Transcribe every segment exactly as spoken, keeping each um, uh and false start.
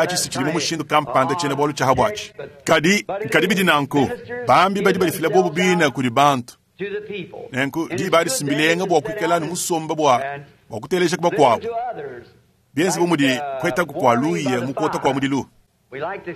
Aci si cidi mu mushindu kampanda tshiena-bwalu cya habwaci. Kadi, kadi bidi nanku, bambi badi badifila bobo bine kudi bantu. Nenku diba adi si mbilenga bwa kwikala ne musomba bwa, bwa kuteleja bakwabo. Byenze bu mudi kwetaku kwa luya mu kwota kwa mudilu.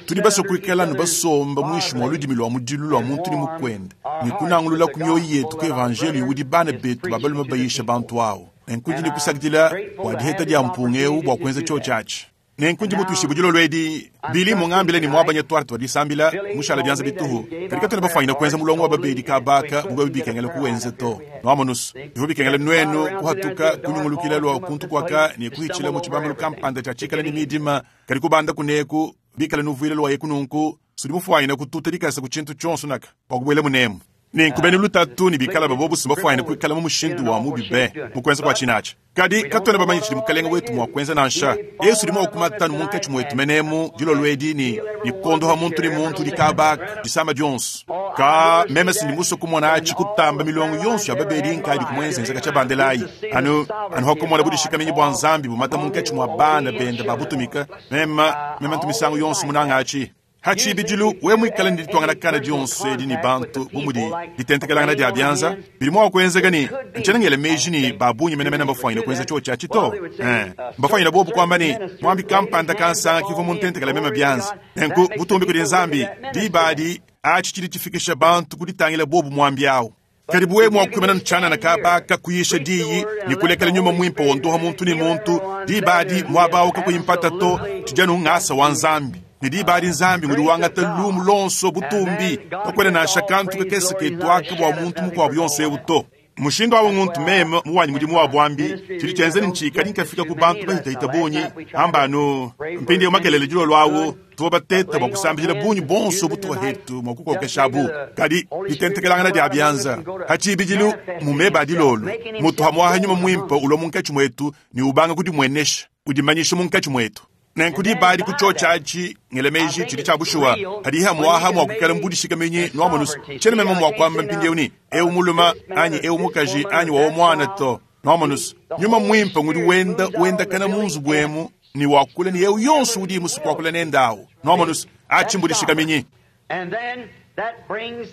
Tudi baswe kwikala ne basomba mwinshi mwa ludimi lwa mudilu lwa muntu ne mukwende, ne kunangulula ku mioyo yetu ku evanjeliyo udi bana betu ba balume bayisha bantu awu. Nenku ndi ne kusakidila bwa diheta dya mpunga ewu bwa kwenza cyoci aci. Nenku ndi mutuishibue dilolo edi Bili mungambile ne muabanya twarte twa disambila mushala bianza bituhu. Kadi katuena bafwanyina kuenza mulongo wa babedi kabaka bubwe bikengela kuwenza to. Nwamonusu bivua bikengela nuenu kuhatuka kunyungulukila lwa kuntu kwaka ne kuhitshila mu tshibambalu kampanda tshia tshikala ne midima kadi kubanda kuneku bikala nuvuile lwa yeku nunku sudi mufwanyina kututa dikasa ku tshintu tshionso naka bua kubuela munemu. Nenku bene lutatu ne bikala babobusu bafwanyina kuikala mu mushindu wa mubi be mu kuenza kua tshinatsha. Kadi katuena bamanye tshidi mukalenga wetu mua kuenza nansha. Yesu udi mua kumatanu munkatshi mwetu menemu dilolo edi ni ni kondoha muntu ni muntu dikabaka disama dionso. Ka meme sindi musue kumona atshi kutamba milongo yonso ya babedi nkadi kumwenzenzeka tshia bandelayi. Anu anu hakumona budishikamenyi bua Nzambi bumata munkatshi mua bana benda babutumika. Mema mema ntumisango yonso munanga atshi. Hatshibidilu we mwikala ndi ditwangana kana dionso edi ni bantu bumudi ditentekelangana dia bianza bidi mua kuenzeka ni ntshena ngela meji ni babunyi menemene mbafwanyina kuenza tsho tshia tshito eh mbafwanyina bobu kwamba ni mwambi kampanda kansanga kivua muntentekela mema bianza. Nenku butumbi kudi Nzambi dibadi atshi tshidi tshifikisha bantu kuditangila bobu mwambi awu. Kadi buwe mua kuimana ntshana kabaka kuyisha diyi ni kulekela nyuma mwimpe wondoha muntu ni muntu dibadi muaba kakuyimpata to tshijanu ngasa wa Nzambi. Ni dibadi Nzambi ngudi wangata lumu lonso butumbi kakwena nansha kantu kakese ketwaka bua muntu mukuabu yonso ewu to. Mushindu awu muntu meme muwanyi mudimu wa bwambi tshidi tshienza ntshikadi nkafika ku bantu bahitahita bunyi ambanu mpindieu makelele dilolo awu tuvua bateta bua kusambila bunyi bonso butuwa hetu mua kukokeshabu. Kadi ditentekelangana dia bianza hatshibidilu mumeba dilolo mutu hamwaha nyuma mwimpe ulwa munkatshi mwetu ni ubanga kudimwenesha udimanyisha munkatshi mwetu. Nenku dibadi ku tsho tshatshi ngele meji tshidi tshia bushuwa hadi mwaha mwa kukala mbudishikamenyi nwamonusu tshene meme mwa kwamba mpindieu ni eu muluma anyi eu mukaji anyi wawo mwana to nwamonusu nyuma mwimpe ngudi wenda wenda kana munzu bwemu ni wakula ni eu yonso udi musu wakula nendawo nwamonusu atshi mbudishikamenyi.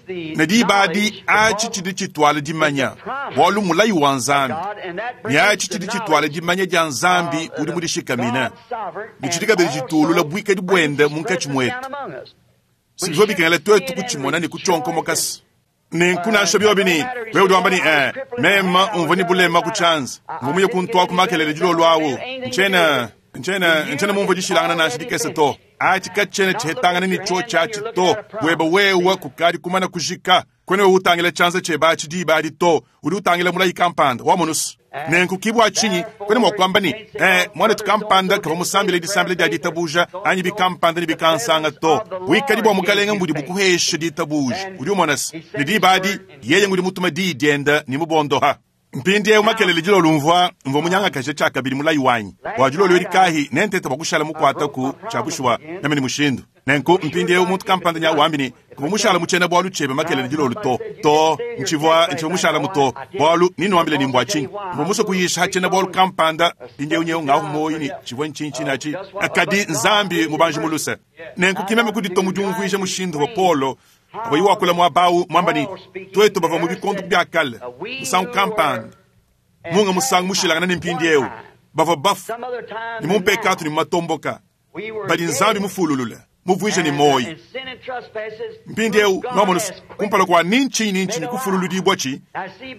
Ne dibadi atshi tshidi tshitwala dimanya bualu mulayi wa Nzambi ne atshi tshidi tshitwala dimanya dia Nzambi udi mudishikamina ne tshidi kabidi tshitulula buikadi buende munkatshi mwetu. Sibivua bikengela twetu kutshimona ne kutshionkomokasa. Nenku nansha biobi ni wewe udi wamba ni eh mema umvua ni bulema ku tshianza mvua muye kuntua ku makelele dilolo awu ntshena ntshena ntshena mumvua dishilangana nansha dikese to. Atshi katshena tshihetangana ni tsho tshatshi to weba wewa kukadi kumana kujika kwene wewe utangila tshianza tshieba atshi dibadi to udi utangila mulayi kampanda wamonusu. Nenku kibwa tshinyi kwene mua kuamba ni eh mwana tukampanda kava musambile disambile dia ditabuja anyi bikampanda ni bikansanga to buikadi bua mukalenga mbudi bukuhesha ditabuja udi umonasi ni dibadi yeye ngudi mutuma di dienda ni mubondoha. Mpindieu makelele dilolo mvua mvua munyangakaje tshia kabili mulayi wanyi bua dilolo edi kahi nentete bua kushala mukuataku tshia bushuwa name ni mushindu. Nenku mpindieu muntu kampanda nya wambi ni kuva mushala mutshena bualu tshiebe makelele dilolo to to ntshivua ntshivua mushala muto bualu ninuambile ni mbua tshinyi mvua musue kuyisha hatshena bualu kampanda mpindieu nyeu ngahu moyi ni tshivua ntshintshi natshi kadi Nzambi mubanji muluse. Nenku kimeme kudito mudiumvuija mushindu wa Polo ava wakula muabawu mwamba ni twetu bava mu bikondu bia kale musangu kampanda munga musangu mushilangana ni mpindieu bava bafu ni mumpekatu ni mumatomboka badi Nzambi mufululule muvuije ni moyi mpindieu nwamonusu kumpala kua nintshi nintshi ni kufululudibwa tshi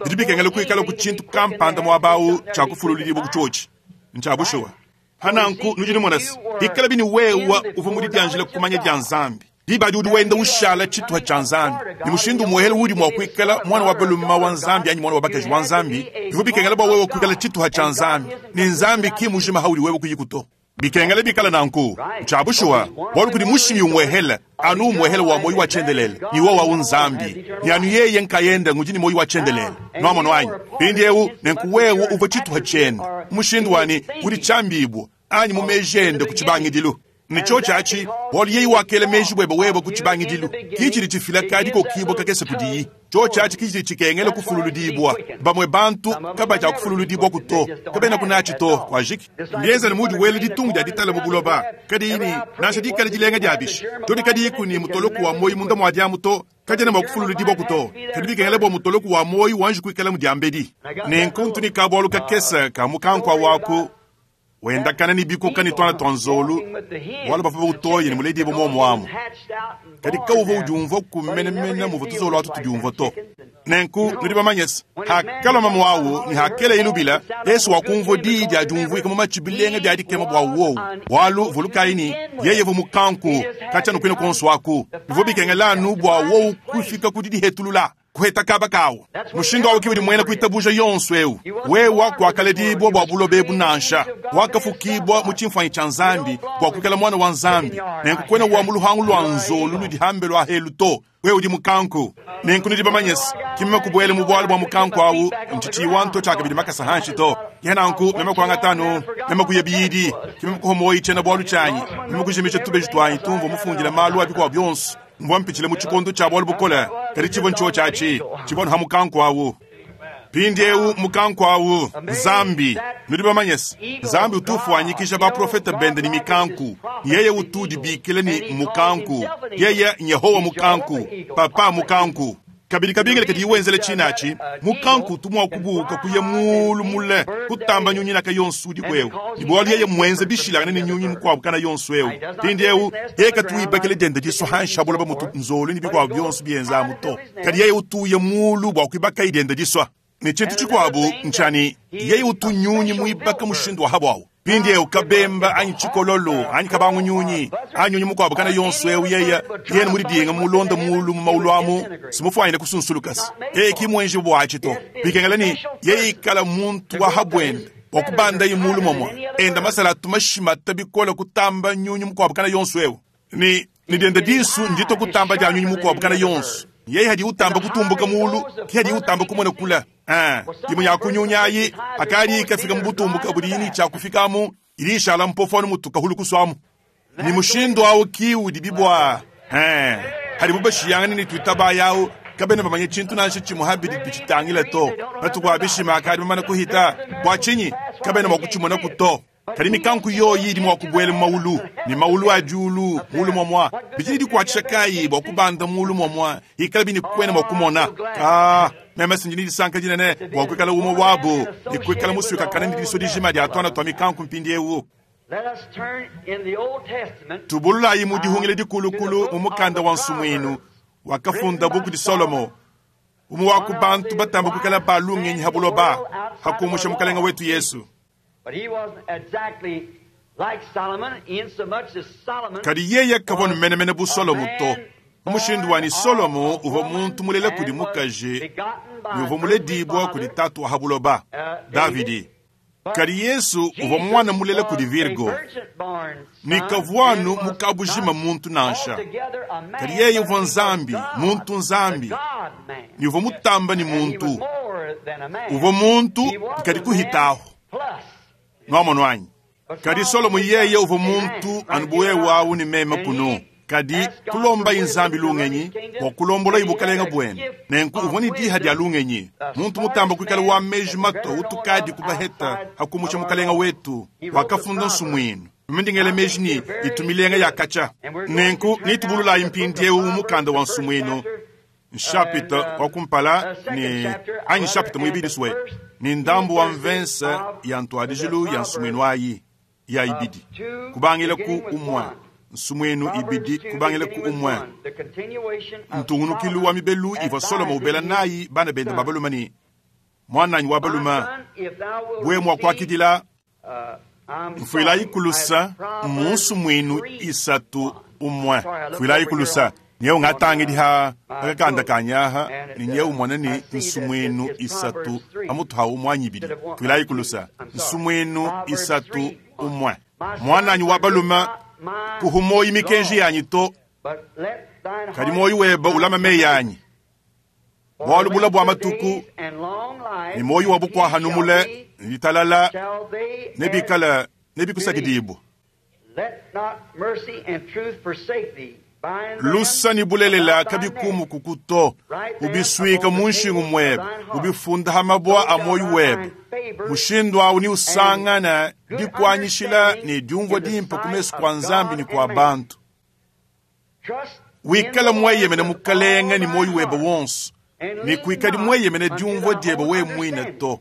bidi bikengela kuikala ku tshintu kampanda muabawu tshia kufululudibwa kutshotshi ntshia bushuwa. Hananku nudi nimonasi ikala bini wewa uvua mudidianjila kumanya dia Nzambi dibadi udi wenda ushala tshituha tshia Nzambi ni mushindu muhele udi mua kuikala mwana wa baluma wa Nzambi anyi mwana wa bakaji wa Nzambi bivua bikengela bua wewe kuikala tshituha tshia Nzambi ni Nzambi ki mujima haudi wewe kuyikuto bikengela bikala nanku tshia bushuwa bualu kudi mushimi umuhele anu umuhele wa moyi wa tshiendelele ni wowa wu Nzambi ni anu yeye nkayenda ngudi ni moyi wa tshiendelele nwamono anyi mpindieu nenku wewe uvua tshituha tshiende mushindu wani udi tshiambibwa anyi mumejende ku tshibangidilu. Ni tsho tshatshi bualu yeye wakela meji bwebe webe ku tshibangidilu kichidi tshifila kadi kokibwa kakese kudiyi tsho tshatshi kichidi tshikengela kufululudibwa bamwe bantu kabaja kufululudibwa kuto kabena kunatshi to kwajiki mbienzele mudi wele ditungu dia ditala mu buloba kadi ini nansha dikala dilenga dia bishi to dikadi kuni mutoloku wa moyi munda mwa diamu to kadi na kufululudibwa kuto kadi bikengela bua mutoloku wa moyi wanji kuikala mu diambedi nenku ntuni ka bualu kakese ka mukankwa waku Wendakana ne bikoka ne tuana tua nzolu, bualu bavua bautoye ne muledibue muomu amu. Kadi kawuvua udiumvua kumenemene muvua tuzolu atu tudiumvua to. Nenku nudi bamanye se, hakalua mamu awu ne hakela ilubila, Yesu wakumvua diyi dia diumvuika mu matshi bilenga bia dikema bua wowu. Bualu vulukayi ne, yeye uvua mukanku katshia nukwina konso aku. Bivua bikengela anu bua wowu kufika ku didihetulula. Kuheta kaba kawu. Mushindu awu ke udi muena kuitabuja yonso ewu. Wewa kuakaledibua bua buloba ebu nansha. Wakafukibua mu tshimfuanyi tshia Nzambi bua kuikala mwana wa Nzambi. Nenku kuena wa mu luhangu lua nzolu ludi hambe lua helu to. Wewe udi mukanku. Nenku nudi bamanye se, kimeme kubuela mu bualu bua mukanku awu, ntshitshiwa nto tshiakabidi makasa hanshi to. Ke nanku, meme kuangatanu, meme kuya biyidi, kimeme kuhomoyi tshiena bualu tshianyi, meme kujimisha tubeji tuanyi tumvua mufundila malu a bikuabu bionso. Mvua mpitshile mu tshikondo tshia bualu bukole, kadi tshivua ntshio tshiatshi, tshivua nuha mukanku awu. Mpindiewu mukanku awu, Nzambi, nudi bamanye se, Nzambi utu ufuanyikija baprofeta bende ne mikanku. Yeye utu udibikila ne mukanku. Yeye Nyehowa mukanku, papa mukanku. Kabidi kabingile kadi wenzela tshinatshi, mukanku utu mua kubuka kuya mulu mule, kutamba nyunyi naka yonso udi kwewu. Ne bualu yeye mwenze bishilangane ne nyunyi mukuabu kana yonso ewu. Mpindiewu, yeye katu wibakila diende disu hansha buloba mutu nzolu ne bikuabu bionso bienza to. Kadi yeye utuya mulu bua kuibaka diende disua. Ne tshintu tshikuabu ntshani, yeye utu nyunyi muibaka mushindu wa habwawu. Mpindiewu kabemba anyi tshikololo anyi kabangu nyunyi anyi nyunyi mukuabu kana yonso ewu yeye yene mudidinga mulonda mulu mu maulu amu simufuanyine kusunsulukasa. Yeye ki mwenji bwatshi to. Bikengela ni yeye ikala muntu wa habwende bua kubandaye mulu momwa enda masala atu bikole kutamba nyunyi mukuabu kana yonso ewu. Ni ni diende disu ndito kutamba dia nyunyi mukuabu kana yonso. Yeye hadi utamba kutumbuka mulu, ki hadi utamba kumona kula. Ah, imwe ya kunyunyayi akali ikafika mubutumbuka buli yini cha kufikamu ilishala mpofo mutuka hulu kuswamu. Ni mushindo awu ki udi bibwa. Eh, hadi bubashiyangana ni twitaba yawo kabena bamanye tshintu nansha tshimwe habidi bichitangila to. Batukwa bishima akali bamana kuhita bwa chinyi kabena mwakuchimona kuto. Kadi mikanku yoyi idi mwa kubwela maulu ni maulu a julu mulu momwa bijidi dikuatshisha kayi bua kubanda mulu momwa ikala bini kwena mwa kumona. Ah, meme sinjini disanka dinene bua kuikala umwe wabo ni kuikala musuka kana ni diso dijima dia tuana tua mikanku mpindiewu. Tubululayi mu dihungile dikulukulu mu mukanda wa nsumuinu wakafunda buku di Solomo. Umwe wa ku bantu batamba kuikala balungenyi habuloba hakumusha mukalenga wetu Yesu. Kadi yeye kavua numenemene bu Solomo to. Mushindu wani Solomo uvua muntu mulela kudi mukaji ne uvua muledibua kudi tatu wa habuloba Davidi. Kadi Yesu uvua mwana mulela kudi Virgo. Ni kavuanu mukabujima muntu nansha. Kadi yeye uvua Nzambi, muntu Nzambi. Ni uvua mutamba ni muntu. Uvua muntu kadi kuhitaho. Nwamono anyi. Kadi Solomo yeye uvua muntu anubuwe wawu ni meme kuno. Kadi kulomba inzambi lungenyi bua kulombola ibukalenga bwene. Nenku uvua ni diha dia lungenyi. Muntu mutamba kuikala wa meji mato utukadi kubaheta hakumusha mukalenga wetu wakafunda nsumuinu. Mimindingele meji ni itumilenga ya kacha. Nenku nitubululayi mpindiewu mukanda wa nsumuinu. Nshapita wa kumpala ni anyi nshapita muibidi swe. Ni ndambu wa mvensa ya ntwadijilu ya nsumuinu ayi ya ibidi. Kubangila ku umwe. Nsumuinu ibidi kubangila ku umwe. Ntungunukilu wa mibelu ivua Solomo ubela nayi bana bende babaluma ni mwananyi wa baluma bwe mwa kuakidila mfuilayi kulusa mu nsumuinu isatu umwe. Mfuilayi kulusa nyeu ngatangi ha akakanda kanyaha ni nyeu mwana ni nsumuinu isatu amutu ha umwanyi ibidi. Mfuilayi kulusa nsumuinu isatu umwe. Mwananyi wa baluma kuhumoyi mikenji yanyi to kadi moyi weba ulama meyi yanyi. Bualu bula bua matuku ni moyi wa bukwaha numule litalala nebikala nebikusakidibwa. Lusa ni bulelela kabikumu kukuto ubiswika munshingu mwebe ubifunda hamabwa a moyi webe. Mushindu awu ni usangana dikwanyishila ni diumvua dimpa kumesu kwa Nzambi ni kwa bantu. Wikala mweyemene mukalenga ni moyi webe wonso ni kuikadi mweyemene diumvua diebe we mwine to.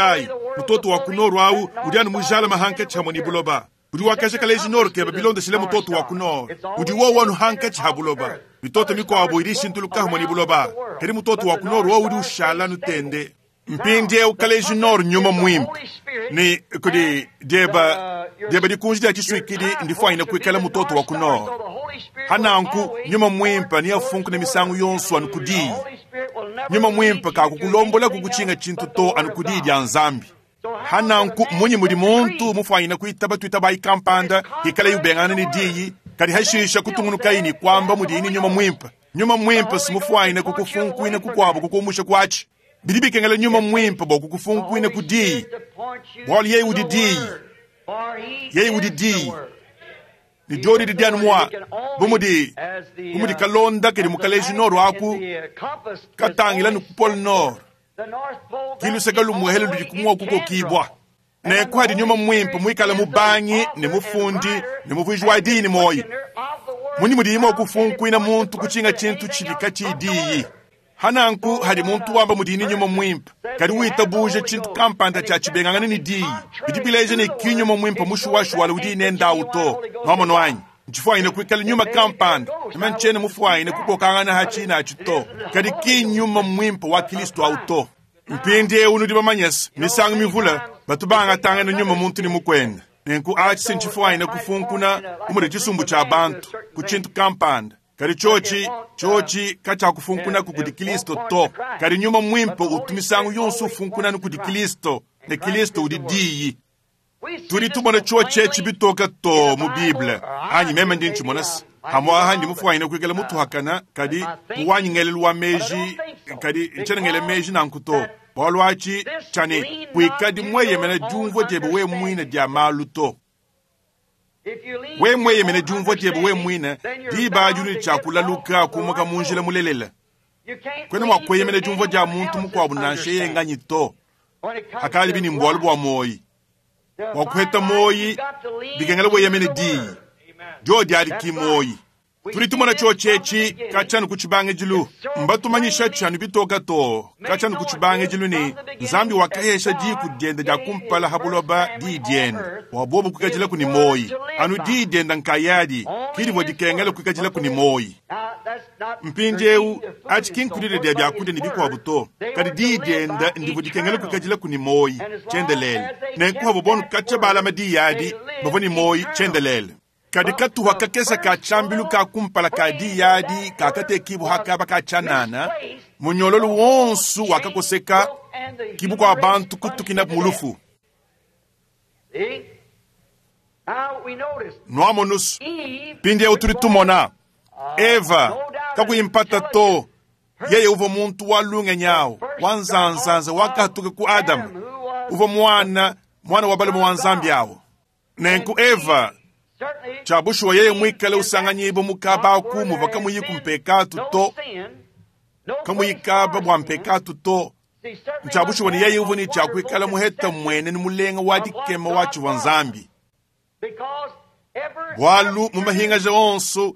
kaayi, mutoto wa ku nord awu udi anu mujalame hankatshi hamwe ne buloba. Udi wakaja kaleji nord kebe bilondeshile mutoto wa ku nord. Udi wowu anu hankatshi ha buloba. Mitoto mikuabo idi ishintuluka hamwe ne buloba. Kadi mutoto wa ku nord wowu udi ushala nutende. Mpindieu kaleji nord nyuma muimpe. Ne kudi dieba Diebe dikunji dia tshisuikidi ndifwanyine kuikala mutoto wa ku nord. Hananku nyuma mwimpe neafunkune misangu yonso anu ku diyi. Nyuma mwimpe kakukulombolaku kutshinga tshintu to anu ku diyi dia Nzambi. Hananku munyi mudi muntu mufwanyine kuitaba tuitabayi kampanda ikala yubengana ne diyi kadi hashisha kutungunukayi ne kwamba mudiyi ne nyuma mwimpe. Nyuma mwimpe simufwanyine kukufunkuina kukwabo kukumusha kwatshi. Bidi bikengela nyuma mwimpe bua kukufunkuina ku diyi. Bualu yeye udi diyi. Yeye udi diyi. Ni diodi didi anu mua bu mudi, bu mudi kalonda kadi mukaleji nord aku katangila ni ku pole nord. Kiluseka lumuhele ludi kumua kukokibwa. Nenku hadi nyuma mwimpe muikala mubangi ne mufundi ne muvuiji wa diyi ne moyi. Munyi mudi imua kufunkuina muntu kutshinga tshintu tshibi katshiyi diyi. Hananku hadi muntu wamba mudi ni nyuma mwimpe kadi witabuja tshintu kampanda tshia tshibengangana ne diyi. Bidi bileja ne ki nyuma mwimpe mushuwashuwala udi nendawu to. Nwamono anyi? Ntshifwanyine kuikala nyuma kampanda meme ntshene mufwanyine kukokangana hatshi natshi to. Kadi ki nyuma mwimpe wa Kristo awu to. Mpindiewu nudi bamanyese misangu mivula batu bangatangana nyuma muntu ne mukwenda. Nenku atshi se ntshifwanyine kufunkuna umudi tshisumbu tshia bantu ku tshintu kampanda. Kadi tshotshi, tshotshi katshiakufunkuna kudi Kristo to. Kadi nyuma mwimpe utu misangu yonso ufunkuna kudi Kristo, ne Kristo udi diyi. Tudi tumona tshotshi etshi bitoka to mu Bible. Anyi meme ndi ntshimona se. Hamwaha ndi mufwanyine kuikala mutuhakana, kadi muwanyi ngelelu wa meji, kadi ntshena ngele meji nanku to. Bualu atshi tshia ne kuikadi mweyemena diumvua diebe we mwine dia malu to. We mweyemena diumvua diebe we mwine, diba adi udi tshiakulaluka kumuka mu njila mulelela. Kwena mua kueyemena diumvua dia muntu mukuabu nansha yeye nganyi to. Hakali bini mbualu bua moyi. Bua kuheta moyi, bikengela weyemene diyi. Dio diadi ki moyi. Tudi tumona tshotshi etshi katshia ku tshibangidilu. Mbatumanyisha tshia bitoka to katshia ku tshibangidilu ne Nzambi wakahesha diku diende dia kumpala ha buloba diyi diende. Bua bobu kuikadilaku ne moyi. Anu diyi diende nkayadi kidivua dikengela kuikadilaku ne moyi. Mpindiewu atshi ki nkulile dia biakudia ne bikuabu to. Kadi diyi diende ndivua dikengela kuikadilaku ne moyi tshiendelele. Nenku habo bonu katshia balama diyi adi bavua ne moyi tshiendelele. Kadi katuha kakesa ka tshiambilu ka kumpala ka diyi adi kakatekibua hakaba ka tshianana, munyololo wonso wakakoseka kibu kua bantu kutukina mulufu. Nwamonusu mpindiewu tudi tumona Eva kakuyimpata to. Yeye uvua muntu wa lungenyi awu wa nzanzanza wakatuka ku Adamu, uvua mwana, mwana wa balume wa Nzambi awu. Nenku Eva tshia bushuwa yeye mwikale usanganyibo mukaba aku muvua kamuyi kumpekatu to, kamuyikaba bua mpekatu to. Tshia bushuwa ne yeye uvua ne tshiakuikala muheta mwene ne mulenga wa dikema wa tshivua Nzambi. Bualu mu mahingaja onso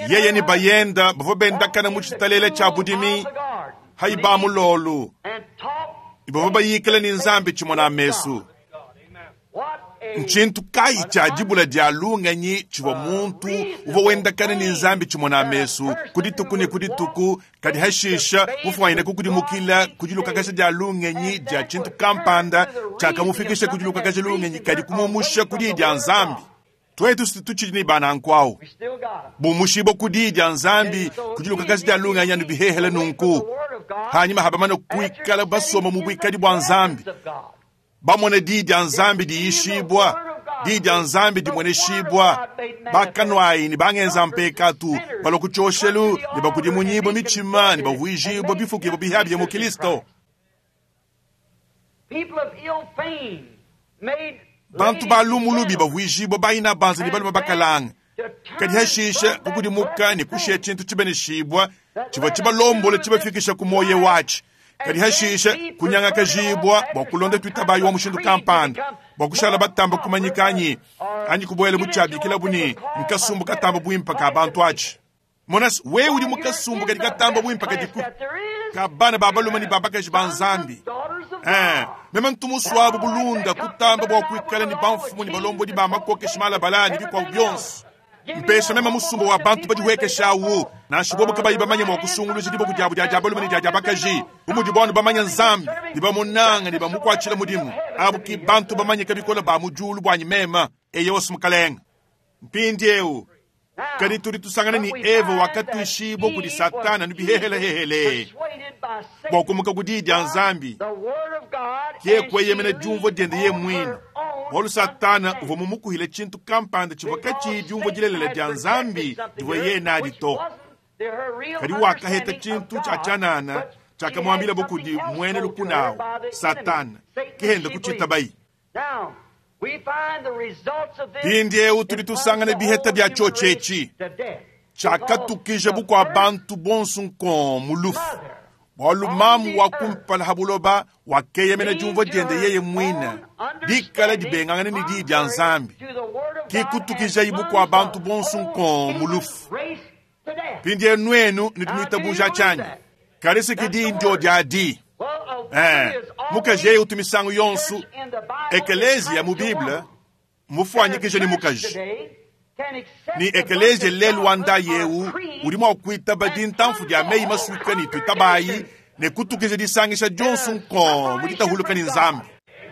yeye ne bayenda bavua bendakana mu tshitalela tshia budimi hayi ba mulolu. Bavua bayikala ne Nzambi tshimona mesu. Ntshintu kayi tshia dibula dia lungenyi tshivua muntu uvua wendakana ne Nzambi tshimona mesu ku dituku ne ku dituku, kadi hashisha mufwanyine kukudimukila ku dilukakasha dia lungenyi dia tshintu kampanda tshiakamufikisha ku dilukakasha lungenyi kadi kumumusha ku diyi dia Nzambi. Twetu tutshidi ne bananku awu. Bumushibwa ku diyi dia Nzambi ku dilukakasha dia lungenyi anu bihehele nunku. Hanyuma habamana kuikala basoma mu buikadi bua Nzambi. Bamone diyi dia Nzambi diishibwa, diyi dia Nzambi dimweneshibwa. Bakanwayi ne bangenza mpekatu, balua ku tshioshelu ne bakudimunyibwa mitima ne bavuijibwa bifukibwa bihabye mu Kristo. Bantu ba lumu lubi bavuijibwa bayina banza ne balume bakalanga. Kadi hashisha kukudimuka ne kushia tshintu tshibeneshibwa tshivua tshibalombola tshibafikisha ku moyo watshi. Kadi hashisha kunyangakajibwa bua kulonda tuitabayi wa mushindu kampanda, bua kushala batamba kumanyika anyi, anyi kubuela mu tshiabikila bu ne nkasumbu katamba buimpe ka bantu atshi. Monas, wewe udi mukasumbu kadi katamba buimpe kadi ku ka bana ba balume ne ba bakaji ba Nzambi. Eh, meme ntumuswabu bulunda kutamba bua kuikala ne bamfumu ne balombodi ba makokeshi malabala ne bikuabu bionso. Mpesha meme musumba wa bantu badiwekesha awu, nansha bobo kabayi bamanye mua kusunguluja diboko diabu dia dia balume ne dia dia bakaji. Bu mudi banu bamanya Nzambi, ne bamunanga ne bamukuatshila mudimu. Abu ki bantu bamanye kabikola ba mu diulu buanyi mema. Eyowa mukalenga. Mpindieu kadi tudi tusangana ni Eva wakatuishibwa kudi Satana nibihehelehehele bua kumuka ku diyi dia Nzambi ke kueyemena diumvua diende ye muine bualu Satana uvua mumukuhile tshintu kampanda tshivua katshiyi diumvua dilelela dia Nzambi divua ye nadi to. Kadi wakaheta tshintu tshia tshianana tshiakamuambilabo kudi muena lukunawu Satana kehenda kutshitabayi. Mpindieu tudi tusangana biheta bia tshiotshi etshi tshiakatukija bukua bantu bonso nkon mu lufu bualu mamu wa kumpala ha buloba wakeyemena diumvua diende yeye muine dikala dibengangana ne diyi dia Nzambi kikutukijayi bukua bantu bonso nkon mu lufu. Mpindieu nuenu nudi nuitabuja tshianyi kadi siki diyi ndio dia di eh mukaji yeye utu misangu yonso ekelezia mu Bible mufuanyikije ni mukaji ni ekelezia lelu wa nda yewu udi mua kuitaba dintamfu dia meyi masuika ni tuitabayi ne kutukija disangisha dionso nkon mu ditahuluka ni Nzambi.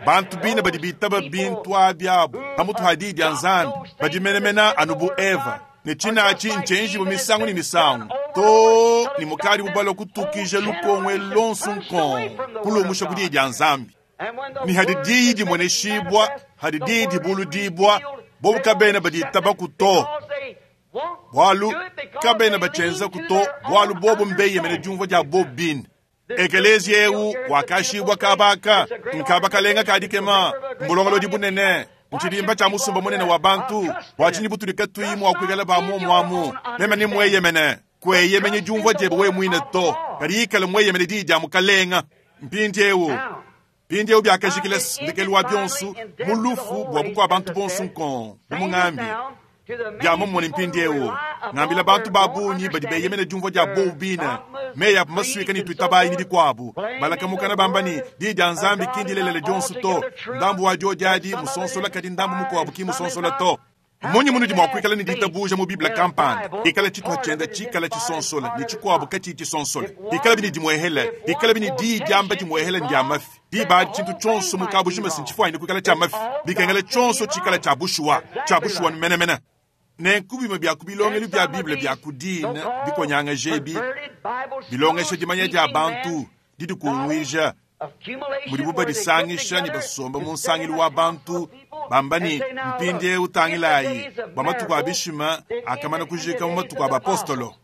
Bantu bine badi bitaba bintu abiabu pamutu ha diyi dia Nzambi badi menemena anu bu Eva ne tshinachi nchenji bu misangu ni misangu to ni mukali bubala kutukija lukongwe lonso nkon kulumusha ku diyi dia Nzambi. Ni hadi diyi dimoneshibwa hadi diyi dibuludibwa bobu kabena baditaba kuto bualu kabena bachenza kuto bualu bobu mbeyemene diumvua dia bobu bine. Ekelezia eu wakashibwa kabaka nkabakalenga kadikema mbulongolodi bunene nchilimba cha musumba munene wa bantu bwachinyi butulika tuyi mwa kuikala ba momwamu meme ni mweyemene kweyemenye diumvua diebe we muine to kadi ikala mweyemene diyi dia mukalenga. Mpindieu mpindieu biakajikila ndekelu wa bionso mu lufu bua bukua bantu bonso nkon bumungambi bia momone mpindieu ngambila bantu ba bungi badi beyemene diumvua dia bobu bine meyi apo masuika ni tuitabayi ni bikuabu balakamukana bamba ni diyi dia Nzambi kindilelela dionso to ndambu wa dio diadi musonsola kadi ndambu mukuabu ki musonsola to. Munyi munudi mua kuikala ni ditabuja mu Biblia kampanda ikala tshituha tshienda tshikala tshisonsola ni tshikuabu katshiyi tshisonsola ikala bini dimuehela ikala bini diyi diamba dimuehela ndia mafi diba tshintu tshionso mukabujima sintshifuanyine kuikala tshia mafi bikengela tshionso tshikala tshia bushuwa tshia bushuwa menemene. Nenku bimue bia ku bilongelu bia Bible bia ku dina bikonyangaje ebi bilongesha dimanya dia bantu didikunguija mudibu badisangisha ne basomba mu nsangilu wa bantu bamba ni mpindieu tangilayi bua matuku a bishima akamana kujika mu matuku a bapostolo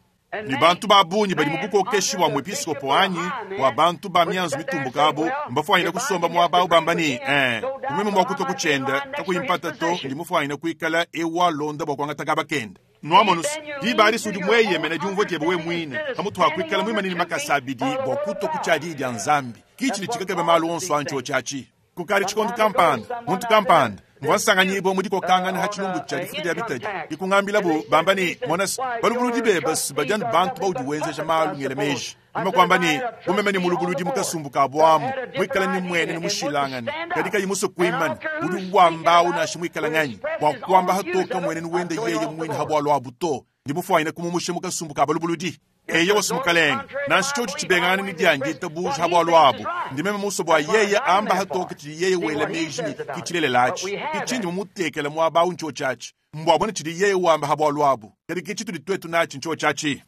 ni bantu ba bungi badi mu bukokeshi bua muepiskopo anyi bua bantu ba mianzu mitumbuka abo mbafuanyine kusomba muaba awu bamba ni eh kumeme mua kutua kutshienda kakuyimpata to ndi mufuanyine kuikala ewalonda bua kuangata kaba kenda. Nuamonusi diba adi udi mweyemene diumvua diebe we muine pamutu ha kuikala muimanini makasa abidi bua kutua ku tshia diyi dia Nzambi kichi tshikakebe malu onso antsho tshiatshi kukali tshikondo kampanda muntu kampanda mvua nsanganyibwa mu dikokangana ha tshilumbu tshia difuka dia bitadi dikungambila bamba ni monasi balubuludi beba badianu bantu baudi wenzeja malu ngele meji nimakwamba ni bumeme ni mulubuludi mukasumbu ka bwamu mwikala ni mwene ni mushilangane kadi kayi muso kuimana udi wambawu nashi mwikala nganyi bua kuamba hatoka mwene ni wende yeye mwine habwalo abu to ndi mufuanyine kumumusha mukasumbu ka balubuludi. Eyo wasi mukalenga nansi tshotshi tshibengana ni diangi itabuja habwalo abu ndi meme muso bua yeye amba hatoka tshidi yeye wela meji ni kitshilelela atshi kitshindi mumutekela muaba awu ntshio tshiatshi mbwabona tshidi yeye wamba habwalo abu kadi kitshi tudi twetu natshi ntshio tshiatshi.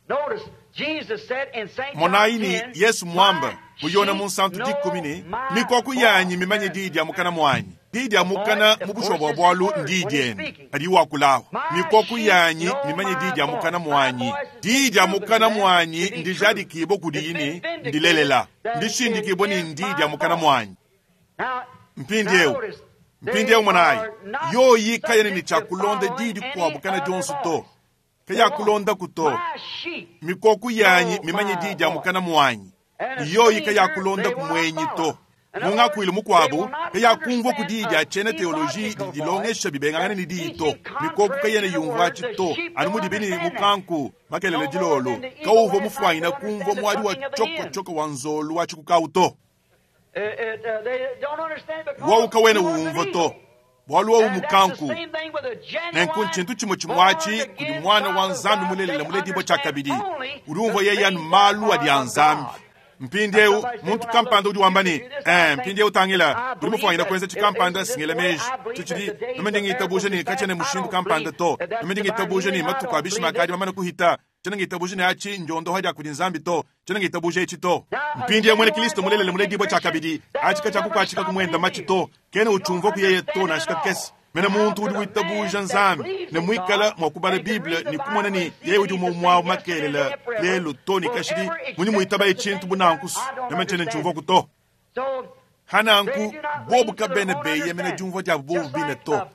Monayi ni Yesu mwamba muyona mu nsantu dikumi ni mikoko yanyi mimanye diyi dia mukana mwanyi diyi dia mukana mu bushuwa bua bualu ndiyi diende kadi wakulawu mikoko yanyi mimanye diyi dia mukana mwanyi diyi dia mukana mwanyi ndijadikibwa kudi yini ndilelela ndishindikibwa ni ndiyi dia mukana mwanyi. Mpindieu mpindieu monayi yoyi kayene ni tshiakulonda diyi dikuabu kana dionso to kayakulonda kuto mikoko yanyi mimanye diyi dia mukana mwanyi yoyi kayakulonda kumwenyi to. Mungakuile mukuabu kayakumvua ku diyi dia tshiena teoloji didi dilongesha bibengangane ni diyi to mikoko kayene yumvua atshi to anu mudibi ni mukanku makelele dilolo kauvua mufuanyina kumvua muadi wa tshokotshoko wa nzolu wa tshikukau to wau kawene wumvua to bualu wawu mukanku. Nenku ntshintu tshimue tshimue kudi mwana wa Nzambi mulelela muledibwa tshiakabidi udi umvua yeye anu malu adi a Nzambi. Mpindieu muntu kampanda udi wamba ne, eh, mpindieu tangila, udi mufuanyina kuenza tshikampanda singela meji. Tshitshidi meme ndi ngitabuja ne katshiena mushindu kampanda to. Meme ndi ngitabuja ne matuku a bishima akadi mamane kuhita. Tshiena ngitabuja ne achi ndiondoha dia kudi Nzambi to. Tshiena ngitabuja etshi to. Mpindieu mwene Kristo mulelele muledibua tshiakabidi, achi katshiakukuatshika kumwenda matshi to. Kena uchumvua kuyeye to nansha kakese. Mene muntu udi witabuja Nzambi ne mwikala mwa kubala Bible ne kumona ne yeye udi umwe makelela lelo to ne kashidi muni muitaba echintu bunankusu meme ntshiena ntshiumvua ku to. Hananku bobu kabene beye mene diumvua dia bobu bine to.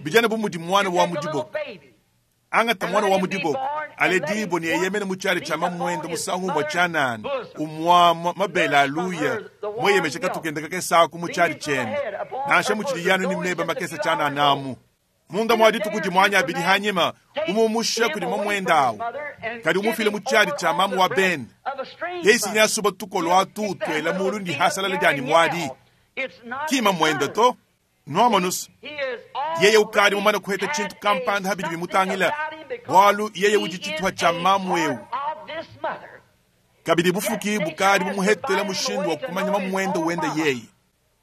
Bijana bu mudi mwana wa mudiboko. Angata mwana wa mudiboko aledibo ne yeye mene muchali cha mamwendo musangu mwa chanana umwa mabela aluya mweyemeshe katukenda kakesa ku muchali chene nansha muchili yanu ni mneba makesa chana namu munda mwadi tukudi mwanya abidi hanyima umumusha kudi mamwenda awu kadi umufile muchali cha mamu wa ben yeisi nyasuba tukolo atu twela mulu ndi hasalala dyani mwadi kima mwenda to Noamanus yeye ukadi mumana kuheta chintu kampanda habidi bimutangila bwalu yeye udi chituha cha mamu eu kabidi bufuki bukadi bumuhetela mushindu wa kumanya mamwenda wenda yeye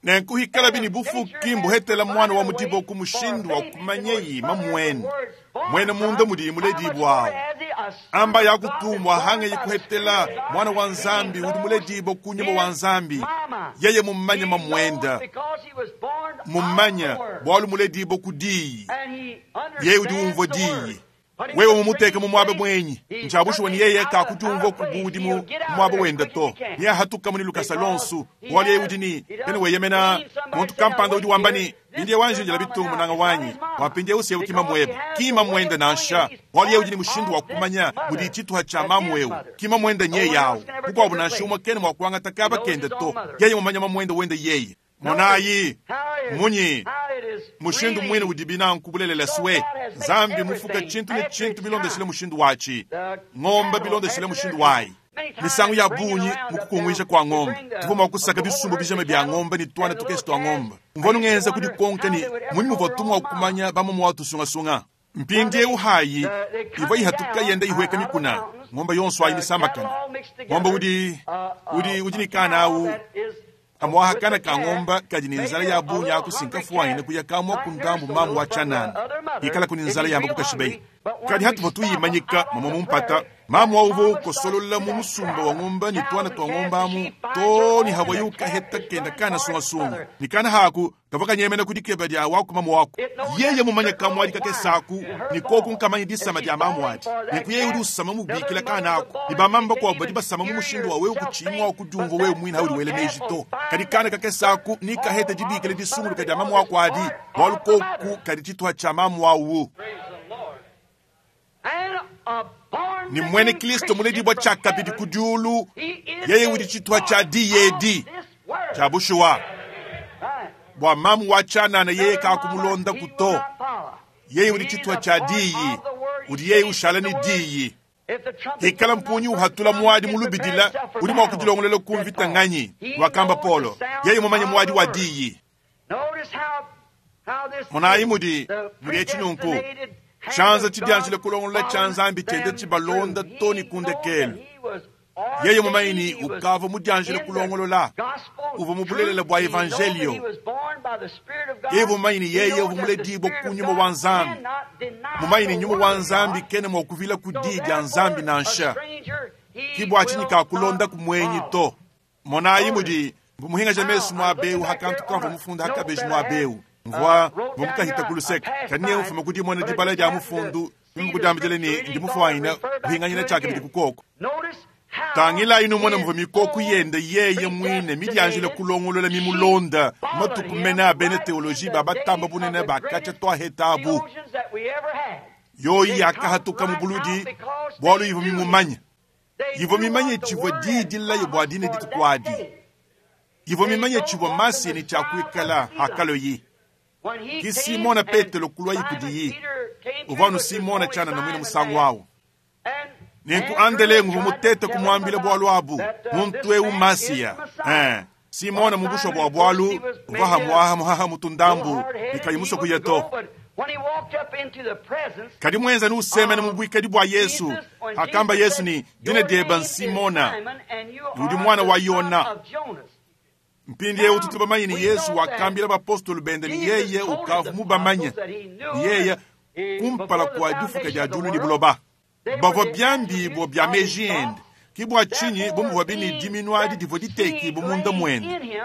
nenkuhikala bini bufuki mbuhetela mwana wa mudibo ku mushindu wa kumanya yi mamwenda mwene munda mudi muledibo awo amba yakutumwa hange yikuhetela mwana wa Nzambi udi muledibo kunyuma wa Nzambi yeye mumanya mamwenda mumanya bwalu muledibo kudiyi yeye udi umvua diyi wewe mumuteke mu mwaba mwenyi nchabushuwa ni yeye kakutumvua kubudi mu mwaba wenda to niye hatuka muni lukasa lonsu bwalu yeye udi ni ene weyemena muntu kampanda udi wamba ni indiye wanjinjila bitungu munanga wanyi wapindiye usiye ukima mweba kima mwenda nansha bwalu yeye udi ni mushindu wa kumanya mudi chituha cha mamu eu kima mwenda nye yawo kukwabu nansha umwe kene mwakuangata kaba kenda to yeye mumanya mamwenda wenda yeye monayi munyi mushindu mwine udi binanku bulelela swe Nzambi mufuka chintu ne chintu bilondeshile mushindu wachi ng'ombe bilondeshile mushindu wayi misangu ya bunyi mukukungwisha kwa ng'ombe tuvuma kusaka bisumbu bijama bya ng'ombe ni twana tukesi twa ng'ombe mvono ngenza kudikonka ni munyi muvua tumwa kumanya bamumu watusungasunga mpindie uhayi iva ihatuka yenda ihweka mikuna ng'ombe yonso ayi misambakana ng'ombe udi udi udi ni kana awu amwaha kana ka ng'omba kadi ni nzala ya bunya akusinka fuwaine kuya kamwa kundambu mamu wa chanana ikala kuni nzala yamba kukashibei kadi hatuva tuyimanyika mama mumpata mamu wauvo ukosolola mu musumba wa ng'omba ni twana twa ng'omba amu to ni hawa yukaheta kenda kana sungasunga ni kana haku kava kanyemena kudikeba dya waku mamu wako yeye mumanya kamwadi kakesaku ni koku nkamanya disama dya mamu adi neku yeye udi usama mubikila kana aku ni bamamba kwabu badi basama mu mushindu wa wewe kuchimwa kudumva wewe mwina haudi wele meji to kadi kana kakesaku ni kaheta dibikila disunguluka dya mamu wako adi bwalu koku kadi chituha cha mamu awu ni mwene Kristo muledibwa chakabidi kudiulu yeye udi chituha cha diyedi cha bushuwa bwa mamu wa chanana yeye kakumulonda kuto yeye udi chituha cha diyi udi yeye ushala ni diyi hikala mpunyi uhatula mwadi mulubidila udi mwa kudilongolela kumvita nganyi wakamba Polo yeye mumanye mwadi wa diyi monayi mudi mudi echinunku chanza chidyanjile kulongola cha Nzambi chende chibalonda to ni kundekelu yeye mumanyi ukava mudyanjile kulongolola uva mubulelela bwa evangelio yeye mumanyi yeye uva muledibo kunyuma wa Nzambi mumanyi nyuma wa Nzambi kene mwakuvila kudi dya Nzambi nansha kibwa chinyi kakulonda kumwenyi to monayi mudi muhinga ja mesu mwabeu hakantu kamva mufunda hakabeji mwabeu mvua vomukahita kuluseka kaniye ufuma kudi mwana dibala dya mufundu mimukudambidile ni ndi mufuanyina kuhinganyina chake bidi kukoko tangila inu mwana mva mikoko yende yeye mwine midyanjile kulongolola mimulonda matuku mene abene teoloji babatamba bunene bakacha twahetabu yoyi yakahatuka mubuludi bwalu ivo mimumanya ivo mimanye chivwa didilayo bwa dine ditukwadi ivo mimanye chivwa masini chakuikala hakalo yi ki Simona Petelo kulwa yikudiyi uvanu Simona chana na mwina musangu wawo nenku andele nguvu mutete kumwambila bwalu abu muntu eu masiya eh Simona mubusho bwa bwalu uvaha mwaha muhaha mutundambu ikayimuso kuyeto Kadi mwenza ni usemene mu bwikadi bwa Yesu, akamba Yesu ni dina deba Simona, udi mwana wa Yona. Mpindi eu tutubamanye ni Yesu wakambila bapostolo bende ni yeye ukavu mubamanye ni yeye kumpala kwa difuka dia dulu ni buloba bavua byambibo bya meji ende kibwa chinyi bumuvua bini diminwadi divua diteki bumunda mwende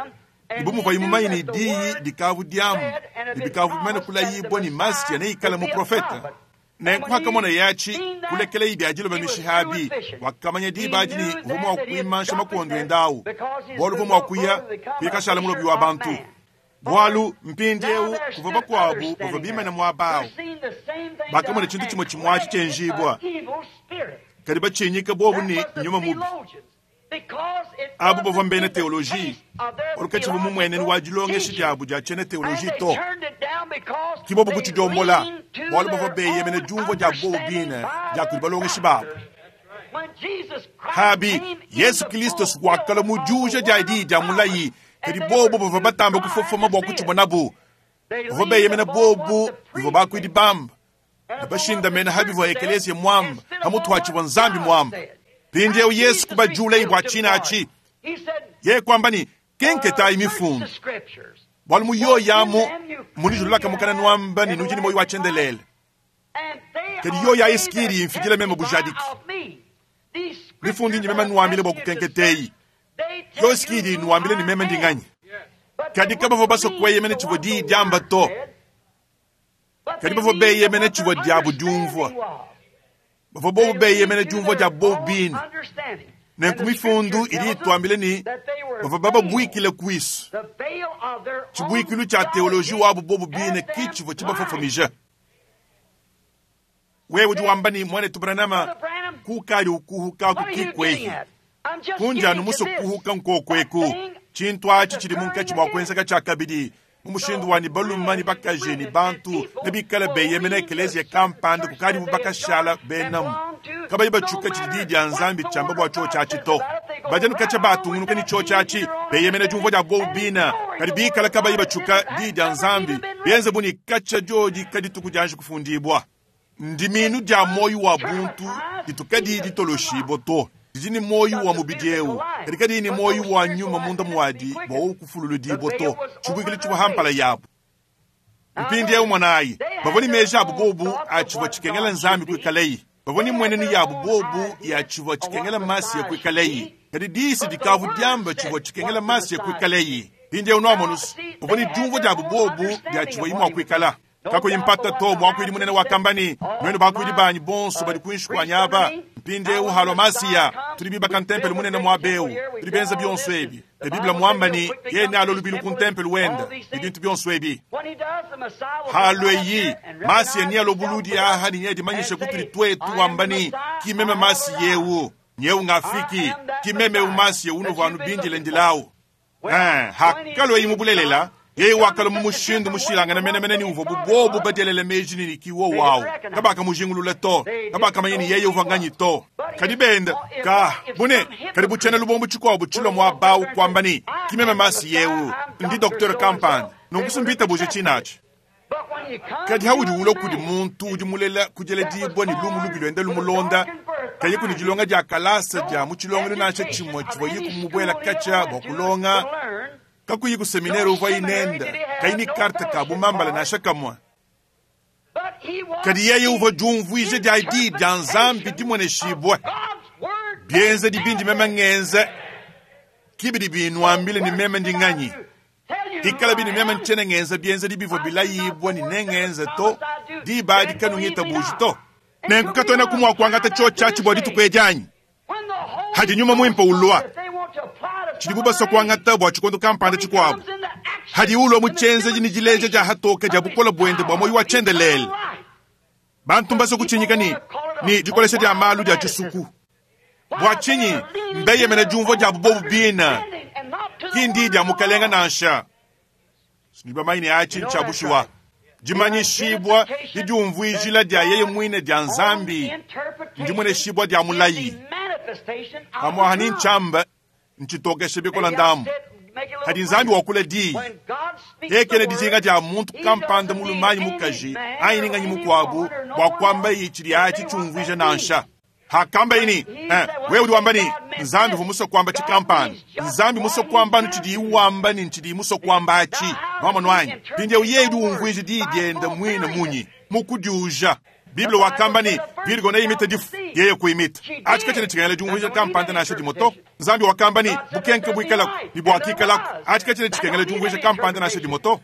ibumuvua imumanye ni diyi dikavu diamu ibikavu bimene kulayibwa ni masiya neikala muprofeta nenkuhakamona yachi kulekela ibi adiloba mishihabi wakamanya diba adi ni uvua mua kuimansha makondo endawu bualu uvua mua kuya kuyikashala mulobi wa bantu bualu mpindi eu kuvua bakuabu bavua bimene muaba awu bakamona tshintu tshimue tshimuatshi tshienjibua kadi batshinyika bobu ni nyuma mubi abu bavua mbena teoloji olukatshivua mumueneni wa dilongesha diabu dia tshiena teoloji to ki bobu kutshidiombola bualu bavua beyemene diumvua dia bobu bine dia kudi balongeshi babu habi Yesu Kristo wakala mu diuja dia diyi dia mulayi kadi bobu bavua batamba kufofoma bua kutshibonabu bavua beyemene bobu bivua bakuidi bamba ne bashindamene habivua ekeleziya mwamba hamuthu nzambi mwamba pindi eu Yesu kubajula ibwa china achi ye kwamba ni kenketayi mifundu bualu muyoyamu munijululaka mukana nwamba ni nujini moyo wachendelele kadi yoya isikiri imfikile meme bujadiki mifundu inji meme nwambile bwa kukenketeyi yo isikiri nwambile ni meme ndinganyi kadi kabavua basokweyemene tshivua diyi diamba to kadi bavua beyemene tshivua diabu diumvua bavua bobu beyemene diumvua dia bobu bine nenku mifundu idi itwambile ni bavua bababwikile kwisu tshibwikilu tshia teoloji wabu bobu bine ki tshivua tshibafofomija wewe udi wamba ni mwanetu Branham kukali ukuhuka kukikwehi kundi anu muso kuhuka nkokweku tshintu atshi tshidi munkatshi mua kuenzeka tshia kabidi mu mushindu wa ni baluma ni bakaji ni bantu ne bikala beyemene ekeleziya kampanda kukadi bubakashala benamu kabayi batshuka tshidi diyi dia nzambi tshiamba bua tshio tshiatshi to bajanu katshia batungunuka ni tshio tshiatshi beyemene diumvua dia bobu bina kadi bikala kabayi batshuka diyi dia nzambi bienze bu ni katshia diodi kadituku dianji kufundibua ndiminu dia moyo wa buntu ditukadi ditoloshibwa to didi ni moyo wa mubidi eu kadi kadi ni moyo wa nyuma munda mwadi bua ukufululudibwa to tshibwikile tshivua hampala yabu mpindi eu mwanayi bavua ni meji abu bobu atshivua tshikengela nzambi kuikaleyi bavua ni mwenenu yabu bobu ya tshivua tshikengela masi ya kuikaleyi kadi disi dikavu diamba tshivua tshikengela masi ya kuikaleyi mpindi eu nuamonusu bavua ni diumvua diabu bobu dia tshivua imua kuikala kakuyimpata to mwakuidi munene wakambani nwenu bakuidi banyi bonso badi kuinshi kwa nyaba mpindi eu halwa masiya tuli bibaka ntempelo munene mwabeu tuli benza bionso ebi e biblia mwambani yene alo lubilu ku ntempelo wenda ibintu bionso ebi halwe yi masiya ni alo buludi aha ni nye dimanyisha kutuli twetu wambani kimeme masi yewu nyeu ngafiki kimeme eu masiya uno vanu bindile ndilawu eh hakalwe yi mubulelela yeye wakala mu mushindu mushilangana menemene ni uvua bubobu badelele meji ni kiwo wawu kabaka mujingulule to kabaka manyini yeye uvua nganyi to kadi benda ka bune kadi buchene lubombu tshikuabu tshilo mua bawu kwamba ni kimeme masi yewu ndi docteur kampanda nunkusumbita buje tshinatshi kadi haudi ulo kudi muntu udi mulela kujeledibwa ni lumu lubi lwende lumulonda kayi kuni dilonga dia kalasa dia mu tshilongelo nansha tshimue tshivua yiku mubwela katshia bua kulonga kakuyi ku seminere uvua inenda kayi ni karte ka bumambala nansha kamwe kadi yeye uvua diumvuija dia diyi dia nzambi dimueneshibue bienze dibindi meme ngenze kibidi binuambile ni meme ndinganyi ikala bini meme ntshiene ngenza bienze dibivua bilayibwa ni nengenze to diba adi kanungita buji to nenku katuena kumua kuangata tshio tshiatshi bua dituku edianyi hadi nyuma muimpe ulua tshidi bubasa kuangata bua tshikondo kampanda tshikuabu hadi ulua mu tshienzeji ni dileja dia hatoka dia bukola buende bua moyo wa tshiendelele bantu mbasa kutshinyika ni ni dikolesha dia malu dia tshisuku bua tshinyi mbeyemene diumvua dia bubobu bina kindi dia mukalenga nansha sinibamayi ne atshi ntshia bushuwa dimanyishibwa didiumvuijila dia yeye mwine dia nzambi ndimueneshibwa dia mulayi pamwaha ni ntshiamba ntshitokeshe bikola ndamu Hadi Nzambi wakula diyi yeye dijinga dia muntu kampanda mulume anyi mukaji anyi ninganyi mukuabu bua kuamba tshidi atshi tshiumvuija nansha. Hakamba ini eh, wewe udi wamba ni Nzambi uvua musue kuamba tshikampanda, Nzambi musue kuamba tshidi wamba ni tshidi musue kuamba atshi nwamonu anyi mpindieu yeye udi umvuija diyi diende mwine munyi mukudiuja. Bible wakamba ni Virgo neimite difu yeye kuimita atshi katshiena tshikengela diumvuija kampanda nansha dimue to. Nzambi wakamba ni bukenke buikalaku ne buakikalako atshi katshiena tshikengela diumvuija kampanda nansha dimue to.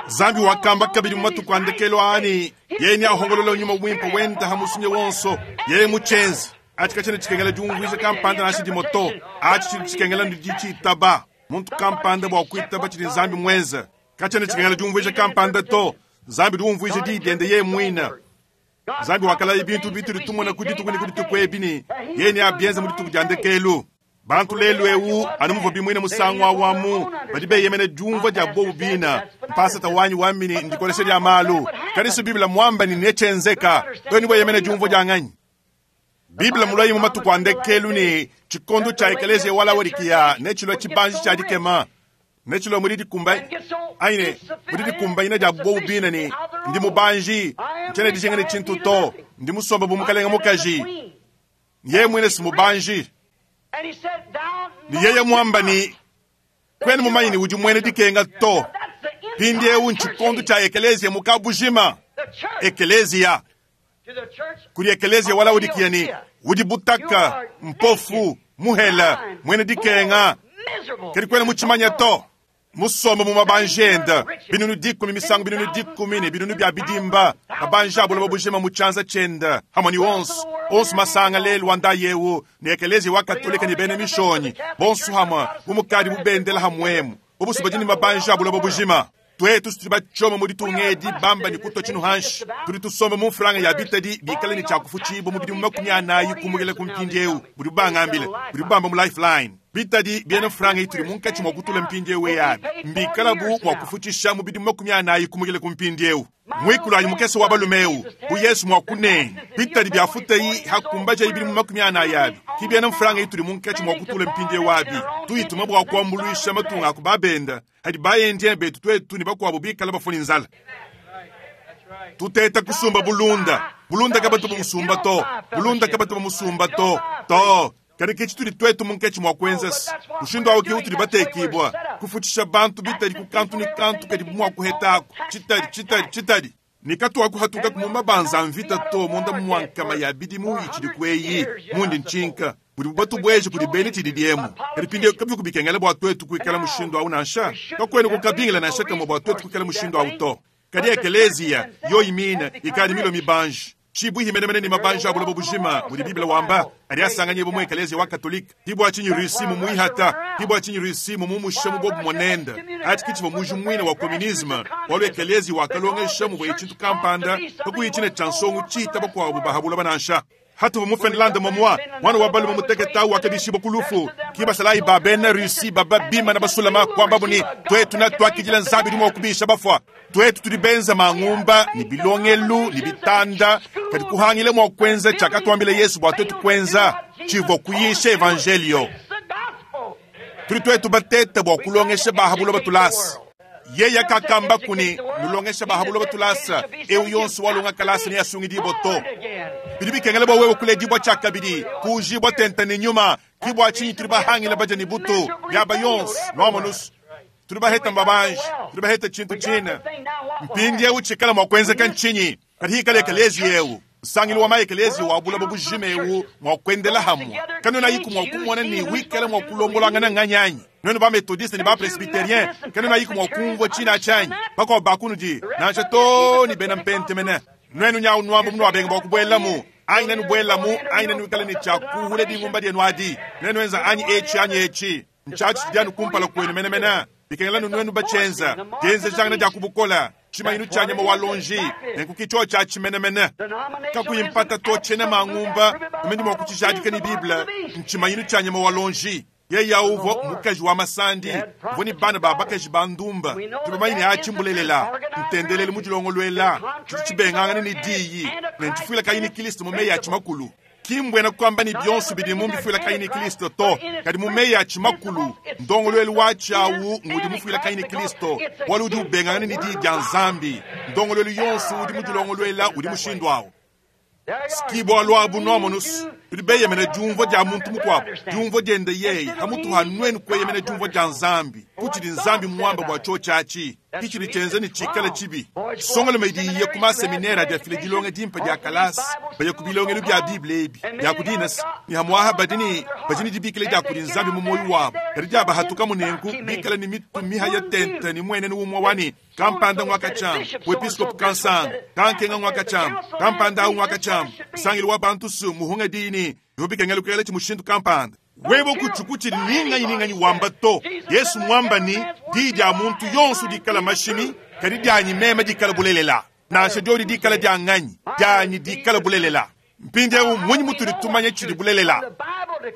Nzambi wakamba kabidi mu matuku a ndekelu ani yeye neahongolola nyuma mwimpe wenda hamusunye wonso yeye mutshenze atshi katshiena tshikengela diumvuija kampanda nansha dimue to. Atshi tshidi tshikengela nditshitaba muntu kampanda bua kuitaba tshidi Nzambi muenze katshiena tshikengela diumvuija kampanda to. Nzambi diumvuija diyi diende yeye muine. Nzambi wakalaya bintu bitudi tumona ku dituku ne ku dituku ebi ni yeye neabienze mu dituku dia ndekelu. Bantu lelu ewu anu muvua bimwine musangu awamu badi beyemene diumvua dia bobu bina mpasata wanyi wamini ndikolesha dia malu kadisu Biblia mwamba ni nechenzeka weni bweyemene diumvua dia nganyi. Biblia mulayi mu matuku a ndekelu ni tshikondo tshia ekelezia wala wadikia nechilwa tshibanji tshia dikema nechilwa mudi dikumba aine mudi dikumbaina dia bobu bina ni ndi mubanji ntshiena dijinga ne tshintu to ndi musomba bu mukalenga mukaji yeye mwine si mubanji. Ni yeye mwamba ni kwene mumanyi ni udi mwene dikenga to mpindieu ntshikondo tshia ekelezia mukabujima ekelezia kuli ekelezia wala udikia ni udi butaka mpofu muhela mwene dikenga kedi kwene mutshimanya to musomba mu mabanja enda binunu dikumi misangu binunu dikumi ne binunu bya bidimba mabanja abuloba bujima mu tshianza tshienda hamwe ni onso onso masanga lelu wanda yewu ne ekelezia wa katolika ne bena mishonyi bonso hamwe bumukadi bubendela hamwemu bubusu badi ne mabanja abuloba bujima. Twetu tudi bachoma mu ditunga edi bamba ni kutwa tshinu hanshi tudi tusomba mu mfranga ya bitadi bikale ni tshiakufutshibo mu bidimu makumi anayi kumukela ku mpindieu budi bubangambile budi bubamba mu lifeline bitadi biena mfranga ituli munkatshi mua kutula mpindieu eyabi mbikala bu mua kufutshisha mu bidimu makumi anayi kumukela ku mpindieu mwikulu anyi mukese wa balumeu bu Yesu mua kunenga bitadi biafutayi hakumbaja ibidimu makumi anayi abi kibiena mfranga ituli munkatshi mua kutula mpindieu abi tuyituma bua kuambuluisha matunga aku babenda hadi bayendia betu twetu ni bakuabu bikala bafuni nzala. Tuteta kusumba bulunda bulunda kabatu bamusumba to bulunda kabatu bamusumba to to kadi ke tshitudi twetu munkatshi mua kuenza mushindu awu ke utudi batekibwa kufutshisha bantu bitadi ku kantu ni kantu kadi mua kuhetako tshitadi tshitadi tshitadi nikatuwa kuhatuka mu mabanza mvita to munda muankama ya bidimu itshidi kweyi mundi ntshinka budi bubatu bweje kudi bene tshidi diemu kadi pinde kabi kubikengela bua twetu kuikala mushindu awu nansha kakwene kukabingila nansha kamwe bua twetu kuikala mushindu awu to kadi ekelezia yoyi mina ikadi milo mibanji tshibuhi menemene ni mabanja abuloba bujima mudi Biblia wamba adi asanganye bumwe ekelezia wa katolika tibwa tshinyi Rusi mu muihata tibwa tshinyi Rusi mu mumusha mu bobu monenda ati kichibo muju mwine wa komunisme walu ekelezia wakalongesha mu bwe tshintu kampanda kakuyichine tshansongu tshita bakuabu bahabula banansha hatu mu Finland momwa mwana wa balume muteketa wakabishibo kulufu kibasalayi babena Rusi baba bima na basulama kwamba buni twetu na twakijila nzabi dimo kubisha bafwa twetu tudi benza mangumba ni bilongelu ni bitanda kadi kuhangile mwa kwenza chakatwambile Yesu bwa twetu kwenza chivo kuyisha evangelio tudi twetu bateta bwa kulongesha bahabulo batulasi yeye kakamba kuni nulongesha bahabulo batulasa eu yonso walonga kalasa ni asungidibo to bidi bikengela bwa wewe kuledibwa tshakabidi kujibwa tenta ni nyuma kibwa tshinyi tudi bahangila baja ni butu byaba yonso nwamonus tudi baheta mbabanji tudi baheta tshintu tshina mpindi eu tshikala mua kuenzeka ntshinyi kadi hikala ekelezi eu nsangilu wa maekelezi wa bulaba bujima eu mua kuendela hamwe kanona yiku mua kumona ni wikala mua kulombolangana nganyanyi nwenu ba methodiste ni ba presbyterien kanona yiku mua kumvua tshina tshanyi bakuabu bakunudi nansha to ni bena mpente mene nwenu nyawu nwambo munu wabenga bua kubuelamu anyi nenu buelamu anyi nenu wikala ni tshiakuhule dingumba dienu adi nwenu enza anyi etshi anyi etshi ntshiatshi dianu kumpala kwenu menemene bikengela nwenu batshenza dienzejangana dia kubukola tshimayinu tshia nyama wa lonji nenkuki tsho tshia tshimenemene kakuyimpata to tshiena mangumba kumene mua kutshijadika ni Biblia ntshimayinu tshia nyama wa lonji yeye uvo mukaji wa masandi uvo ni bana ba bakaji ba ndumba tubamanyine atshimbulelela ntendelele mudilongolwela tshidi tshibengangana ni diyi ne ntshifuila kayi ni Kristo mu meyi a tshimakulu. Ki mbuena kuamba ne bionso bidi mu mbifuilakanyi ne Kristo to, kadi mu meyi a tshimakulu, ndongoluelu watshi awu ngudi mufuilakanyi ne Kristo, bualu udi ubengangana ne diyi dia Nzambi. Ndongoluelu yonso udi mudilongoluela udi mushindu awu. Ski bualu abu nuamonus, tudi beyemena diumvua dia muntu mukuabu, diumvua diende yeye, hamutu ha nuenu kueyemena diumvua dia Nzambi, kutshidi Nzambi muamba bua tshiotshi kitshidi tshienza ne tshikala tshibi. Songoloma idi iye ku maseminere adi afila dilonga dimpe dia kalasa, baya ku bilongelu bia Bible ebi, bia ku dinasi, ne hamuaha badi ne badi ne dibikila dia kudi Nzambi mu moyo wabu, kadi dia bahatuka munenku bikala ne mitu mihaya tente ne muenenu umwe wani kampanda ngwakachama, wepiskopu kansanga, kankenga ngwakachama, kampanda awu ngwakachama, sangilu wa bantu su muhunga dini, yobikengela kuyela chimushindu kampanda. Webo kuchukuchi ninganyi ninganyi wamba to. Yesu mwamba ni di dia muntu yonso dikala mashimi, kadi dianyi mema dikala bulelela. Nansha diodi dikala dia nganyi, dianyi dikala bulelela. Mpindieu munyi mutudi tumanya tshidi bulelela?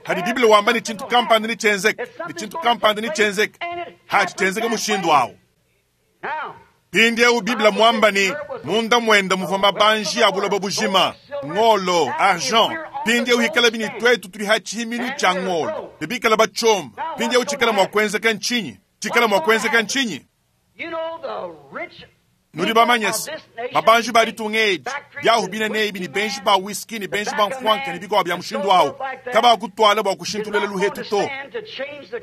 Hadi Biblia wamba ni chintu kampanda ni chenzeke, ni chintu kampanda ni chenzeke. Hachi chenzeke mushindu awu. Mpindieu Biblia mwamba ni munda mwenda muvua mabanji ya buloba bujima, ngolo, argent. Mpindieu hikala bini twetu tuli hachihiminu cha ngolo. Bibikala bachomba. Mpindieu chikala mwa kwenzeka nchinyi. Chikala mwa kwenzeka nchinyi. Nudi bamanyese, mabanji bali tungeji, byahu bina nebi ni benji ba whisky ni benji ba mfwanka ni bikwa bya mushindu awu. Kaba kutwala bwa kushintulela luhetu to.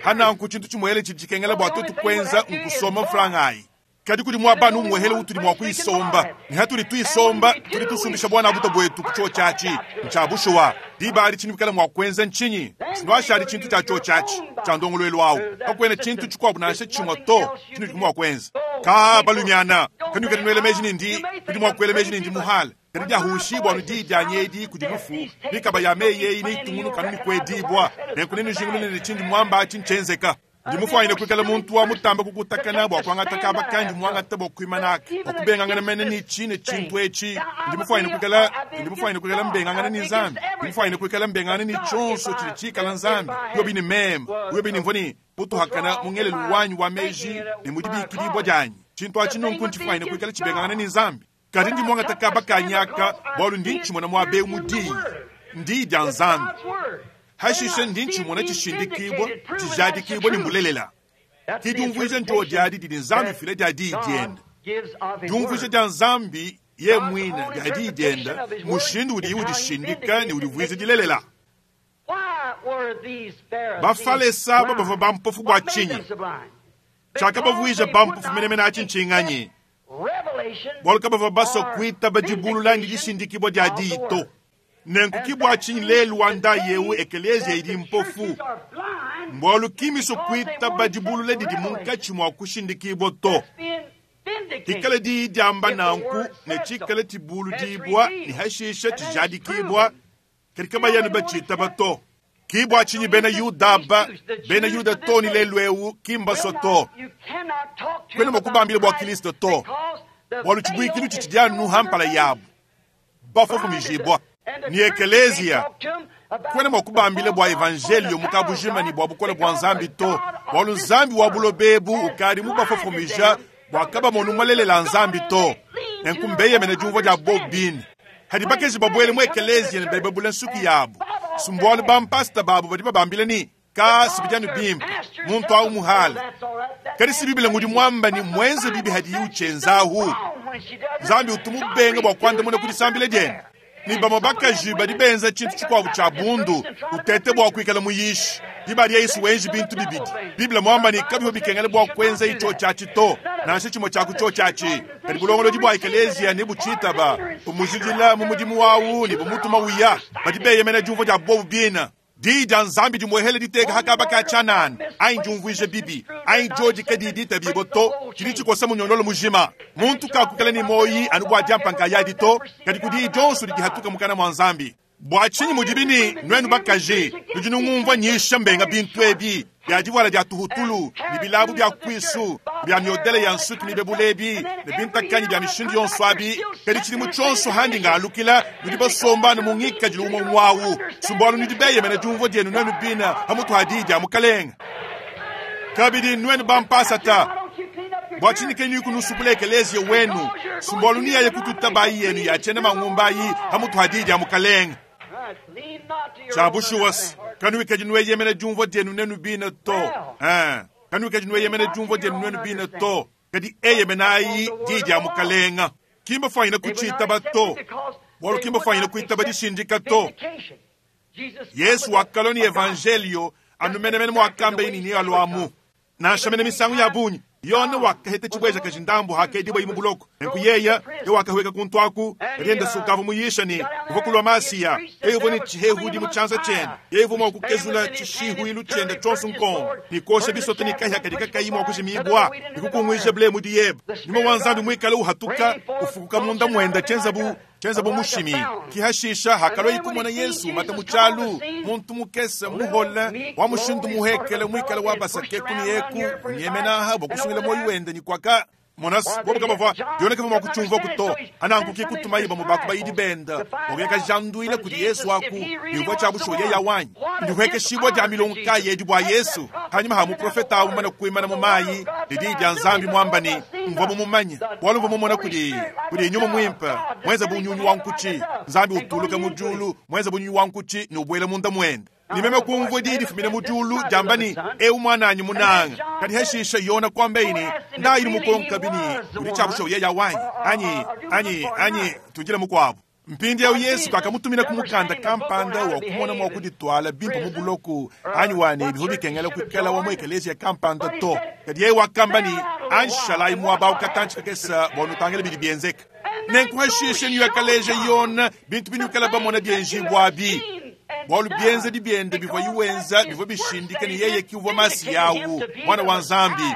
Hana nkuchintu chimwele chijikengela bwa twetu kwenza nkusoma mfrangai. Kadi kudi mwa banu mwehele utuli mwa kuisomba. Ni hatuli tuisomba, tuli tusumbisha bwana buto bwetu kucho chachi. Nchabushuwa, diba ali chini bikala mwa kwenza nchinyi. Sinwasha ali chintu cha cho chachi, cha ndongolwelu awu. Kakwena chintu chikwabu nansha chimwa to, chini mwa kwenza. Ka balumiana, kanu kadi nwele meji nindi, kudi mwa kwele meji nindi muhala. Kadi dia hushi bwa nudi dia nyedi kudi lufu. Bikaba ya meye ini tungunu kanu ni kwedibwa. Nenkunenu jingulu ni chindi mwamba chinchenzeka. Ndimufwanyine kwikala muntu wa mutamba kukutakana bwa kwangata kaba kandi mwangata bwa kwimanaka. Okubengangana mene ni chine chintu echi. Ndimufwanyine kwikala, ndimufwanyine kwikala mbengangana ni Nzambi. Ndimufwanyine kwikala mbengangana ni chonso chili chikala Nzambi. Yobi ni mema, yobi ni mvoni putuhakana mungele luwanyu wa meji ni mudibikilibwa janyi. Chintu achi nunku nchifwanyine kwikala chibengangana ni Nzambi. Kadi ndi mwangata kaba kanyaka bwalu ndi nchimona mwabe mudi. Ndi dia Nzambi. Hashishe ndi nchimona chishindikibwa, chijadikibwa ni mbulelela. Kidumvuije njo diadi didi Nzambi file diadi dienda. Dumvuije dia Nzambi ye mwina diadi dienda, mushindu udi udishindika ni udivuize dilelela. Bafalesa bava bampofu bwa chinyi. Chaka bavuije bampofu menemene achinchinganyi. Bwalu kabava baso kuita bajibulula ndi dishindikibwa diadi ito. Nenku kibwa chinyi lelu wanda yewu ekelezia idi mpofu. Mbwalu kimiso kuita bajibulule didi munkachi mwa kushindikibwa to. Kikala di diamba nanku ne chikala tibulu dibwa ni hashisha tijadikibwa katika bayanu bachita bato. Kibwa chinyi bena Yuda ba, bena Yuda to ni lelu ewu kimba soto. Kwena mokubambile bwa Kristo to. Bwalu chibwikilu chichidianu hampala yabu. Bafo kumijibwa. Ni ekelezia. Kwena mokubambile bwa evangelio mukabujima ni bwa bukola bwa Nzambi to. Bwalu Nzambi wa bulobebu ukari mubafofumija bwa kaba monumalelela Nzambi to. Nenkumbeye mene jumvo dia bobini. Hadi bakezi babwele mu ekelezia ne bebebule nsuki yabu. Sumbwalu bampasta babu badi babambile ni ka sibijanu bimpe muntu au muhala. Kadi si Biblia ngudi mwamba ni mwenze bibi hadi yuchenzahu. Nzambi utumubenga bwa kwanda muna kudisambile diene. Ni bamabakaji badi benza chintu chikwabu cha bundu utete bwa kuikala muyishi. Dibali Yesu wenji bintu bibidi. Biblia mwamba ni kabiho bikengele bwa kwenza icho chachi to. Nansha chimo chaku cho chachi. Kadi bulongolo dibwa ekelezia ni buchita ba. Umujidila mu mudimu wawu ni bumutuma wiya. Badi beyemena jumvo dia bobu bina. Di dia Nzambi di mwehele diteka hakaba ka chanani. Ai njumvuije bibi. Ai joji kadi dita bibo to. Chili chikosa munyondolo mujima. Muntu ka kukala ni moyi anubwa jampa nkaya dito. Kadi kudi jonsu di hatuka mukana mwa Nzambi. Bwa chinyi mudibini nwenu bakaje. Nujinungumva nyisha mbenga bintu ebi. Bya diwala dia tuhutulu, ni bilabu bya kwisu, bya myodele ya nsuki mibebulebi, ne bintakanyi bya mishindu yonso abi, kadi chili mu chonso handi ngalukila, nudi basomba ne mungika jilu umwe mwawu. Sumbwalu nudi beyemene jumvo dienu nwenu bina, hamutu hadija mukalenga. Kabidi nwenu bampasata. Bwa chinyi kenyu kunusupula ekelezia wenu. Sumbwalu niya yekututa bayi yenu ya chene mangumbayi, hamutu hadija mukalenga. Tshia bushuwa kanuikadi nueyemena diumvua dienu nenu bine to. Kanuikadi nueyemena diumvua dienu nenu bine to. Kadi eyemenayi diyi dia mukalenga. Kimbafwanyine kuchitaba to. Bwalu kimbafwanyine kuitaba dishindika to. Yesu wakalwa ni evangelio anumenemene mwakambe ini ni alwamu. Nansha misangu ya bunyi Yona wakaheta chibweja kajindambu hakedibwa imu buloko. Nenku yeya ye wakahweka kuntwaku kalienda sukavu muyisha ni kuvakulwa masiya. Eyo ni chihehudi mu chanza chene. Yeyo mwa kukezula chishihu chenda chonso nkongo. Ni kosha bisote ni kahya kadika kayimu wakushimibwa. Ni kukungwisha ble mudi yeba. Nyuma wanzambi mwikale uhatuka ufukuka munda mwenda chenza bu chenza bu mushimi. Kihashisha hakalwa ikumona Yesu mata muchalu muntu mukese muhola wa mushindu muhekele mwikale wa basake kuni yeku nyemenaha bokusungila moyo wende ni kwaka monas bobo kabava yone kama makuchumva kuto ananguki kutuma iba mubaku bayidi benda ogeka janduile kuli Yesu aku yubwa cha bushoye ya wanyi ndihweke shibwa ja milonka yedi bwa Yesu hanyuma ha muprofeta awu mana kuimana mu mayi lidi lya nzambi mwambani mva mumumanya walu mva mumona kuli kuli nyuma mwimpa mwenza bunyunyu wankuchi nzambi utuluka mujulu mwenza bunyunyu wankuchi ni ubwele munda mwenda nimeme kumvwe didi fumine mujulu jambani eu mwananyi munanga kadi heshisha yona kwambeini ndayili mukonka bini kuli chabusho ye yawanyi anyi anyi anyi tujile mukwabo mpindi yau Yesu kakamutumina kumukanda kampanda wa kumona mwa kuditwala bimpa mubuloku anyi wani bihu bikengela kwikala wa mwekelezia kampanda to kadi ye wakambani anshalai mwaba ukatanchi kakesa bonutangela bidi bienzeka nenkuheshisha niyakaleje yona bintu binukala bamona byenjibwabi bwalu byenze dibyende bivwa iwenza bivwa bishindika ni yeye kiuvwa masi yawu mwana wa nzambi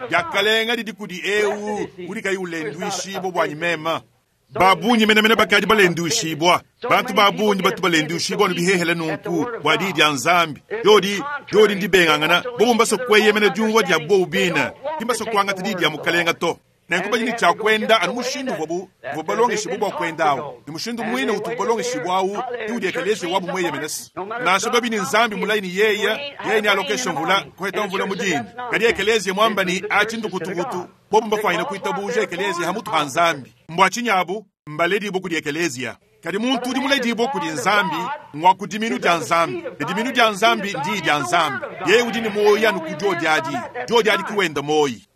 byakalenga lidi kudi ewu uli ulendwishibwa bwanyi mema babunyi menemene bakadi balendwishibwa bantu babunyi batu balendwishibwa nubihehele nunku bwa didi lya nzambi yodi yodi ndibengangana bobo mbaso kweyemene diumvua dia bobu bina kimbaso kwangata didi lya mukalenga to nenkuba cha kwenda anu mushindu vobu vobalongeshibwa bwa kwendawo ni mushindu mwine utubalongeshibwawu iudiekelezie wabu mweyemenesi nansha babi ni nzambi mulaini yeya yeye ni alokesha mvula kuheta mvula mudini kadi ekelezie mwamba ni achindukutukutu bobu mbafwanyine kuitabuja ekelezie hamutu ha nzambi mbwa chinyabu mbaledibo kudi ekelezia kadi muntu udi muledibo kudi nzambi ngwa kudiminu dia nzambi ediminu dia nzambi ndi dia nzambi yeye udi ni moyi anu kujodyadi jodyadi kiwenda moyi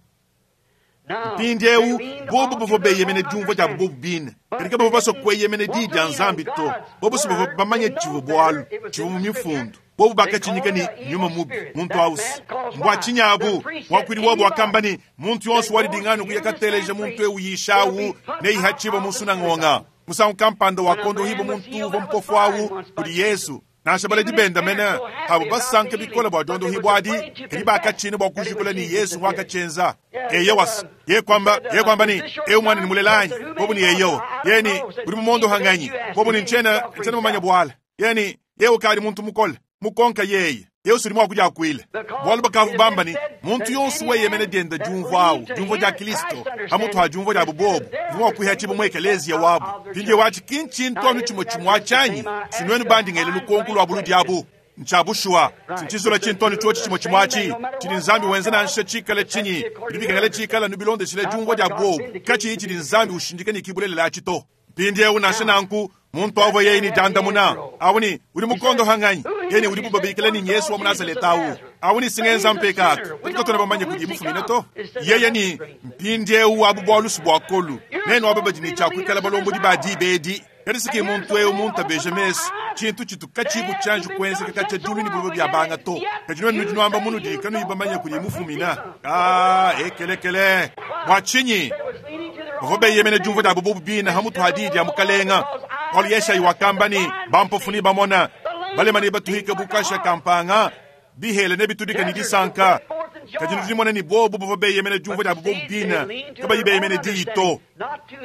mpindi eu bobo bavua beyemene diumvua dia bobo bine kadi kabavua basua kueyemene diyi dia nzambi to bobo si bavua bamanye tshivua bualu tshivua mu mifundu bobo bakachinyika ni nyuma mubi muntu ausi mbwa chinyabu mwakwili wabo wakamba ni muntu yonso walidingana kuyakateleja muntu eu yishawu neihachiba musunang'onga musangu kampanda wakondo hibo muntu uva mpofu awu kuli Yesu nansha baledi benda mene abo basanka bikola bwa dondo hibwadi kadi bakachina bwa kujikula ni Yesu wakachenza eyo was ye kwamba ye kwamba ni eu mwana ni mulelanyi bobu ni eyo yeni uri mumondo hanganyi bobu ni nchena nchena mumanya bwala yeni ye ukali muntu mukole mukonka yeye yesu limwa kuja kwile bwalu bakavu bamba ni muntu yonso weyemene dienda diumvwa diumvwa dia Kristo hamutu ha diumvwa dia bubobu vumwa kuhya chibo mwe ekelezia wabu pinje wachi kinchintu anu chimwe chimwe achanyi sinwenu bandi ngele lukonku lwa bulu diabu nchabushwa sinchizola chintoni chochi chimwe chimwe achi chili nzambi wenze nansha chikala chinyi bilibikangale chikala nubilondeshile diumvwa dia bubobu kachi ichili nzambi ushindike ni kibulelela achito pindi eu nansha nanku muntu avo yeni dandamuna awuni uli mukondo hanganyi yeni uli bubabikile ni Yesu wa Munazareta awu awuni singenza mpekatu patikatona bamanye kudi mufumine to yeye ni mpindi eu abu bwa lusu bwa kolu neno abo badini chakwikala balombodi badi bedi kadi muntu eu muntu abeje mesu chintu chitu kachibu chanju kwenzeka kacha dulu ni bulobo bya banga to kajinwe nujinwamba munu dikanu ibamanye kudi mufumina ah ekelekele bwachinyi vobe yemene jumvo da bubu bina hamutu hadidi ya mukalenga Paul yesha iwakambani bampofuni bamona balemani batuhika bukasha kampanga bihele ne bitudika ni disanka kajinu jimona ni bobu bobe yemene jumvo da bubu bina kaba yibe yemene diito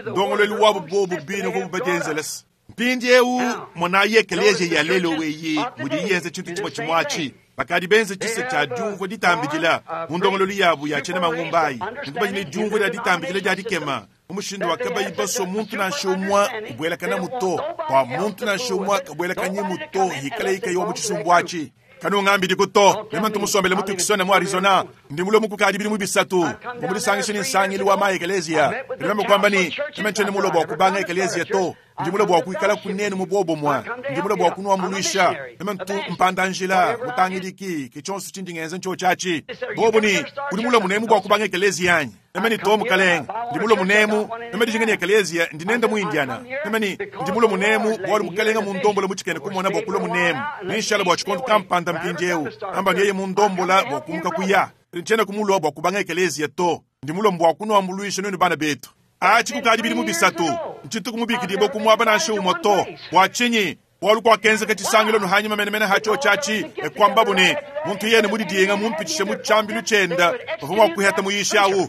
ndongolo luwabu bobu bina bobu badenzeles mpindi eu mona yekeleje ya lelo weyi mudi yenze chintu chimwe chimwachi bakadi benze chise cha jumvo ditambijila mundongolo yabu ya chene mangumbai nikuba jine jumvo da ditambijila ja dikema umushindu wakaba ibaso muntu na shomwa kubwela kana muto kwa muntu na shomwa kabwela kanye muto hikala ika yo muchisumbwachi Kanungambidi to. Meme ntu musombele mu Tucson mu Arizona. Ndi mulue mukukadi bidimu bisatu. Mvua mudisangishe ne nsangilu wa ma ekeleziya. Ndi meme kuamba ne, meme ntshiena mulue bua kubanga ekeleziya to. Ndi mulue bua kuikala kunenu mu buobumue. Ndi mulue bua kunuambuluisha. Meme ntu mpanda-njila, mutangidiki, ke tshionso tshindi ngenza ntshiotshi atshi. Bobu ne, udi mulue munemu bua kubanga ekeleziya anyi? Meme ne to mukalenge. Ndi mulue munemu, meme dijinga ne ekeleziya, ndi nenda mu Indiana. Meme ne, ndi mulue munemu bualu mukalenge mundombola mu tshikena kumona bua kulua munemu. Nenshala bua tshikondo kampanda mpindieu. Amba yeye mundombola bua kumuka kuya. Ntshiena kumulua bua kubanga ekeleziya to. Ndi mulue bua kunuambuluisha nuenu bana betu. Atshi kukadi bidimu bisatu. Ntshitu kumubikidibua ku muaba nansha umue to. Bua tshinyi? Bualu kuakenzeka tshisangilo nuhanyima menemene hatshiotshi atshi, e kuambabu ne, muntu yene mudidienga mumpitishe mu tshiambilu tshienda, bavua mua kuheta muyishi awu.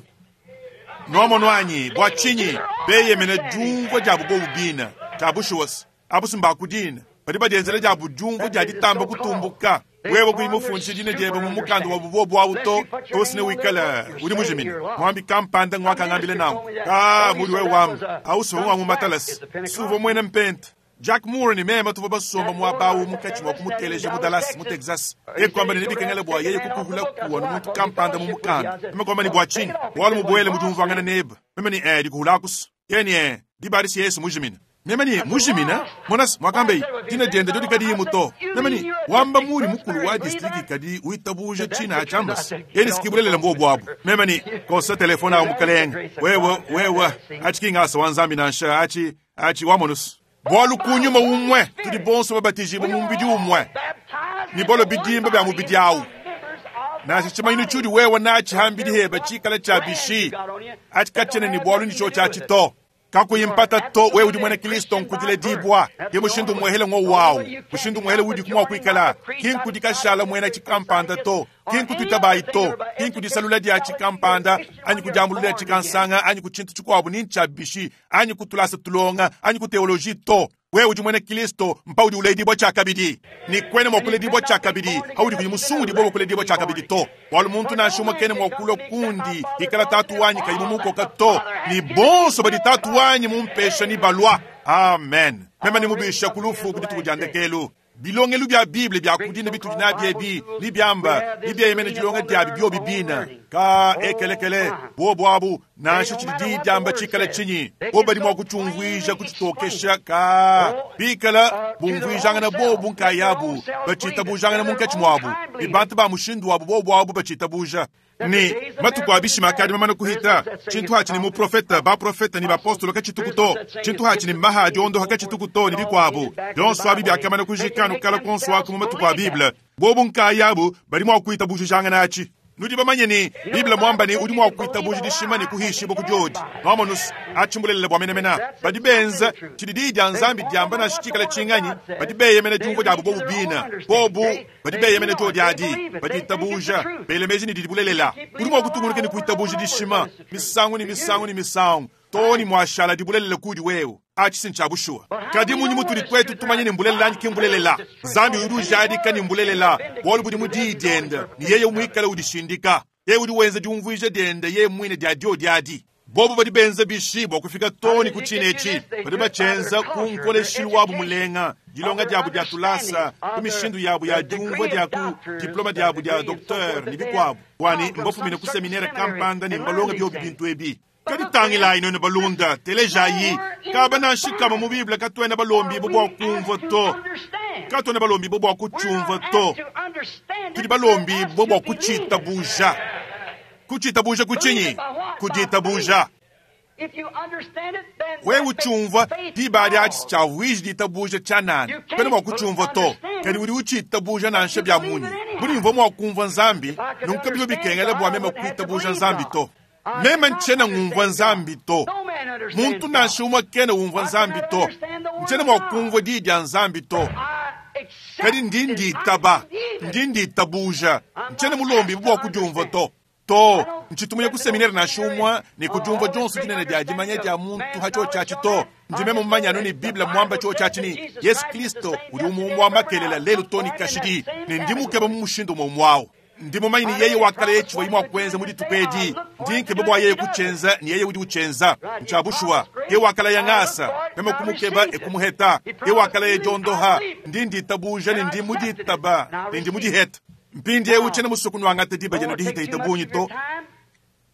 Nwamonu anyi, bua tshinyi beyemene diumvua diabu bobu bina, tshia bushuwa abu mbakudina, badi badienzela diabu diumvua dia ditamba kutumbuka. Wewe kuyi mufundishe dina diebe mu mukanda wa bubobu awu to, tosi ne wikala udi mujimine. Mwambi kampanda ngwakangambile nanku. Ka mudi wewe wamba, awu siwe ngwangu matalasi, suvua mwena mpenta. Jack Moore ne meme tuvua basomba muaba awu munkatshi mua kumuteleja mu Dallas mu Texas. Yeye kuamba ne nebikengele bua yeye kukuhula kuwa ne muntu kampanda mu mukanda. Meme kuamba ne bua tshinyi? Bualu mubuele mu diumvuangana nebe. Meme ne eh dikuhula akusu. Yeye ne eh dibadisi Yesu mujimina. Meme ne mujimina? Monas mwakambe dina diende dyodi kadiyi muto. Meme ne wamba muri mukulu wa district kadi witabuja tshina achambas. Yeye ne sikibulelela mbobu abu. Meme ne kosa telefona awu mukalenge. Wewe wewe achikinga wa Nzambi nansha achi achi wamonus. Bualu kunyuma umwe tudi bonso babatijibwa mu mubidi umwe. Ni bolo bidimba bya mubidi awu. Nansha tshimanyinu tshiudi wewe natshi hambidi heba tshikala tshia bishi. Atshikatshene ni bualu ni tshiotshi to. Kakuyi mpata to wewe udi mwena Kristo nkudile dibwa. Ye mushindu mwehele ngo wawu. Mushindu mwehele udi kumwa kuikala. Kinkudi kashala mwena tshikampanda to. Kinkututabayi to. Kinkudisalula dia tshikampanda anyi kudiambulula tshikansanga anyi kutshintu tshikuabu ni ntsha bishi anyi kutulasa tulonga anyi ku teoloji to. Wewe udi mwena Kristo mpa udi uledibwa tshakabidi. Ni kwene mwa kuledibwa tshakabidi. Haudi kuyi musungu bwa kuledibwa tshakabidi to. Bualu muntu nansha umwe kene mwa kulwa kundi ikala tatu wanyi kayi mumukoka to. Ni bonso badi tatu wanyi mumpesha ni balwa. Amen. Meme ni mubisha kulufu ku dituku dia ndekelu. Bilongelu bya Bible bya kudina bitudi nabyo ebi ni byamba ni byeyemene dilonga diabi byobi bina ka ekelekele bobo abu nansha tshidi di diamba tshikala tshinyi bo badi mua kutshiumvuija kutshitokesha ka bikala bumvuijangana bobu nkayabu batshitabujangana munkatshi muabu ni bantu ba mushindu wabu bobo abu batshitabuja. Ni matuku abishima akadi mamana kuhita tshintu hatshi ni muprofeta baprofeta ni bapostolo katshituku tshintu hatshi ni maha diondo katshituku to ni bikuabu byonso abi byakamana kujikanu kala konso aku mu matuku a Bible bobu nkayabu badi mua kuitabujijangana atshi. Nudi bamanye ni Bible mwamba ni udi mua kuitabuja dishima ni kuhishiba kudiodi. Nwamonus achimbulele bwa menemena badi benza tshidi di dia Nzambi diamba na shikala tshinganyi badi beyemena diumvua diabu bobu bina bobu badi beyemena dio diadi badi itabuja belemeji ni dibulelela. Udi mua kutungunuka ni kuitabuja dishima misangu ni misangu ni misangu toni mwashala dibulelela kudi wewe. Achi sincha bushuwa. Kadi munyi mutudi twetu tumanye ni mbulelela anyi kimbulelela. Nzambi udi ujadika ni mbulelela. Bualu budi mu di diende ni yeye umuikala udishindika. Yeye udi wenza diumvuija diende yeye mwine dia dio diadi. Bobu badi benza bishi bua kufika toni ku tshinechi. Badi bachenza ku nkoleshilu wabu mulenga. Dilonga diabu dia tulasa, ku mishindu yabu ya diumvua dia ku diploma diabu dia docteur ni bikuabu. Bwani mbafumine ku seminaire kampanda ni mbalonga byobi bintu ebi. Kadi tangilayi none balunda telejayi kaba nanshikama mu Bible katwena balombi bo bua kumvua to. Katwena balombi bo bua kutshiumvua to. Tudi balombi bo bua kutshitabuja. Kutshitabuja kutshinyi? Kuditabuja. Wewe utshiumvua diba diatshi tshiavuiji ditabuja tshianana. Pena mua kutshiumvua to. Kadi udi utshitabuja nansha bya munyi. Budi mvua mua kumvua Nzambi, nunku bivyo bikengela bua meme kuitabuja Nzambi to. Meme ntshiena ngumvua Nzambi to. Muntu nansha umwe kena umvua Nzambi to. Ntshiena mua kumvua di dia Nzambi to. Kadi ndi nditaba, ndi nditabuja. Ntshiena mulombi bua kudiumvua to. To, ntshitumunya ku seminaire nansha umwe ne kudiumvua dionso dinene dia dimanya dia muntu hatshiotshi to. Ndi meme mumanya anu ne Bible mwamba tshiotshi ni Yesu Kristo udi umumwa makelela lelu to ni kashidi ne ndi mukeba mu mushindu umwe mwawu. Ndi mumanye ne yeye wakalaya tshivua mwa kuenza mu dituku edi. Ndi nkeba bua yeye kutshienza ne yeye udi utshienza. Ntshia bushuwa. Yeye wakalaya ngasa, meme kumukeba ekumuheta. Yeye wakalaya diondoha, ndi nditabuja ne ndi muditaba ne ndi mudiheta. Mpindiewu tshiena musue kunuangata diba dienu dihitahita bungi to.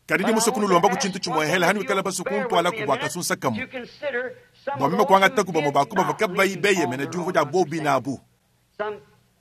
Kadi ndi musue kunulomba ku tshintu tshimue hela hanuikala basue kuntwalaku bua kasunsa kamue. Bua meme kuangataku bamue ba ku bavua kabayi beyemena diumvua dia bobi nabu.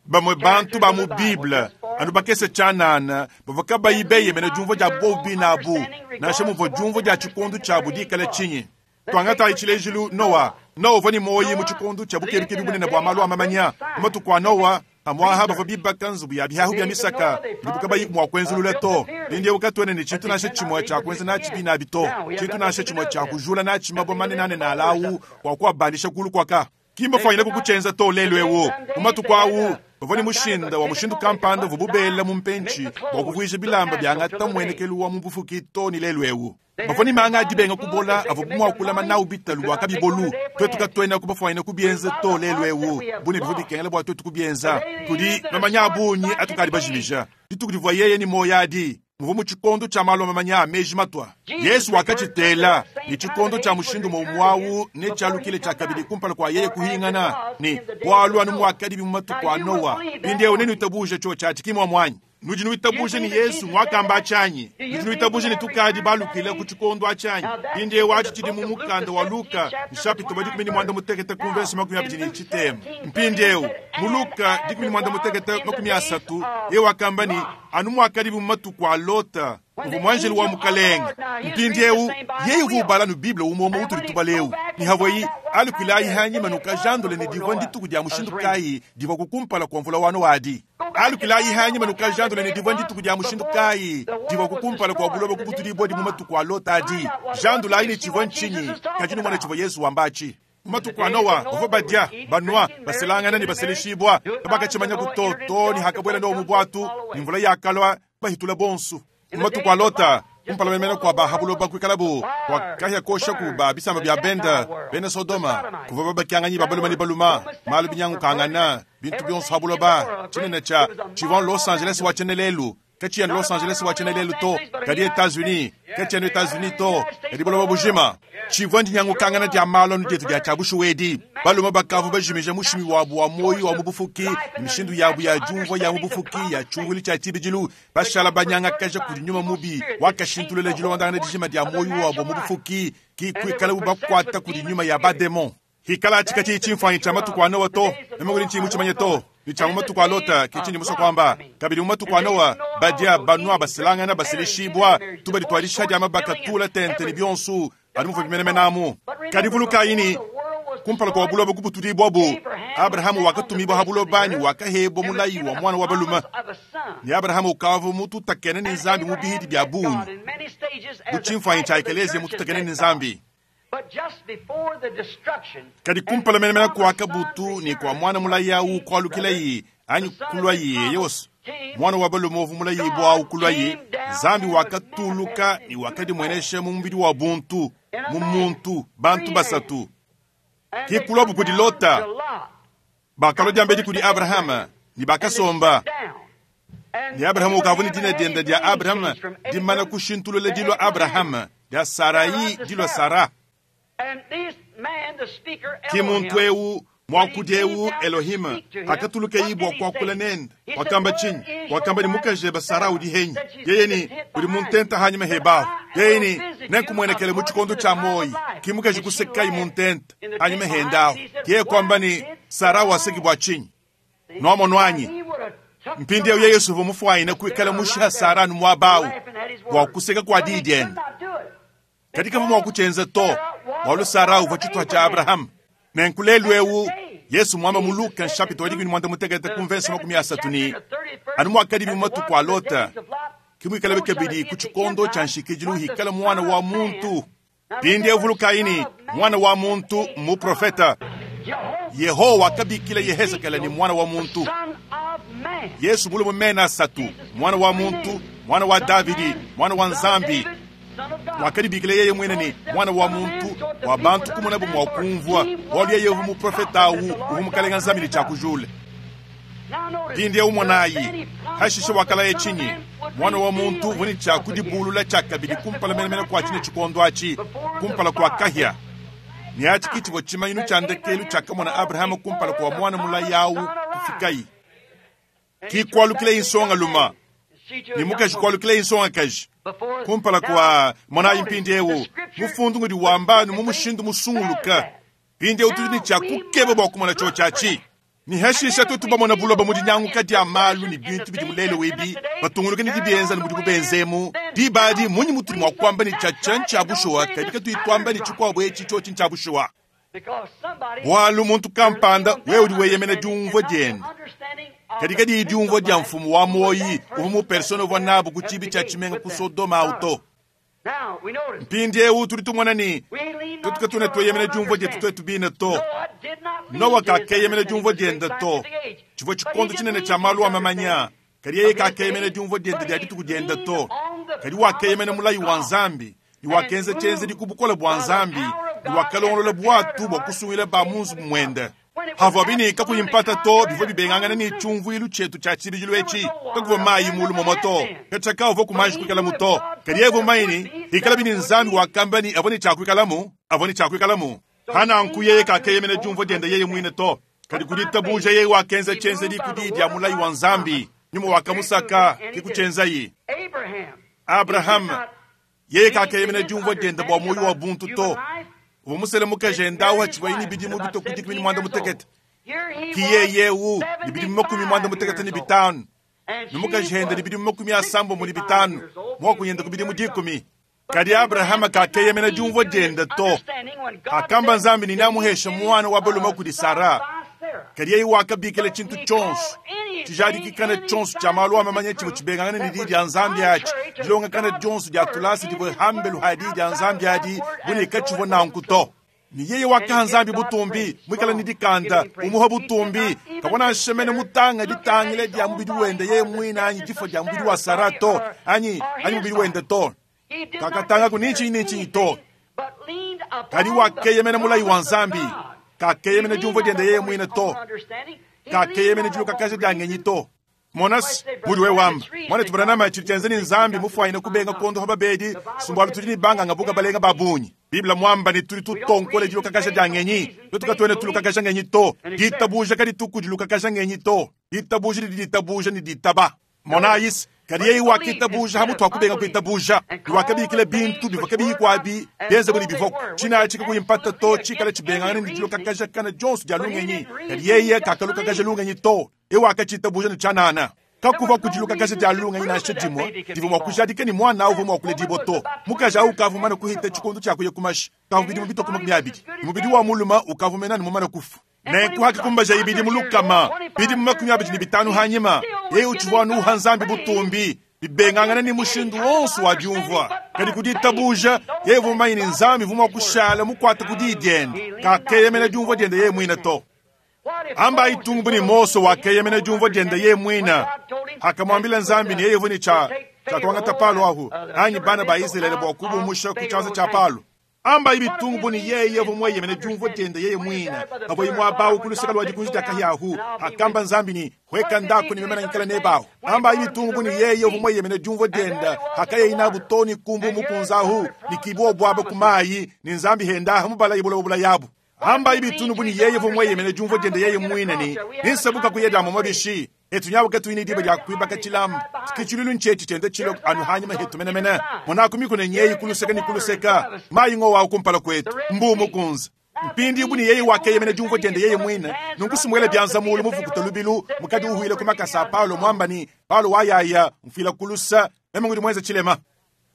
Bamue bantu ba mu Bible anu bakese tshianana bavua kabayi beyemena diumvua dia bobi nabu, nansha muvua diumvua dia tshikondo tshiabu dikala tshinyi. Tuangatayi tshilejilu Noa. Noa uvua ne muoyo mu tshikondo tshia bukebukebi bunene bua malu a mamanya. Mu matuku a Noa, amwaha bavua bibaka nzubu ya bihahu bia misaka idibu kabayi mua kuenzulula to. Mpindiewu katuena ne tshintu nansha tshimue tshia kuenza natshi binabi to, tshintu nansha tshimue tshia kujula natshi mabue manene alawu bua kuabandisha kulu kuaka. Ki mbafwanyine kukutshienza to lelu ewu. Mu matuku awu bavua ne mushinda wa mushindu kampanda uvua bubela mu mpentshi bua kuvuija bilamba biangata muenekelu wa mu bufuki to ne lelu ewu. Bavua ne manga adi benga kubola avua mua kulama nawu bitalu bua kabibolu. Twetu katuena kubafwanyine kubienza to lelu ewu. Bune bivua bikengela bua twetu kubienza. Kudi mamanya a bungi atukadi bajimija. Dituku divua yeye ne muoyo adi muvua mu tshikondo tshia malu a mamanya a meji matua. Yesu wakatshitela ne tshikondo tshia mushindu muomuawu ne tshialukile tshia kabidi kumpala kua yeye kuhingana ne bualu anu muakadi mu matuku a Noa. Mpindiewu nenuitabuja tshio tshiatshi ki muamuanyi. Nudi nuitabuja ne Yesu mwakamba atshanyi. Nudi nuitabuja ne tukadi balukile ku tshikondo atshanyi. Mpindiewu atshi tshidi mu mukanda wa Luka nshapita wa dikumi ne muanda mutekete ku mvesi makumi abidi ne tshitema. Mpindiewu mu Luka dikumi ne muanda mutekete makumi asatu yeye wakamba ne anu muakadi mu matuku a Lota uvua muanjelu wa mukalenge. Mpindiewu yeye uvua ubala nu Bible umwe utuli tubalewu ni havwayi alukilayi hanyima nukajandule ne divua ndituku dia mushindu kayi divua kukumpala kwa mvula wa Noa adi. Alukilayi hanyima nukajandule ne divua ndituku dia mushindu kayi divua kukumpala kwa buloba kubutulibua di mu matuku a Lota adi. Jandulayi ne tshivua ntshinyi kadi numona tshivua Yesu wamba atshi. Mu matuku a Noa bavua badia banua baselangana ne baseleshibua kabakatshimanya kutoto ne hakabuela Noa mu bwatu ne mvula yakalua bahitula bonsu. Mu matuku a Lota kumpala memena kwa bahabuloba kuikalabu wakahya kosha ku ba bisamba bia benda bena Sodoma kuvua babakyanganyi babaluma ne baluma malu binyangukangana bintu bionso habuloba tshinene tshia tshivua Los Angeles wa tshenelelu katshiya Los Angeles wa tshenelelu to kadi Etats-Unis katshiya Etats-Unis to kadi buloba bujima tshivua ndinyangukangana dia malu anu dietu dia tshia baluma bakavu bajimija mushimi wabu wa moyo wa mu bufuki ne mishindu yabu ya diumvua ya mu bufuki ya tshiungulu tshia tshibidilu bashala banyangakaja kudi nyuma mubi wakashintulula dilondangana dijima dia moyo wabu mu bufuki ki kuikalabu bakuata kudi nyuma ya bademon. Hikala atshi katshiyi tshimfuanyi tshia matuku a Noa to meme kudi ntshiyi mutshimanye to ni tshia mu matuku a Lota ke tshindi musue kuamba. Kabidi mu matuku a Noa badia banua baselangana baseleshibua tubadi tuadisha dia mabaka tula tente ne bionsu anu muvua bimenemenamu. Kadi vulukayi ne kumpala kwa buloba kubutulibua bu Abrahamu wakatumibua ha buloba ne wakahebwa mulayi wa mwana wa balume. Ne Abrahamu ukavua mututakene ne Nzambi mu bihidi bia bungi bu tshimfuanyi tshia ekelezia mututakene ne Nzambi. Kadi kumpala menemene kwa kabutu ne kwa mwana mulayi awu kualukilayi anyi kulwayi yonso mwana wa balume uvua mulayi bua awu kulwayi Nzambi wakatuluka ne wakadimuenesha mu mubidi wa buntu mu muntu bantu basatu. Ki kulwabu kudi Lota bakalwa diambedi kudi Abrahama ne bakasomba. Ne Abrahama ukavua ne dina dienda dia Abrahama dimana kushintulula dilua Abrahama dia Sarai dilua Sara. Ki muntu ewu mwakudi ewu Elohim akatuluka ibwa kuakula nende wakamba tshinyi wakamba ni mukajeba Sara udi henyi yeye ni udi muntenta hanyima hebahu yeye ni nenkumwenekele mu tshikondo tshia moyi ki mukaji kusekai muntenta hanyima hendahu yeye kwamba ni Sara waseki bwa tshinyi noamonwanyi mpindi ewu yeye suva mufuayine kuikala mushiha Sara nu mwabawu bua kuseka kua dii diende kadi kavua mua kutshienza to bualu Sara uvua tshituha tshia Abrahamu. Nenkulelu ewu Yesu mwamba mu Luka nshapita wa dikumi muanda mutekete ku mvesi makumi asatu ni anu muakadi mu matuku a Lota kimuikalabe kabidi ku tshikondo tshia nshikidilu hikala mwana wa muntu. Mpindi evulukayi ni mwana wa muntu muprofeta. Yehowa wakabikila Yehezekele ni mwana wa muntu. Yesu mulume mena asatu mwana wa muntu mwana wa Davidi mwana wa Nzambi. Wakadibikila yeye mwene ni mwana wa muntu wa bantu kumona bu mwa kumvua bualu yeye uvu muprofeta awu uvu mukalenga Nzambi ne tshia kujula. Mpindieu monayi, hashishe wakalaya tshinyi? Mwana wa muntu uvua ne tshia kudibulula tshiakabidi kumpala menemene kua tshine tshikondo atshi, kumpala kua kahia. Ne atshi ke tshivua tshimanyinu tshia ndekelu tshiakamona Abrahama kumpala kua mwana mulayi awu kufikayi. Ki kualukila nsongalume ne mukaji kualukila nsongakaji kumpala kua monayi mpindieu mufundu ngudi wamba anu mu mushindu musunguluka. Mpindieu tudi ne tshia kukeba bua kumona tshio tshiatshi. Ni hashisha twetu bamona buloba mu dinyanguka dia malu ne bintu bidi mulelo webi batunguluke ne dibienza ne mudibu benzemu diba adi munyi mutudi mua kuamba ne tshiatshia ntshia bushuwa kadi katuyi tuamba ne tshikuabu etshi tshiotshi ntshia bushuwa. Bualu muntu kampanda wewe udi weyemena diumvua diende kadi kadiyi diumvua dia mfumu wa muoyi uvua mu persona uvua nabu ku tshibi tshia tshimenga ku Sodoma awu to. Mpindieu tudi tumona ne twetu katuna tweyemena diumvua dietu twetu bine to. Noa kakeyemena diumvua diende to. Tshivua tshikondo tshinene tshia malu a mamanya kadi yeye kakeyemena diumvua diende dia dituku diende to. Kadi wakeyemena mulayi wa Nzambi ne wakenza tshienzedi ku bukole bua Nzambi ne wakalongolola bwatu bua kusungila ba mu nzubu muende. Havua bine kakuyi mpata to bivua bibengangana ne tshiumvuilu tshietu tshia tshibidilu etshi kakuvua mayi mulu momo to katshia uvua kumanji kuikalamu to. Kadi yeye uvua ne ikala bine Nzambi wakamba ne avua ne tshia kuikalamu avua ne tshia kuikalamu. Hananku yeye kakeyemena diumvua diende yeye muine to. Kadi kuditabuja yeye wakenza tshienzedi ku diyi dia mulayi wa Nzambi nyuma wakamusaka ke kutshienzayi. Abrahama yeye kakeyemena diumvua diende bua muoyo wa buntu to. Uvua musele mukaji endawu hatshivua ne bidimu bitue ku dikumi ne muanda mutekete. Ki yeye wu ne bidimu makumi muanda mutekete ne bitanu. Ne mukaji ende ne bidimu makumi asambombo ne bitanu. Muakunyende ku bidimu dikumi. Kadi Abrahama kakeyemena diumvua diende to. Akamba Nzambi ne namuhesha mwana wa balume kudi Sara. Kadi yeye wakabikila tshintu tshionso tshijadikikana tshionso tshia malu a mamanya tshivua tshibengangana ne diyi dia Nzambi atshi dilongakana dionso dia tulasa divua hambelu ha diyi dia Nzambi adi bune katshivua nanku to. Ne yeye wakaha Nzambi butumbi mwikala ne dikanda umuha butumbi kabona nshemene mutanga ditangile dia mubidi wende yeye mwine anyi difo dia mubidi wa Sara to anyi anyi mubidi wende to. Kakatanga ku nitshi nitshi to. Kadi wakeyemena mulayi wa Nzambi kakeyemena diumvua diende yeye mwine to. Kakeyemena dilukakaja dia ngenyi to. Monas mudi we wamba mwana tubanana tshidi tshienza ne Nzambi mufuanyine kubenga kondo ha babedi sumbualu tudi ne banganga buka balenga ba bungi. Biblia mwamba ne tudi tutonkole dilukakaja dia ngenyi twetu katuena tulukakaja ngenyi to. Ditabuja kadi tuku dilukakaja ngenyi to. Ditabuja didi ditabuja ne ditaba. Monayis kadi yeye wakitabuja hamutu akubenga kuitabuja wakabikila bintu bivua kabiyi kwabi bienze buli bivua tshina tshika kuyimpata to tshikala tshibengangana ne dilukakaja kana dionso dia lungenyi. Kadi yeye kakalukakaja lungenyi to ewe wakatshitabuja ne tshianana. Kakuvua kudilukakaja dia lungenyi nansha dimue divua mua kujadika ne mwana uvua mua kuledibua to. Mukaji awu ukavua mumane kuhita tshikondo tshia kuya kumashi kavua bidimu bitue ku makumi abidi. Mubidi wa mulume ukavua mena ne mumane kufa. Nenku hakakumbaja ibidimu lukama bidimu makumi abidi ne bitanu hanyima yeye utshivua anu Nzambi butumbi bibengangana ne mushindu wonso wa diumvua. Kadi kuditabuja yeye uvua mumanye ne Nzambi uvua mua kushala mukuate ku diyi diende kakeyemena diumvua diende yeye muine to. Amba itungu ni Mose wakeyemena diumvua diende yeye muine akamwambila Nzambi ne yeye uvua ne tshia tshiakuangata palo ahu anyi bana ba Israele bua kubumusha ku tshianza tshia palo. Amba ibitungu ni yeye uvua mweyemena diumvua diende yeye muine avua imwabawu ku luseka lua dikunji dia kahiahu akamba Nzambi ni hweka ndako ni memena nkala nebahu. Amba ibitungu ni yeye uvua mweyemena diumvua diende hakaye inabu toni kumbu mukunzahu nikibwa bwaba kumayi ni Nzambi hendaha mubala ibula bula yabu. Amba ibitungu ni yeye uvua mweyemena diumvua diende yeye muine ni ninsabuka kuyeda mu mabishi etu nyawo katuine diba dia kuibaka tshilamu kichilulu nchechi chende chilo anu hanyuma hetu menemene mona kumikune nyeyi kuluseka ni kuluseka mayi ngowa kumpala kwetu mbu mukunza mpindi ibuni yeye wakeyemena diumvua diende yeye mwine nunkusumwele byanza mulu muvukuta lubilu mukadi uhuile kumakasa Paulo mwamba ni Paulo wayaya mfila kulusa meme ngudi mwenza chilema.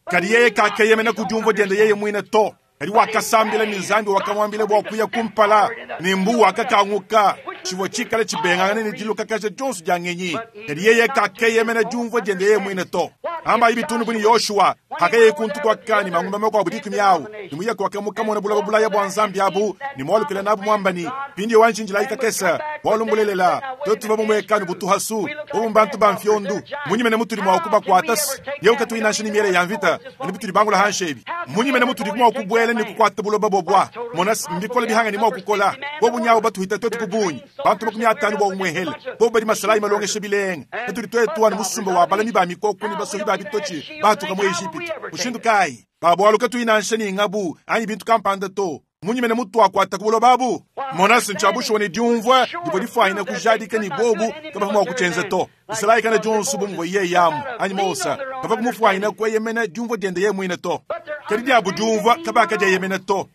Kadi yeye kakeyemena ku diumvua diende yeye mwine to. Kadi wakasambila ni Nzambi wakamwambila bua kuya kumpala ni mbu wakakanguka tshivua tshikala tshibengangana ne dilukakaja dionso dia ngenyi. Kadi yeye kakeyemena diumvua diende yeye mwine to. Amba ibitundu buni Yoshua hakeye kuntu kwa kani mangumba makuabu dikumi awu ni muya kwakamukamona bulaba bulaya bua Nzambi abu ni mwalukila nabu mwambani pindi wanchinjila ikakesa walumbulelela twetu bamumwekanu butuhasu bobu mbantu ba mfyondu munyimene mutuli mwa kuba kwatasi yeu katuinasha ni miele ya mvita ni butuli bangula hanshebi munyimene mutuli mwa kubwela ni kukwata buloba bobwa monas mbikola bihanga ni mwa kukola bobu nyawo batuhita twetu kubunyi Bantu makumi atanu bwa umwehele bobo badi masalayi malongesha bilenga katudi twetu anu musumba wa balami ba mikoko ne basohi ba bitochi batuka mu Egypte mushindu kayi babwalu katuyi nansha ni ngabu anyi bintu kampanda to munyimene mutu akwata ku buloba abu monasi nchabushuwa ne diumvua divua difwanyina kujadika ni bobu kabava mua kutshenza to isalayi kana dionso bumvua iye yamu anyi mosa kava kumufwanyina kweyemena diumvua diende ye mwine to kadi diabu diumvua kabaka dieyemena to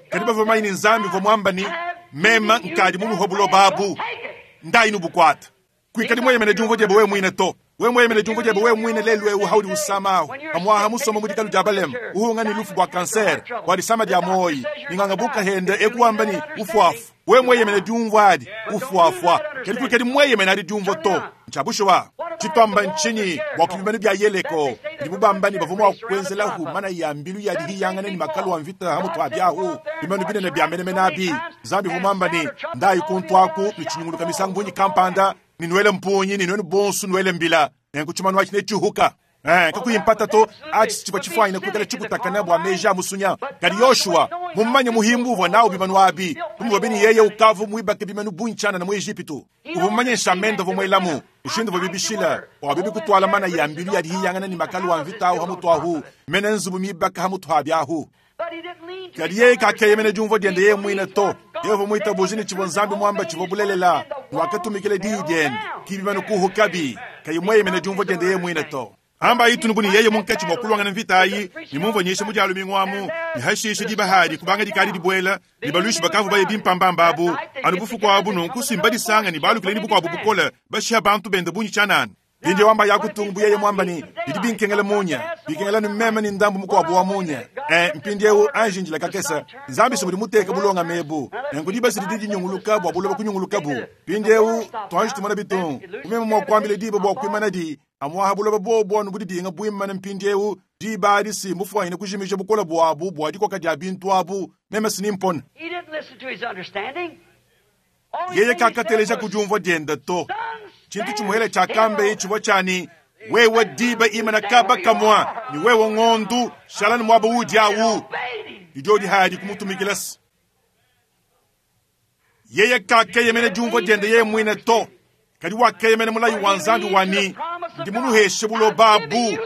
kadi bavua manyi ni nzambi vua mwamba ni mema nkadi munuho buloba abu ndayi nubukwata kwikadi mweyemene diumvua diebe we mwine to we mweyemene diumvua diebe we mwine lelu ewu haudi usamaho amwaha musoma mudikalu dia balema uhunga ni lufu bwa kansere bwa disama dia moyi ninganga buka hende ekuwamba ni ufuafu we mweyemene diumvua adi ufuafua kadi kwikadi mweyemene adi diumvua to nchabushuwa chitwamba nchinyi bwa kubimanu bya yeleko ndibubambani bavua mua kuenzelahu mana ya mbilu ya dihiyangana ni makalu wa mvita hamutu abyahu bimanu binene bya menemene abi nzambi vumwambani ndayi kuntwaku nichinyunguluka misangu bunyi kampanda ninwele mpunyi ninwene bonsu nwele mbila nenku chimanu achi nechihuka Eh, kakuyimpata to achi chipwa chifwanyina kukala chikutakana bwa meja musunya kadi Yoshua mumanye muhimbu uvua nawo bimanu abi kumuvua bini yeye ukavu muibake bimanu bunchana na mu Egipitu uvumanye nshamendo vomwelamu ushindu vwa bibishila wabibi kutwala mana ya mbilu ya dihiyangana ni makalu wa mvita ahu hamutu ahu mene nzubu mibaka hamutu habyahu kadi yeye kakeyemene diumvua diende yeye mwine to yehova mwita bujini chivua nzambi mwamba chivua bulelela wakatumikile diyi diende kibimanu kuhukabi kayi mweyemene diumvua diende yeye mwine to amba itunuku ni yeye munkatshi mwa kulwangana mvita ayi ni mumvua nyisha mudialu ming'wamu ni hashishe dibahadi kubanga dikali dibwela ni baluishi bakavu baye bimpambamba abu anu bufuku abu nunku simba disanga ni balukile ni bukwabu bukola bashiha bantu bende bunyi tshanana bindi wamba yakutungu buyeye mwamba ni bidi binkengela munya bikengela ni meme ni ndambu mukwabu wa munya eh mpindi eu anjinjila kakesa nzambi simudi muteka bulonga mebu nenku dibasi didi dinyunguluka bwa buloba kunyunguluka bu pindi eu twanji tumona bitungu kumeme mwa kuambile diba bwa kuimana di amwaha buloba bobonu budi dinga buimana mpindi eu diba si mufwanyine kujimisha bukola bwabu bwa dikoka dia bintu abu meme sinimpona He didn't listen to his understanding. yeye kakateleja kudiumvua dienda to chintu chimuhele cha kambe chivua chani wewe diba imana kaba kamwa ni wewe ng'ondu shalani mwaba udi awu idio dihadi kumutumikilasi yeye kakeyemene diumvua diende yeye mwine to kadi wakeyemene mulayi wa nzambi wani ndi munuheshe buloba abu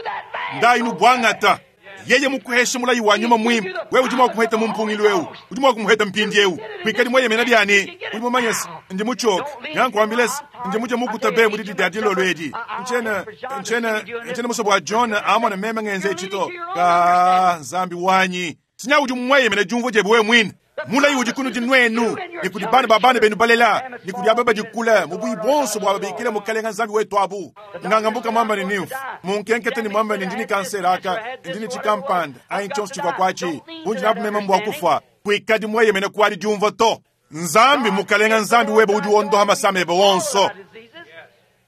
ndayi nubwangata yeye mukuheshe mulayi wa nyuma mwimpe wewe udi mua kumuheta mu mpungilu eu udi mua kumuheta mpindi eu kwikadi mweyemena byani udi mumanyesi ndi muchoka nyankuambilesi ndi muja mukuta be mudidi dia dilolo edi nchena nchena nchena musobo wa John amona meme ngenze echito ka nzambi wanyi sinya udi mweyemena diumvua diebe wewe mwine mulayi udi kunu dinwenu ni kudi bana ba bana benu balela ni kudi aba badikula mubuyi bonso bwa babikile mukalenga nzambi wetu abu ngangambuka mwamba ni nimfu munkenkete ni mwamba ni ndini kansera aka ndini chikampanda ayi chonso chivwa kwachi bunji nabu mema mbwa kufa kwikadi mweyemene kwali diumva to nzambi mukalenga nzambi webe udi wondoha masama ebe wonso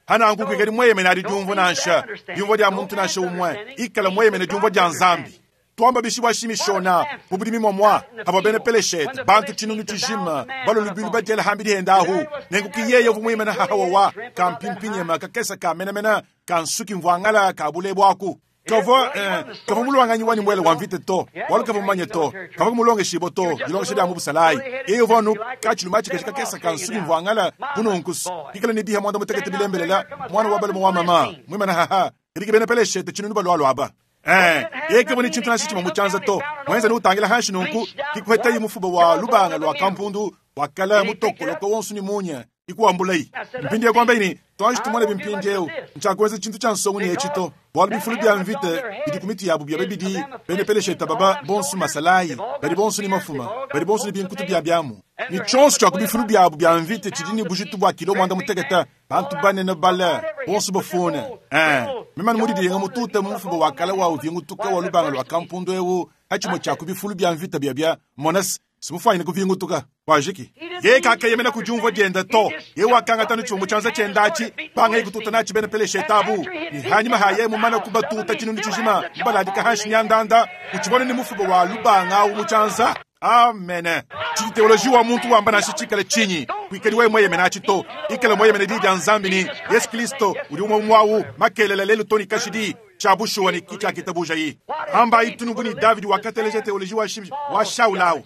hanangu kwikadi mweyemene adi diumva nansha diumva dia muntu nansha umwe ikala mweyemene diumva dia nzambi twamba bishi shimishona mubulimi mwamwa abo bene peleshete bantu chinunu chijima balo lubilu badiela hambi dihenda ahu nengu kiyeye vumwimena hahawa kampimpinyema kakesa kamenamena kansuki mvwangala kabule bwaku kavo eh, kavo mulwanganyi wani mwele wa mvite to walu kavo manye to kavo kumulonge shibo to dilongesha dia mubusalayi yeye vonu kachiluma chikashi kakesa kansuki mvwangala bununkusu kikala ni diha mwanda mutekete bilembelela mwana wa balemo wa mama mwimena haha iriki bene peleshete chinunu balwalwa aba Eh, yeke boni chintu nashi chimo muchanza to mwenza ni utangila hanshi nunku kikuheta yi mufuba wa lubanga lwa kampundu wakala mutokoloko wonsu ni munya ikuwambulayi mpindi yakwamba ini twanji tumone bimpindi eu nchakuweza chintu cha nsongo ni echito bwalu bifulu bya mvite bidi kumiti yabu bya bibidi bene pelesheta baba bonsu masalayi badi bonsu ni mafuma badi bonsu ni binkutu bya byamu ni chonso cha kubifulu byabu bya mvite chidini bujitu bwa kilo mwanda muteketa bantu banene bala bonsu bafuna eh mimani mudi dinga mututa mufuba wakala wa uvingutuka wa lubanga lwa kampundu eu hachimo cha kubifulu bya mvita bya bya monas simufanyine kuvingutuka wajiki ye kakeyemena kudiumvua dienda to ye wakanga tanu chumbu chanza chendachi panga ikututa nachi bene pelesheta abu ni hanyuma haye mumana kubatuta chinunu chijima mubaladika hanshi nyandanda uchibone ni mufuba wa lubanga awu muchanza amen chiteoloji wa muntu wamba nashi chikale chinyi kwikali wewe mweyemena achito ikale mweyemene di dia nzambi ni Yesu Kristo udi umwe mwawu makelele lelu toni kashidi chabushuwa ni kicha kitabuja yi amba itunubu ni David wakateleja teoloji wa shim wa Shaulao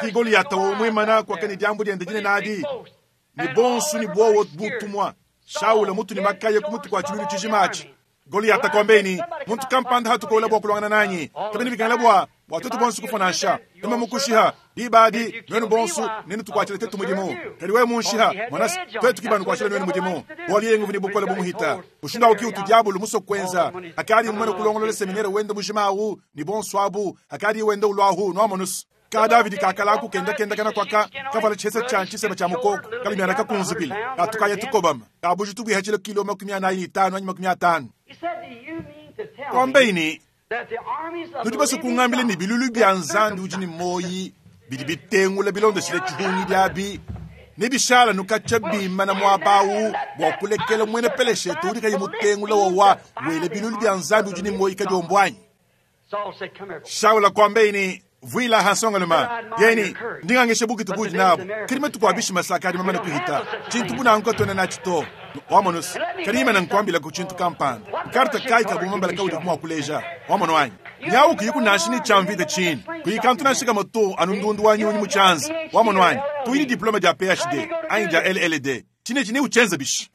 Ki Goliyata wa mwimana kwake ni jambo lyende jine nadi ni bonsu ni bwowo butumwa Shaula mutu ni makaya kumutu kwa chilulu chijimachi Goliyata kwambeni muntu kampanda hatukola bwa kulwangana nanyi kabini bikangala bwa watoto bonsu kufonansha numa mukushiha dibadi nwenu bonsu nenu tukwachile tetu mudimu kali we munshiha mwanasi twetu kibanu kwachile nwenu mudimu bwali yengu vini bukola bumuhita ushinda uki utu diabulu muso kwenza akali mumene kulongolola seminere wende mujimawu ni bonsu abu akali wende ulwahu nwamonusu ka Davidi kakala kenda kenda kana kwaka kavala chesa cha chisema cha mukoko kalimyana kakunzupile katukaya tukobama kabuji tubwihachile kilo makumi anayi itano anyi makumi atano kwambeini nudi basukungambile ni bilulu bya nzambi udi ni moyi bidi bitengula bilondeshile tshihungi byabi nibishala nukacha bima na mwabawu bwa kulekela mwene peleshetu udi kayi mutengula wawa wele bilulu bya nzambi udi ni moyi kadiombwanyi Shaula kwambeini vuila hansongaluma yeni ndingangeshe bukitu budi nabo kirime tukwabishi masaka adi mamana kuhita chintu bunanko tona nachito wamonos kalima nankwambila ku chintu kampanda nkarta kai kabumambala kaudi kumwa kuleja wamono anyi nyawu kuyiku nashi ni chamvita chini kuyikantu nashika moto anundundu wa nyunyi muchanza wamono anyi tuyini diploma ja P H D anyi ja L L D chine chine uchenza bishi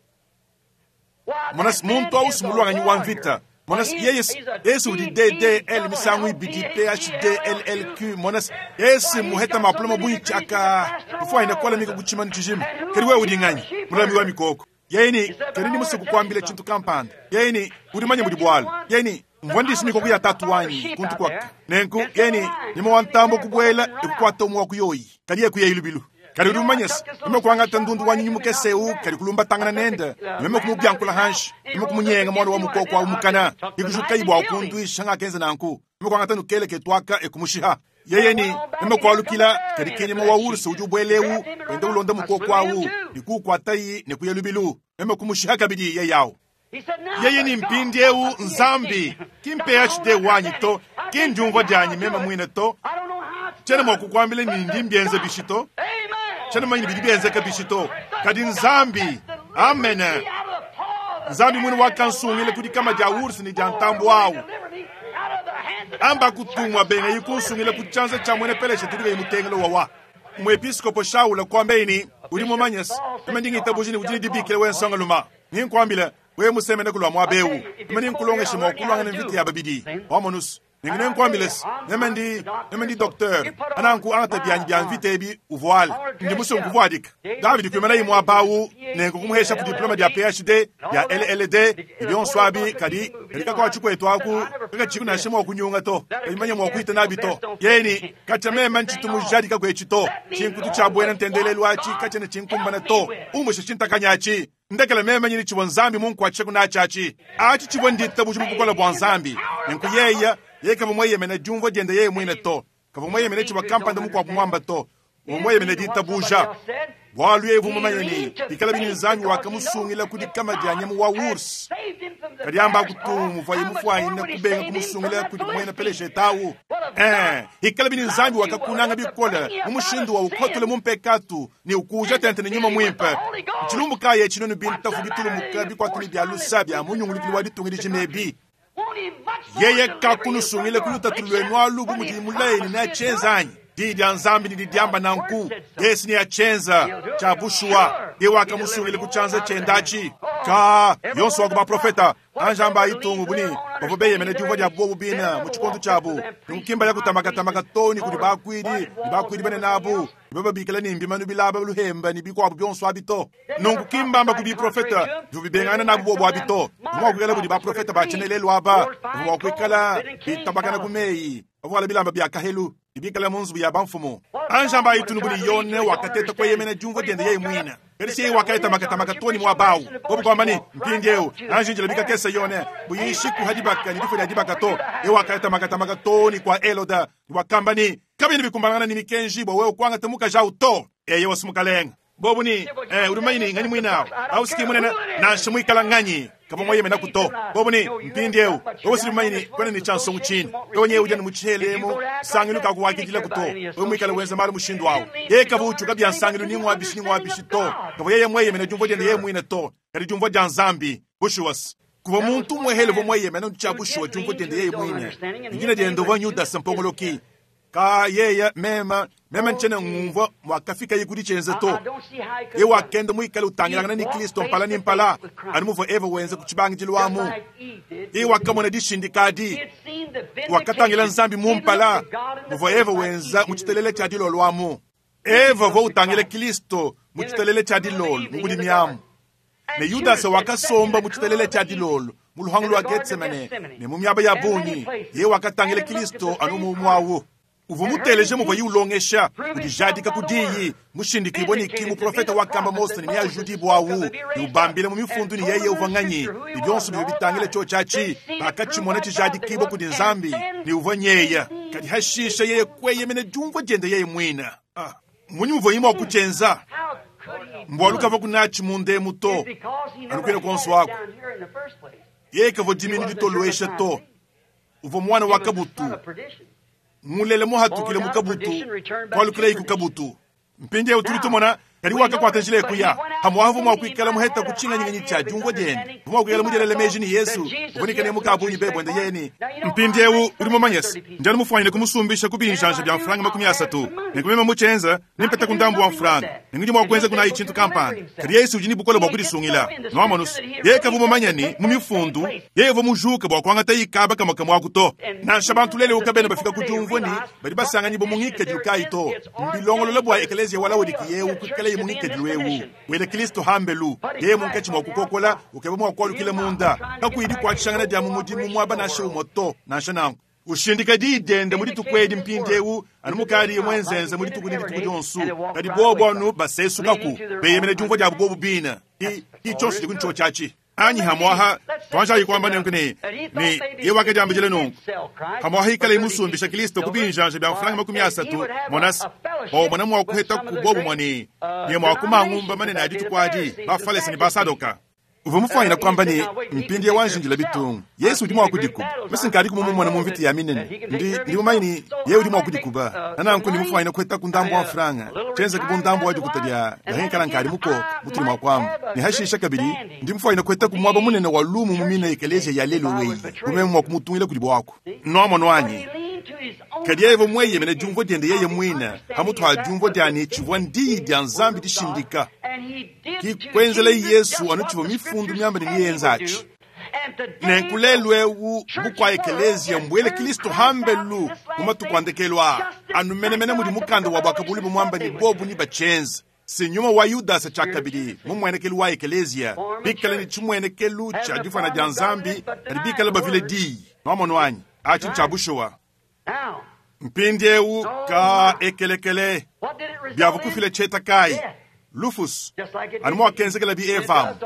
monas muntu ausimulwanganyi wa mvita monas yeyes yesu udi D D L misangu ibidi P H D L L Q monas yesi muheta maploma buichi aka kufuaina kwala mika kuchima nchijima keri we udi nganyi mulami wa mikoko yeni keri ni musuku kwambile chintu kampanda yeni udi manya mudi bwala yeni mvwandisi mikoko ya tatu wanyi kuntu kwaka nenku yeni nimo wantambo kubwela ikukwata omu wakuyoyi kali yekuya ilubilu kali udi umanyesa meme kuangata ndundu wanyi nyumukeseu kali kulumba tangana nenda meme kumubyankula hanshi meme kumunyenga mwana wa mukoko wa umukana ikujuka ibwa ukundwisha ngakenza nanku meme kuangata nukele ketwaka ekumushiha yeyeni meme kualukila kali kenyema wa ursa udi ubweleu wende ulonda mukoko awu nikuukwatayi nikuya lubilu meme kumushiha kabidi yeyawu yeye ni mpindi eu nzambi kimpe H D wanyi to kindiumva dyanyi meme mwine to chene mwakukwambile nindi mbyenze bishito chene manyi bidi byenzeka bishito kadi nzambi amen nzambi mwine wakansungile kudi kama dya ursi ni dya ntambo awu amba kutumwa benga yikunsungile ku chanza cha mwene peleshe tulike imutengele wawa mwepiskopo Shaula kwambeini uli mumanyesi eme ndingitabuji ni udi dibikile wensonga luma ninkwambile we musemene kulwa mwabewu eme ninkulongeshe mwakulwanga ne mvita ya babidi wamonusu ningine nkwambilesi neme ndi neme ndi docteur ananku angata byanyi bya mvita ebi uvuale ndi musungu Davidi kwimana imwe abawu nenku kumuhesha ku diploma dia P H D ya L L D ibyonso abi kadi kalika kwa chikwetu aku kakachiku nashe mwa kunyunga to kalimanya mwa kuita nabi to yeni kacha mema nchitumujadika kwechito chinkutu cha bwena ntendelelu achi kacha ne chinkumbana to umushe chintakanyachi ndekele mema nyini chibwa nzambi munku ache kunachachi achi chibwa ndita bujimu bukola bwa nzambi nenku yeya ye kava mweyemene jumva diende yeye mwine to kava mweyemene chibwa kampanda mukwa kumwamba to omweyemene ditabuja bwalu yevu mumanyeni bikala bini nzambi wakamusungila kudi kama dia nyama wa urs kadi amba kutumu vaye mufwanyina kubenga kumusungila kudi mwena peleshe tawu eh ikala bini nzambi wakakunanga bikola mumushindu wa ukotole mumpekatu ni ukuja tente ni nyuma mwimpe chilumbu kaye chinono bintafu bitulumuka bikwatuni bya lusa bya munyungulukili wa ditungili jinebi yeye kakunusungile kulutatu lwenu alubu mudi mulaini na chenzanyi didi ya nzambi ni didiamba nanku yesu ni yachenza cha bushuwa ye wakamusungile kuchanza chendachi ka yonso waku baprofeta anjamba itungu buni bavo beyemene diumva dia bobu bina mu tshikondo tshiabu nunkimba ya kutamakatamaka toni kudi bakuidi ni bakuidi bene nabu baba ni mbimanu bilaba luhemba ni bikwabu byonso abito nunku kimbamba kudi profeta bivubibengana nabu bobu abito bumwa kuikala kudi baprofeta bachenelelu aba bumwa kuikala bitabakana kumeyi bavuala bilamba bya kahelu ibikala munzu ya bamfumu anjamba itunu buli yone wakateta kweyemene jumva diende yeye mwina kadi wakaita makatamaka toni mwa bawu bobu kwamba ni mpindieu anjinjila bikakesa yone buyishiku hadibaka ni difo lya dibaka to ye wakaita makatamaka toni kwa eloda wakamba ni kabini bikumbangana ni mikenji bo wewe kwanga temuka jau to eye wasumukalenga bobu ni eh urumayini ngani mwinao au siki munene nanshe mwikala nganyi kava mwayemena kuto bobu ni mpindieu wewe silimayini kwene ni chansongu chini wewe nyewe ujani muchelemo sangilu kakuwakidila kuto wewe mwikala wenza mali mushindu wawo ye kava uchuka bya nsangilu ni ngwabishi ni ngwabishi to kava yeye mweyemena jumvo diende yeye mwine to kadi jumvo dya nzambi bushuwas kuva muntu mwehele vo mweyemena ncha bushuwa jumvo diende yeye mwine ingine diende vo nyuda sampongoloki Ka yeye mema mema nchene ngumvua mwakafika kudi tshienze to. Ye wakenda muikale utangilangana ni Kristo mpala ni mpala anu muvua Eva wenze ku tshibangidilu amu. Ye wakamona dishindikadi wakatangila Nzambi mu mpala muvua Eva wenza mu tshitelele tshia dilolo amu. Eva uvua utangila Kristo mu tshitelele tshia dilolo mu budimi amu. Ne Yudasa wakasomba mu tshitelele tshia dilolo mu luhangu lwa Getsemane ne mu miaba ya bungi. Ye wakatangila Kristo anu mu mwawu. Uvua muteleje muvua ye ulongesha udijadika ku diyi mushindikibwe ni ki muprofeta wakamba Mose ne miajudibwa awu ne ubambile mu mifundu ni yeye uvua nganyi ne bionso bivua bitangile cho tshiatshi bakatshimona tshijadikibwa kudi Nzambi ne uvua nyeya kadi hashisha yeye kweyemena diumvua diende yeye mwina. Ah, munyi muvua ye mua kutshienza mbwalu kavua kunatshi mundemu to anukwile konso wako yeye kavua diminu ditolwesha to uvua mwana wa kabutu mulele muhatukile mukabutu kwalukile iku kabutu mpindieu tuli tumona kadi wakakwata njila ekuya hamwahavu mwa kuikala muheta kuchinganyinganyi cha diumvua diende vumwa kuikala mudielele meji ni Yesu uvunikane mukabunyi bebwende yeni mpindieu uli mumanyesa njani mufwanyile kumusumbisha kubinjanja bya mfranga makumi asatu nekumema muchenza nimpeta kundambu wa mfranga ningudi mwa kuenza kunayi chintu kampanda kadi Yesu udi ni bukole bwa kudisungila nwamonusu yeye kavu mumanyani mu mifundu yeye uvua mujuka bwa kuangata ikaba kamwe kamwe aku to nansha bantu lele ukabene bafika kudiumvua ni badi basanganyi bomungikadilu kayi to mbilongolola bwa ekeleziya wa Laodiki yewu kuikala ye mungikadilu ewu wele Kristo hambelu yeye munkatshi mwa kukokola ukeba mwa kualukila munda kakuidi kuatshangana dia mu mudimu muaba nansha umwe to nansha nanku ushindika diyi diende mu dituku edi mpindiewu anu mukadi mwenzenze mu dituku ne dituku dionso kadi bobo anu basesukaku beyemena diumvua diabu bobu bina ki tshionso diku ntsho tshiatshi anyi hamwaha twanjayi kuamba nenku ne ne ye wakadiambijile nunku hamwaha ikala imusumbisha Kristo kubinjanja bya mfranga makumi asatu monasi bomona mwa kuheta kubobu mwani ne mwa kumangumba manene a dituku adi bafalesa ne basadoka uvua mufwanyina kwamba ni mpindi ya wanjindila bitungu Yesu udi mwa kudikuba mesinkadi kumumumona mu mvita ya minene ndi ndi mumanyi ni ye udi mwa kudikuba nananku ndi mufwanyina kuheta ku ndambu wa mfranga tshenza kubu ndambu wa dikuta dia dahenkala nkali muko mutuli mwa kwamba ni hashisha kabili ndi mufwanyina kuheta ku mwaba munene wa lumu mu mina ekeleziya ya lelo weyi kumeme mwa kumutungila kudi bwako nwamonu anyi kadi yeye mweyemene diumvua diende yeye mwina hamutu ha diumvua diani tshivua ndiyi dia Nzambi dishindika kikwenzela Yesu anu tshivua mifundu miamba ne miyenza atshi nenku ewu bukwa ekeleziya mbwele Kristo hambelu mu matuku andekelu aa anu menemene mudi mukanda wa bwakabuli bumwamba ni bobu ni bachenza sinyuma wa Yudasa tshakabili mu mwenekelu wa ekeleziya bikala ni tshimwenekelu tshia difana dia Nzambi kadi bikala bavile diyi nwamonu anyi atshi ntshia bushuwa mpindiewu ka ekelekele byavukufile tsheta kayi Lufus anu mwakenzekela bi Eva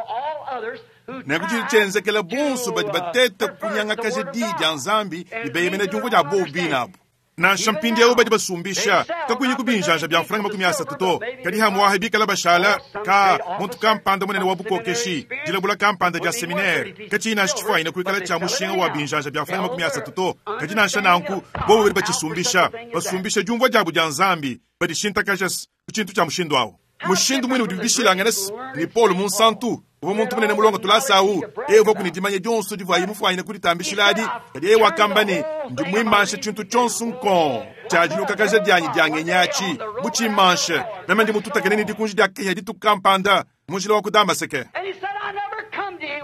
nenku tshidi tshenzekela bonso badi bateta kunyangakaja diyi dia Nzambi libeyemena diumvua dia bobu binabu nansha mpindiewu badi basumbisha kakuyi kubinjanja bya mfranga makumi asatu to kadi hamwaha bikala bashala ka muntu kampanda munene wa bukokeshi dilabula kampanda dia seminaire katshiyi nansha tshifwanyina kuikala tshia mushinga wa binjanja bya mfranga makumi asatu to kadi nansha nanku bobu badi batshisumbisha basumbisha diumvua diabu dia Nzambi badishintakaja ku tshintu tshia mushindu awu mushindu mwene udi bishilangana ni Paulo munsantu uvua muntu munene mulongo tulasawu eye uvua kuni dimanya dionso divuaye mufwanyina kuditambishiladi kadi eye wakamba ne ndi mwimanshe tshintu tshionso nkon tshia dianyi diangenyatshi mutshimanshe meme ndi mututakene ni dikunji dia kenya dituku kampanda mu njila wa ku Damaseke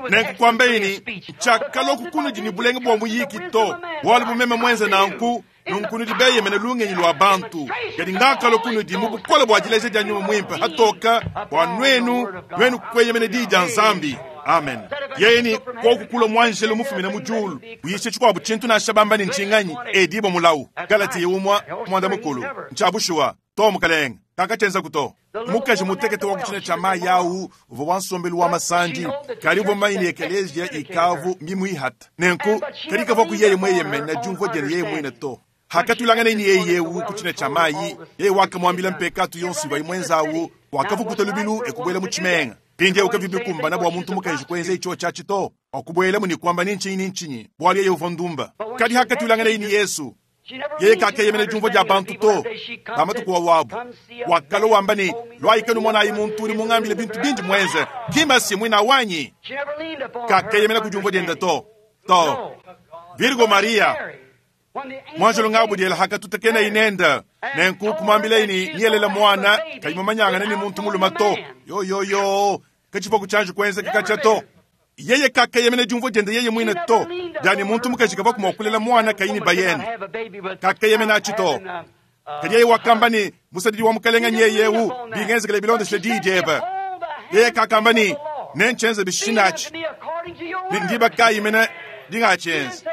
nenkukwambeini tshiakaloku kunudi ni bulenge bwa muyiki to bwalu bumeme mwenze nanku nunkunudi beyemene lungenyi lwa bantu kadi ngakalo kunudi mu bukole bwa dileja dia nyuma mwimpe hatoka bwa nwenu nwenu kweyemene diyi dia Nzambi. Amen. Yeni kokukula mwanjelo mufumina mu julu uyishe tshikwabu tshintu nansha bamba ni ntshinganyi edibo mulawu Galatiya umwa mwanda mukulu ntshabushuwa to mukalenga kakathenza kuto mukaji mutekete wa kuchina cha mayi awu uvua wa nsombelu wa masandi kali uvua mayi ekeleziya ikavu mimuihata nenku kali kavua ku yeye mweyemene diumvua diende yeye mwine to hakatulangana ni yeye yewu kuchina cha mayi yeye wakamwambila mpekatu yonso iva imwenzawu wakavukuta lubilu ekubwela mu tshimenga pindi ukavibikumbana bwa muntu mukaji kwenza icho chachi to wakubwela muni kwamba ni nchinyi ni nchinyi bwali yeye uvua ndumba kali hakatulangana ni Yesu yeye kakeyemene diumvua dia bantu to pamatuku wawabu wakalo wamba ni lwaikenu mwanayi muntu uli mung'ambile bintu bindi mwenze kimasi mwina wanyi kakeyemene kudiumvua diende to to Virgo Maria Mwanjelo ngabudyela hakatutakena inenda nenku kumwambila ini niyelela mwana kayimumanyangana ni muntu muluma to yoyoyo kachipa kuchanju kwenzeka kacha to yeye kakayemene diumvua diende yeye mwine to diani muntu mukaji kava kumokulela mwana kayini bayene kakayemene achi to kadi yeye wakamba ni musadidi wa mukalenga nyeyewu bingenzekele bilondesele diyi diebe yeye kakamba ni nenchenze bishinachi ndiba kayimene dingachenze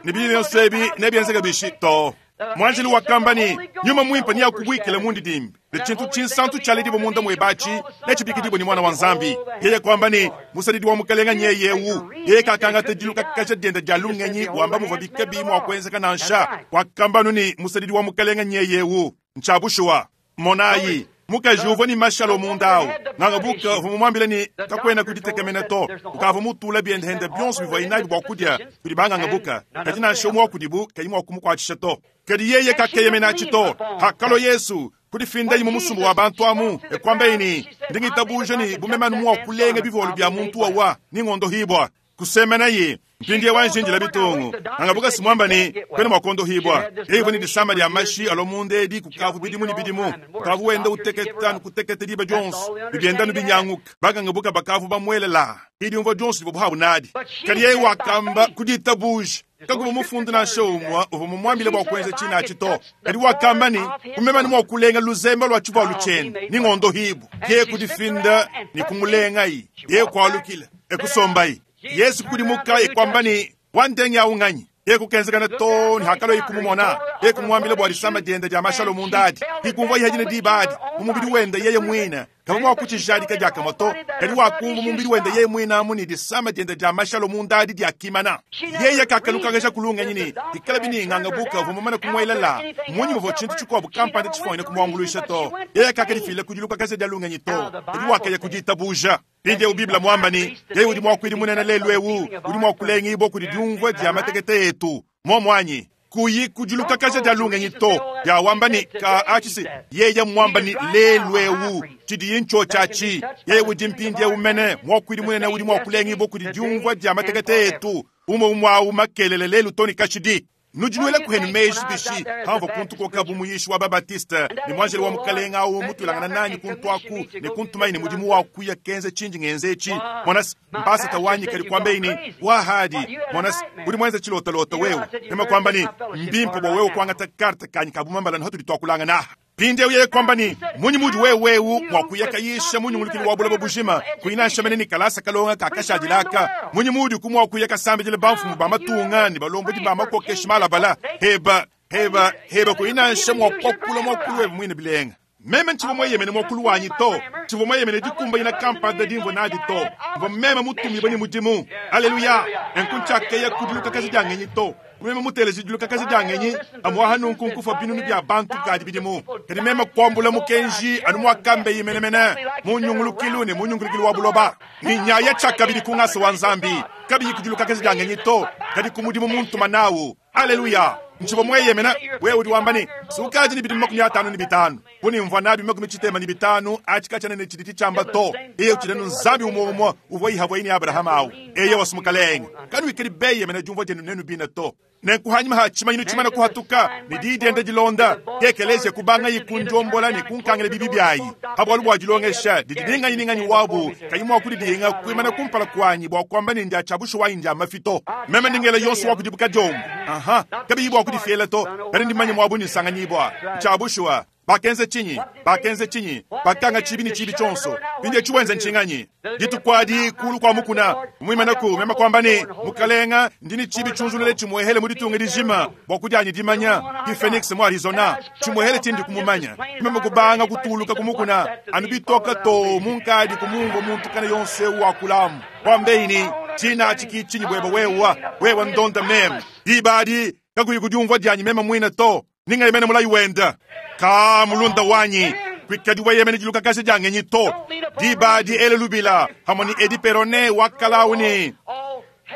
nibili nyosebi nebyenzeka bishi to mwanjeli wakamba ni nyuma mwimpa ni yakubwikile mundi dimbi ne tshintu tshinsantu tshaledibo munda mwebachi nechibikidibwe ni mwana wa nzambi yeye kwamba ni musadidi wa mukalenga nyeyewu yeye kakangata diluka kasha dienda dia lungenyi wamba muva bikabi mwakwenzeka nansha wakambanu ni musadidi wa mukalenga nyeyewu nchabushuwa monayi mukaji uvua ni mashalo mundawu ng'angabuka vumumwambile ni kakwena kuditekemena to ukava mutula biendehende bionso bivua inabi bua kudia kudi bang'angabuka kadi nansha umwe wa kudibu kayi mua kumukuatshisha to kadi yeye kakeyemena to hakalo yesu kudifindayi mu musumba wa bantu amu ekwamba ini ndingitabuja ni bumemanu mua kulenga bivolu bia muntu wawa ning'ondohibwa kusemenayi mpindi wanjinjila bitungu angabuka simwamba ni kwene mwakondohibwa eivo ni disamba lya mashi alo edi kukavu bidimu ni bidimu kukavu wenda uteketa nukuteketa liba dyonso bibyenda nubinyanguka bakangabuka bakavu bamwelela idiumva dyonso libo buhabu nadi kadi yeye wakamba kuditabuja kakuva mufundu nansha umwa uva mumwambile bua kuenza tshina atshi to kadi wakamba ni kumemani mua kulenga luzembe lua tshivualu tshiende ni ng'ondo hibu ye kudifinda ni kumulengayi ye kualukila ekusombayi yesu kudimuka ekwamba ni wandenge aunganyi ye kukenzekana to ni hakalo ikumumona ye kumwambila bua disamba diende dia mashalo mundadi ikumva ihajine dibadi mumubili wenda yeye mwina kava mwakuchijadika diakamwa to kadi wakumva mumubili wenda yeye mwina amu ni disamba diende dia mashalo mundadi diakimana yeye kakalukangasha kulungenyi ni dikala bining'anga buka vumumana kumwelela munyi muvo tshintu tshikuabu kampanda tshifoine kumwambuluisha to yeye kakadifile kudilukakasha dia to kadi wakaya kuditabuja pindi biblia mwamba ni yeye udi mwakwidi munene lelu ewu udi mwakulenga ibo kudi diumvua dia matekete etu momwanyi kuyi kudilukakasha dia lungenyi to dia wamba ni ka achisi yeye mwamba ni lelu ewu tshidiyi ntsho tshatshi yeye udi mpindi ewu mene mwakwidi munene udi mwakulenga ibo kudi diumvua dia matekete etu umwe umwawu makelele lelu toni kashidi nudinuele kuhenu meji bishi hamva kuntu koka bu wa babatiste ni mwanjeli wa mukalenga awu mutulangana nanyi kuntu aku ne kuntumayi ne mudimu wa kuya kenze tshinji ngenze etshi mwanasi mpasa tawanyi kali kwambeini wahadi mwanasi udi mwenze tshilotalota wewe nema kwamba ni mbimpe bua wewe kuangata karte kanyi kabumambala na hatudi twakulanga naha pindi yeye kwamba ni munyi mudi wewewu mwakuyakayisha munyungulukili wa bulaba bujima kuinasha mene ni kalasa kalonga kakashadilaka munyi mudi kumwakuyaka sambijile bamfumu bamatunga ni balombodi bamakokesha malabala heba heba heba kuinasha mwakwakula mwakulu webe mwine bilenga meme ntshivo mweyemene mwakulu wanyi to tshivo mweyemene dikumba ina kampanda dimvo nadi to mvo meme mutumibwe ni mudimu aleluya enkuntshakeya kudiluka kasi diangenyi to meme muteleji diluka kasi diangenyi amuaha nunku nkufa binunu bia bantu kadi bidimu kadi meme kuambula mukenji anu muakambe yimenemene munyungulukilu ne munyungulukilu wa buloba ni nyaya tshakabidi kungasa wa nzambi kabiyi kudiluka kasi diangenyi to kadi kumudimu muntuma nawu aleluya ntshivo mweyemena wewe udi wamba ni sukaji ni bidimu makumi atanu ni bitanu bunimvua nabi makumi tshitema ni bitanu atshikatshana ne tshidi tshitshiamba to eye utshilenu nzambi umwe umwe uvua ihavua ini abrahama awu eye wasumukalenga kanu ikeli beyemena diumvua dienu nenu bina to nenkuhanyima ha tshimanyinu tshimana kuhatuka ni didiende dilonda kekelezia kubanga yikunjombola ni kunkangila bibi byayi habwalu bua dilongesha didi ninganyi ninganyi wabu kayi mua kudidiinga kuimana kumpala kuanyi bua kuamba ni ndia tshiabushu wanyi ndia mafito meme ndingela yonso wa kudibuka diombo aha kabiyi bua kudifiela to kadi ndimanye muabu ni nsanganyibua tshiabushuwa bakenze tshinyi bakenze tshinyi bakanga tshibi ni tshibi tshonso bindie tshiwenze ntshinganyi ditukwadi kulu kwa mukuna mwimanaku mema kwamba ni mukalenga ndini tshibi tshunzulule tshimuehele mu ditunga dijima bua kudianyi dimanya ki phoenix mu arizona tshimuehele tshindi kumumanya meme kubanga kutuluka kumukuna anu bitoka to munkadi kumumva muntu kana yonse wakulamu kwambeini tshina tshiki tshinyi bweba wewa wewa ndonda meme dibadi kakuyi kudiumvua dianyi meme mwina to ninga yemene mulayi wenda ka mulunda wanyi kwikadi weyemene diluka kasi diangenyi to dibadi ele lubila hamoni edi perone wakalauni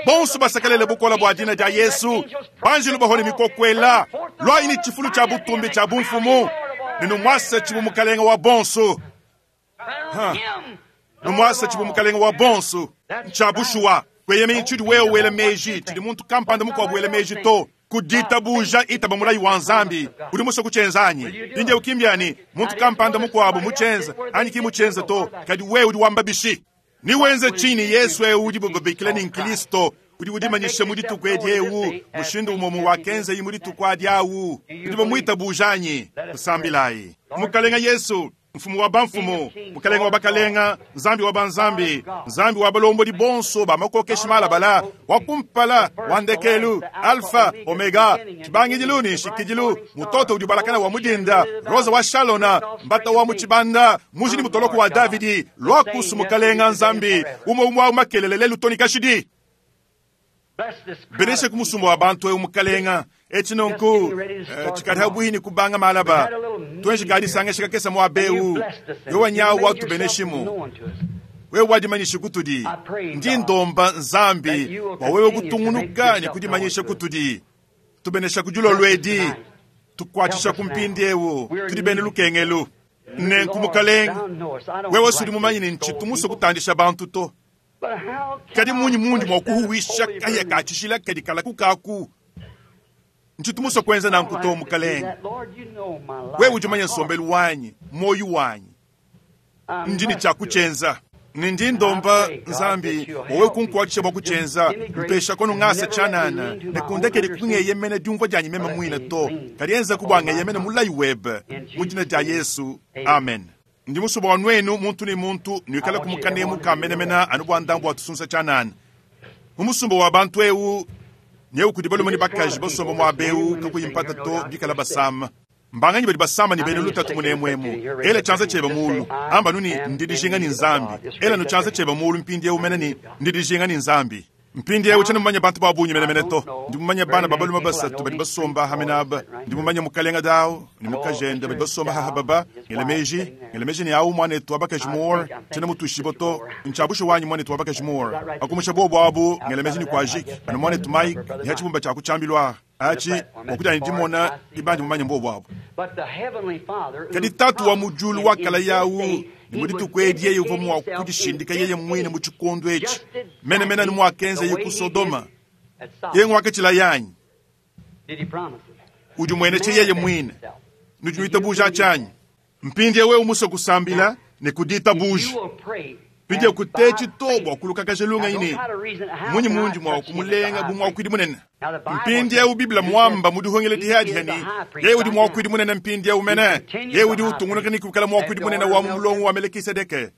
bonso basakalele bukola bua dina dia yesu banjilu bahone mikokwela lwayi ni tshifulu tshia butumbi tshia bumfumu ninumwasa tshibu mukalenga wa bonso numwasa tshibu mukalenga wa bonso ntshia bushuwa kweyemenyi tshidi wewe wela meji tshidi muntu kampanda mukuabu wela meji to Ku ditabuja itaba mulayi wa Nzambi. Udi musue kutshienza anyi? Mpindieu ki mbiani muntu kampanda mukuabu mutshienza anyi ki mutshienza to, kadi wewe udi wamba bishi? Niwenze tshinyi Yesu eu udibo babikila ni Nkristo udi udimanyisha mu dituku edi eu mushindu umwe wakenza mu dituku adi awu udi bamuitabuja anyi? Tusambilayi. Mukalenga Yesu, mfumu wa bamfumu, mukalenga wa bakalenga, Nzambi wa banzambi, Nzambi wa balombodi bonso ba makokeshi malabala, wa kumpala, wa ndekelu, Alpha, Omega, chibangidilu ni nshikidilu, mutoto udi balakana wa mudinda, Rosa wa Shalona, mbata wa muchibanda, mujini mutoloko wa Davidi, lwakusu mukalenga Nzambi, umwe umwe wa makelele lelu toni kashidi. Beneshe kumusumba wa bantu eu mukalenga eci nonku cikadi habuhini kubanga malaba twenji kadi sangesha kakesa mwa beu yowa nyawu watu beneshimu wewe wadimanyisha kutudi ndi ndomba Nzambi wa wewe kutungunuka ni kudimanyisha kutudi tubenesha kujulolo edi tukwatisha kumpindi eu tudi bene lukengelu nenku mukalenga wewe sudi mumanyi ni nchitu muso kutandisha bantu to kadi munyi mundi mwa kuhuwisha kahya kachishila kadi kala kukaku nchitu muso kwenza nanku to mukalenga wewe ujumanya nsombelu wanyi moyo wanyi ndini chakuchenza nindi ndomba Nzambi wowe kunkuatisha bwa kuchenza mpesha kono ngasa chanana nekundekeli kungeyemene diumvua dyanyi meme mwine to kadi enza kubwangeyemene mulayi webe mu dina dia Yesu, amen. Ndi musuba wa nwenu muntu ni muntu nwikala kumukanemu kamenemena anu bwa ndambu wa tusunsa chanana mu musumba wa bantu eu nyeu kudi balume ni bakaji basomba mwa beu kakuyimpata to bikala basama mbanganyi badi basama ni bene lutatu munemwemu ela chanza cheba mulu amba nuni ndidijinga ni Nzambi ela nu chanza cheba mulu mpindi eu mene ni ndidijinga ni Nzambi mpindi eu chana mumanya bantu babunyi mene mene to ndi mumanya bana babalume basatu badi basomba hamenaba ndi mumanya mukalenga dao ni mukajenda badi basomba hahababa ngelemeji ngelemeji ni au mwanetu abakaji more chana mutushibo to nchabusho wanyi mwanetu abakaji more akumusha bobo abu ngelemeji ni kwajiki anu mwanetu Mike ni hachibumba cha kuchambilwa achi wakuti anidimona ibandi mumanya mbobo abu kadi tatu wa mujulu wakala yawu ni mudituku edi yeye uva mwa kudishindika yeye mwine mu chikondo echi mene mene ni mwakenza ye ku Sodoma ye ngwakachila yanyi udi mwene che yeye mwine nudi nwitabuja chanyi mpindi wewe umuso kusambila ne kuditabuja pindi kutechi to bwa kulukakaje lunga ini munyi mundi mwa kumulenga bumwa kwidi munene mpindi eu Biblia mwamba mudihongele dihadi hani yeye udi mwa kwidi munene mpindi eu mene yeye udi utungunuka ni kukala mwa kwidi munene wa mulongo wa Melkisedeke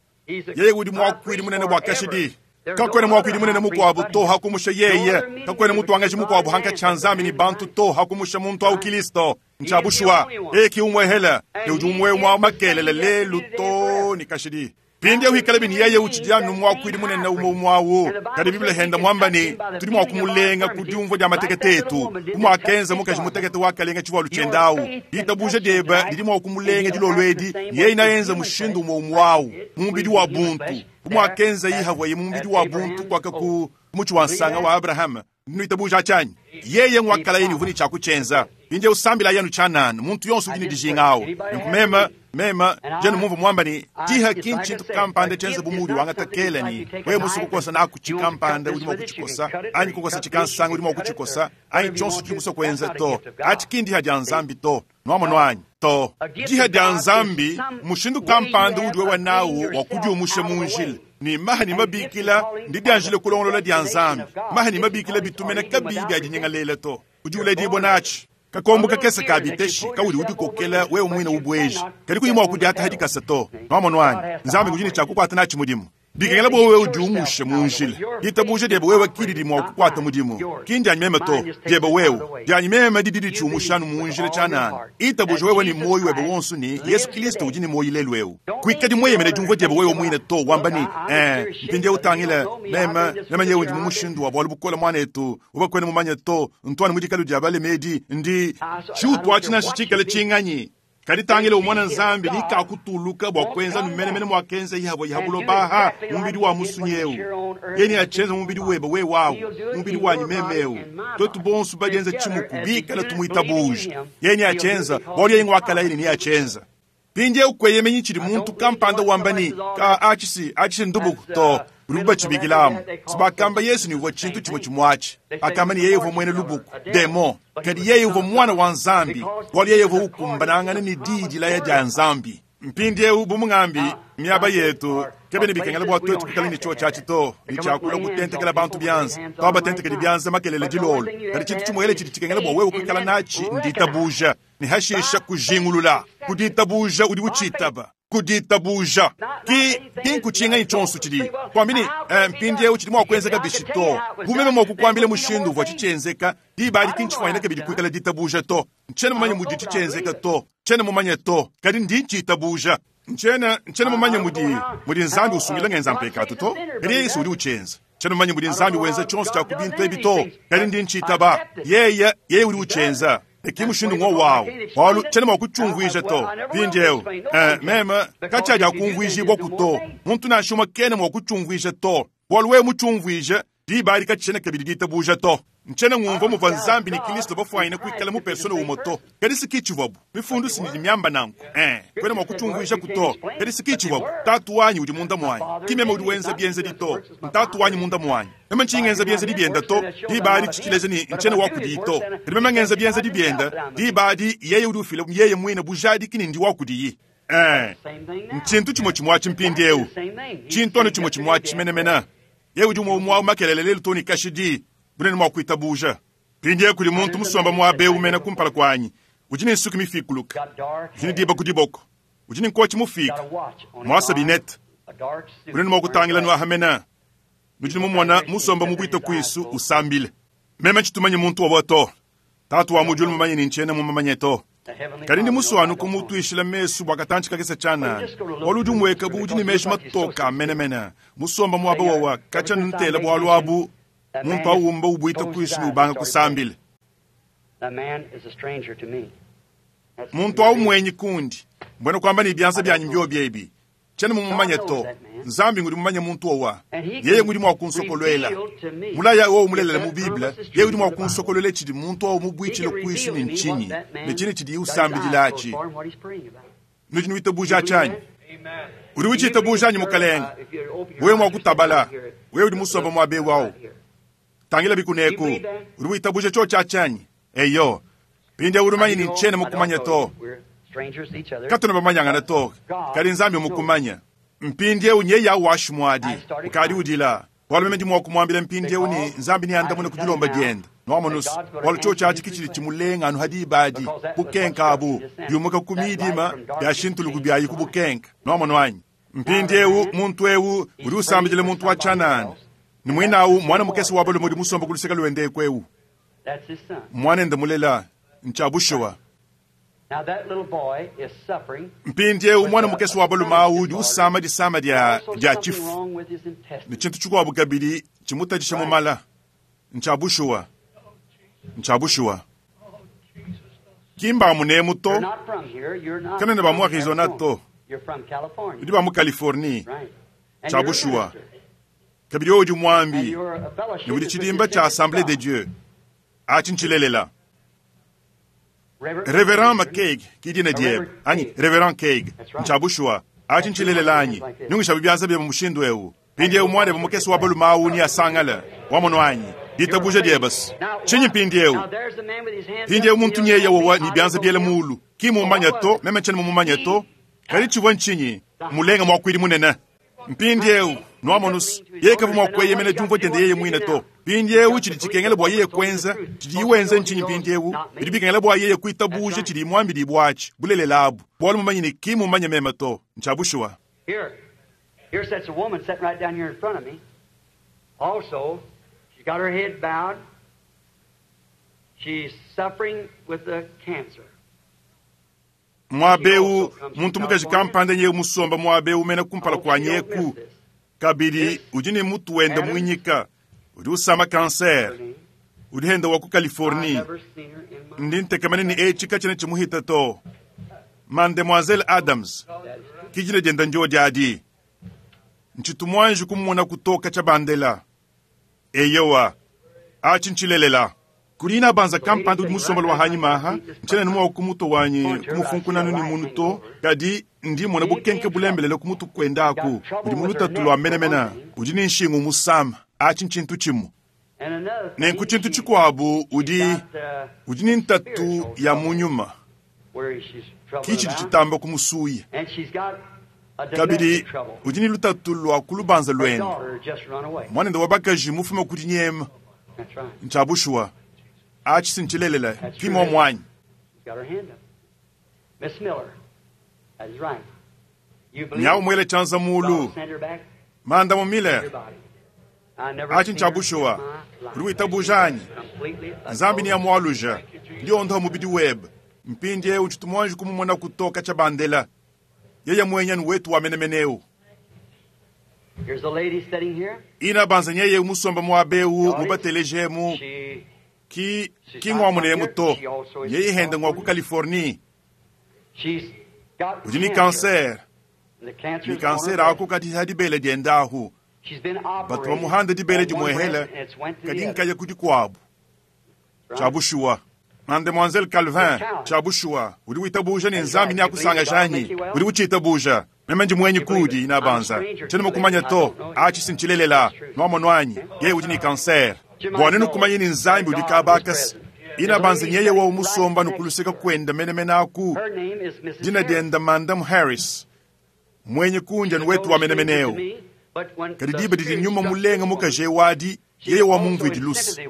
yeye udi mwa kwidi munene bwa kashidi kakwene mwa kwidi munene mukwabu to hakumusha yeye kakwene mutu angaji mukwabu hanka chanzami ni bantu to hakumusha muntu au Kristo nchabushwa eki umwehela ne udi umwe mwa makelele lelu to ni kashidi pindi eu bini yeye uchidia numwa kwidi munene umo mwawo kadi Biblia henda mwamba ni tudi mwa kumulenga kudiumvua dia matekete etu kumwakenza mukaji mutekete wakalenga chivalu chendawu ditabuja deba didi mwa kumulenga dilolo edi yeye inayenza mushindu umo mwawu mumbidi wa buntu kumwakenza yihavwa ye mumbidi wa buntu kwaka ku muchi wa nsanga wa Abraham nuitabuja chanyi yeye ngwakala yeni uvuni chakuchenza inje usambila yanu chanana muntu yonse udi ni dijingawo nkumema mema jenu mumvu mwamba ni tiha kinchi tukampande chenza bumudi wangatakela ni wewe musu kukosa na kuchikampande udi mwakuchikosa anyi kukosa chikansanga udi mwakuchikosa anyi chonso chili kwenza to achikindi haja nzambi to nwamo nwanyi to jiha dia Nzambi mushindu kampande udi wewe nawo wakudiumusha munjila ni maha ni mabikila ndi dianjile kulongolola dia Nzambi maha ni mabikila bitumene kabi bya dinyengalela to udi uledi bonachi kakombo kakesa kabiteshi kauli udi kokela wewe mwine ubweji kali kuyima wakudiata hadi kasa to nwamo nwanyi Nzambi kujini chakukwata nachi mudimu bikengela bo wewe udiumushe munjila ditabuje diebe wewe kididi mwa kukwata mudimu kindi anyimeme to diebe wewe dianyimeme dididi chiumushanu munjila chanana itabuje wewe ni moyo webe wonsu ni Yesu Kristo udi ni moyo lelu eu kuikadi mweyemene diumvua diebe wewe mwine to wamba ni eh mpindi utangile meme meme yewe ndi mumushindu wa bwalu bukola mwana etu ubakwene mumanye to ntwana mudikalu dia bale medi ndi chiutwa china shichikale chinganyi kadi tangile umwana Nzambi nikakutuluka bwa kwenza numenemene mwakenza ihabwa ihabulo baha mubili wa musunyeu yeni achenza mubili webe we wawu mubili wanyi memeu totu bonsu bajenza chimuku bikala tumuitabuje yeni achenza boli yengi wakala yeni ni achenza Mpindieu kueyemenyi tshidi muntu kampanda wamba ne, Ka atshi atshi ndubuku to, udibu batshibikilamu. Sibakamba Yesu ne uvua tshintu tshimue tshimue atshi. Akamba ne yeye uvua muena lubuku, demon. Kadi yeye uvua mwana wa Nzambi, bualu yeye uvua ukumbanangana ne diyi dilaya dia Nzambi. Mpindieu bu mungambi miaba yetu kebene bikengela bua tuetu kuikala ne chio tshiatshi to, ne tshiakula kutentekela bantu byanza, twabatentekele byanza makelele dilolo. Kadi tshintu tshimuele tshidi tshikengela bua wewe kuikala natshi nditabuja, ne hashisha kujingulula. Kuditabuja udi uchitaba. Kuditabuja ki ki nkutshinganyi tshionso tshidi kwambi ne eh, mpindieu tshidi mua kuenzeka bishi to. Bu meme mua kukuambila mushindu uvua tshitshienzeka, diba adi ki ntshifanyine kabidi kuikala ditabuja to. Ntshiena mumanye mudi tshitshienzeka to, ntshiena mumanye to, kadi ndi ntshitabuja. Ntshiena ntshiena mumanye mudi mudi Nzambi usungila ngenza mpekatu to, kadi Yesu udi utshienza. Ntshiena mumanye mudi Nzambi wenza tshionso tshia ku bintu ebi to, kadi ndi ntshitaba. Yeye yeye udi utshienza. Eki mushindu ngo wawu bualu tshiena mua kutshiumvuija to. Mpindieu eh, meme katshiadi akumvuijibua ku to, muntu nansha umue kena mua kutshiumvuija to, bualu wewe mutshiumvuije diba adi katshiena kabidi ditabuja to. Ntshiena ngumvua muvua Nzambi ne Kristo bafuanyine kuikala mu persona umue to, kadi si kitshivuabu. Mifundu sinidi miamba nanku eh, kwena mua kutshiumvuija ku to, kadi si kitshivuabu. Tatu wanyi udi munda muanyi, ki meme udi wenza bienzedi to, ntatu wanyi munda muanyi. Meme ntshingenza bienzedi bienda to, diba adi tshitshileja ne ntshiena wa kudiyi to. Kadi meme ngenza bienzedi bienda, diba adi yeye udi ufila yeye muine bujadiki ne ndi wa kudiyi. Eh, ntshintu tshimue tshimue atshi mpindieu, tshintu anu tshimue tshimue atshi menemene. Yeye udi umue umue makelele lelu to ne kashidi, bunene mua kuitabuja. Mpindieu kudi muntu musomba muaba eu mene kumpala kuanyi, udi ne nsuki mifikuluka, udi ne diba ku diboko, udi ne nkotshi mufika, muasa binete, bunene mua kutangila nuaha mene. Nudi mumona musomba mu bwita kuisu usambile. Meme tshitumanye muntu wabo to. Tatu wa mu diulu mumanye ne ntshiena mumanye to. Kadi ndi muswanu kumutuishila mesu bua katantshi kakese tshianana. Bualu udi umueka bu udi ne meji matoka menemene. Musomba muaba wawa katshia ntela bualu abu, muntu awumba ubwita kuisu ne ubanga kusambila. That man is a stranger to me. That's Muntu awu mwenyi kundi, mbwena kwamba ne byanza byanyi mbyo byebi. Tshiena mumumanye to. Nzambi ngudi mumanye muntu owa. Yeye ngudi mua kunsokolwela. Mulaya wowu mulelela mu Bible, yeye udi mua kunsokolwela tshidi muntu awu mubwitshile kuisu ne ntshinyi, ne tshine tshidi usambidila atshi. Nudi nuitabuja atshanyi? Udi utshitabuja anyi mukalenge? Wewe mua kutabala, wewe udi musomba muaba eu awu. Tangila bikuneku, udi witabuja tshio tshiatshanyi? Eyo, mpindieu udi umanye ne ntshiena mukumanya to. Katuna bamanyangana to, kadi Nzambi mukumanya. Mpindieu nyeye awu washimuadi, ukadi udila. Bualu meme ndi mua kumuambila mpindieu ne Nzambi neandamune ku dilomba diende. Nwamonusu, bualu tshio tshiatshi kitshidi tshimulenga anu hadi ibadi, bukenka abu, biumuka ku midima, biashintuluku biayi ku bukenka. Nwamono anyi? Mpindieu muntu eu udi usambidila muntu wa tshianana. Ne muinawu mwana mukese wa balume udi musomba ku luseke luende eku. That's his son. Mwanende mulela ntshia bushuwa. Now that little boy is suffering. Mpindieu mwana mukese wa balume awu udi usama disama dia Also dia something tshifu. wrong with his intestines. Ne tshintu tshikuabu kabidi tshimutadisha mu mala. Ntshia bushuwa. Ntshia bushuwa. Kimba munemu to, You're not from here. You're not Kanene ba mu from Arizona to. You're from California. udi ba mu Californie. Right. And Tshia you're a bushuwa. minister. Kabidi wewe udi And mwambi, you're a fellowship ne udi with the tshidimba tshia Assemblée de Assemblée Dieu. Atshi ntshilelela. Reverend Reverend McCaig kidina diebe anyi Reverend Craig ntshia bushuwa. Atshi ntshilelela anyi nungisha bibyanza bya mushindu eu. Mpindieu mwana mukese wa balume awu ni asangala wamono anyi ditabuja diebasi tshinyi mpindieu. Now there's the man with his hands Mpindieu up. muntu nyeye wowa ni byanza byele mulu ki mumanya to meme ntshiena mumumanye to, kadi tshivua ntshinyi mulenga mwakwidi munene. Mpindieu nwamonusu yeye kavua mua kueyemena diumvua diende yeye muine to. Mpindieu tshidi tshikengela bua yeye kuenza tshidi wenza ntshinyi mpindieu bidi bikengela bua yeye kuitabuja tshidi muambidi bwatshi bulelela abu bualu mumanye ne ki mumanye meme to ntshia bushuwa. Here, here sits a woman sitting right down here in front of me. Also, she's got her head bowed. She's suffering with the cancer. Muaba eu muntu mukaji kampanda nyeye musomba muaba eu mene kumpala I kua hope you don't miss nyeku this. kabidi udi ne mutu wende muinyika udi usama kanser Her name. udi henda wa ku I've Californie. never seen her in my Ndi ntekemene ne etshi katshiena tshimuhita to. Mademoiselle Adams That is true. kijina dienda njo diadi ntshitu muanji kumona kutoka tshia bandela. Eyowa atshi ntshilelela. Kuli inabanza kampanda udi musombela wa hanyima aha ntshiena ne mua kumutu wanyi kumufunkunanu ne munu to kadi ndi mona bukenke bulembelele kumutu kuendaku udi mu lutatu lua menemene udi ne nshingu musama atshi ntshintu tshimue And another thing, nenku tshintu she- tshikuabu udi she's got, uh, udi ne ntatu ya mu nyuma where she's troubled ki tshidi about. tshitamba kumusuya And she's got a kabidi domestic trouble. udi ne lutatu lua ku lubanza Her lwende daughter just run away. mwanende wa bakaji mufume kudi nyema That's right. ntshabushuwa atshi sintshilelela kimo mwanyi She's got her hand up. Miss Miller. That is right. You believe nyawu mwele tshanza God mulu will send her back manda mu to Miller your body. I never atshi seen her in ntshabushuwa my life. uli witabujanyi Completely a nzambi ni total ya mwaluja ndiondoha mubidi webe mpindiewu ntshitumuanji kumumona kutoka tsha bandela yeye mwenyani wetu wa menemeneu Here's a lady sitting here. ina banza nyeye musomba mwabewu mubatelejemu She ki ki ng'wamunemu to yeye henda ng'wa ku Californie she's got udi ni cancer. cancer The cancer ni is on her cancer breast. ako kadi ha dibele diendahu She's been batu operated bamuhanda dibele on one dimwehela breast and it's went to kadi the other. nkaya kudi kuabu Right? tshabushuwa mademoiselle Calvin tshabushuwa udi witabuja ne nzambi ni akusangajanyi udi uchitabuja meme ndi mwenyi kudi inabanza tshena mukumanya to achi sintshilelela nwamonwanyi yeye udi ni cancer bwana nukumanya ni nzambi udi kabakasi inabanza nyeye wa umusomba nukuluseka kwenda menemene aku Her name is Missus dina Harris. dienda mandamu Harris mwenye kunja ni wetu wa menemeneo kadi diba didi nyuma mulenga mukaje wadi yeye wa mumvidi lusi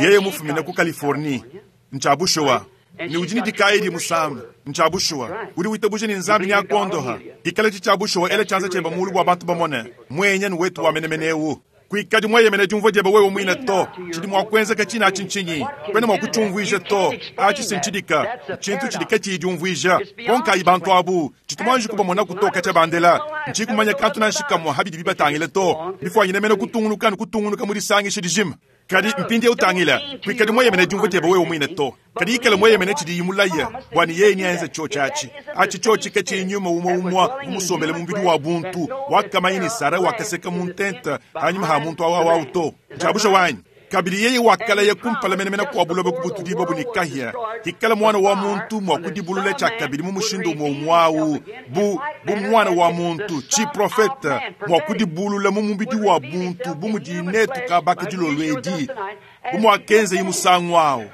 yeye mufumina ku Californie ntshabushuwa ni udi ni dikayi di musamba ntshabushuwa udi witabuje ni nzambi ni akondoha dikala tshitshabushuwa ele tshanza tsheba mulu bua bantu bamone mwenye ni wetu wa menemenewu kuikadi mweyemene diumvua dieba wewe mwina to tshidi mua kuenzeka tshina atshi ntshinyi kwena mua kutshiumvuija to atshi sintshidika tshintu tshidi katshiyi diumvuija konkayi bantu abu tshitumuanji kubamona kutoka tsha bandela ntshikumanya kantu nanshikamua habidi bibatangile to bifuanyine mene kutungunuka ne kutungunuka mu disangisha dijima kadi mpindi utangila kuikadi mweyemene diumvua dieba wewe mwine to kadi ikala mweyemene tshidi yimulaya bwani yeye niaenza tsho tshatshi atshi tsho tshika tshinyuma umwe umwa umusombele mubidi wa buntu wakamanya ni sara wakaseka muntenta hanyuma ha muntu awa awu to tshabusha wanyi kabili yeye wakalaya kumpala menemene kua buloba kubutudi babu ni kahia hikala mwana wa muntu mwa kudibulula tshia kabili mu mushindu umwe umwawu bu bu mwana wa muntu tshiprofeta mwa kudibulula mu mubidi wa buntu bu mudi netu kabaka dilolo edi bu muakenza imusangu awu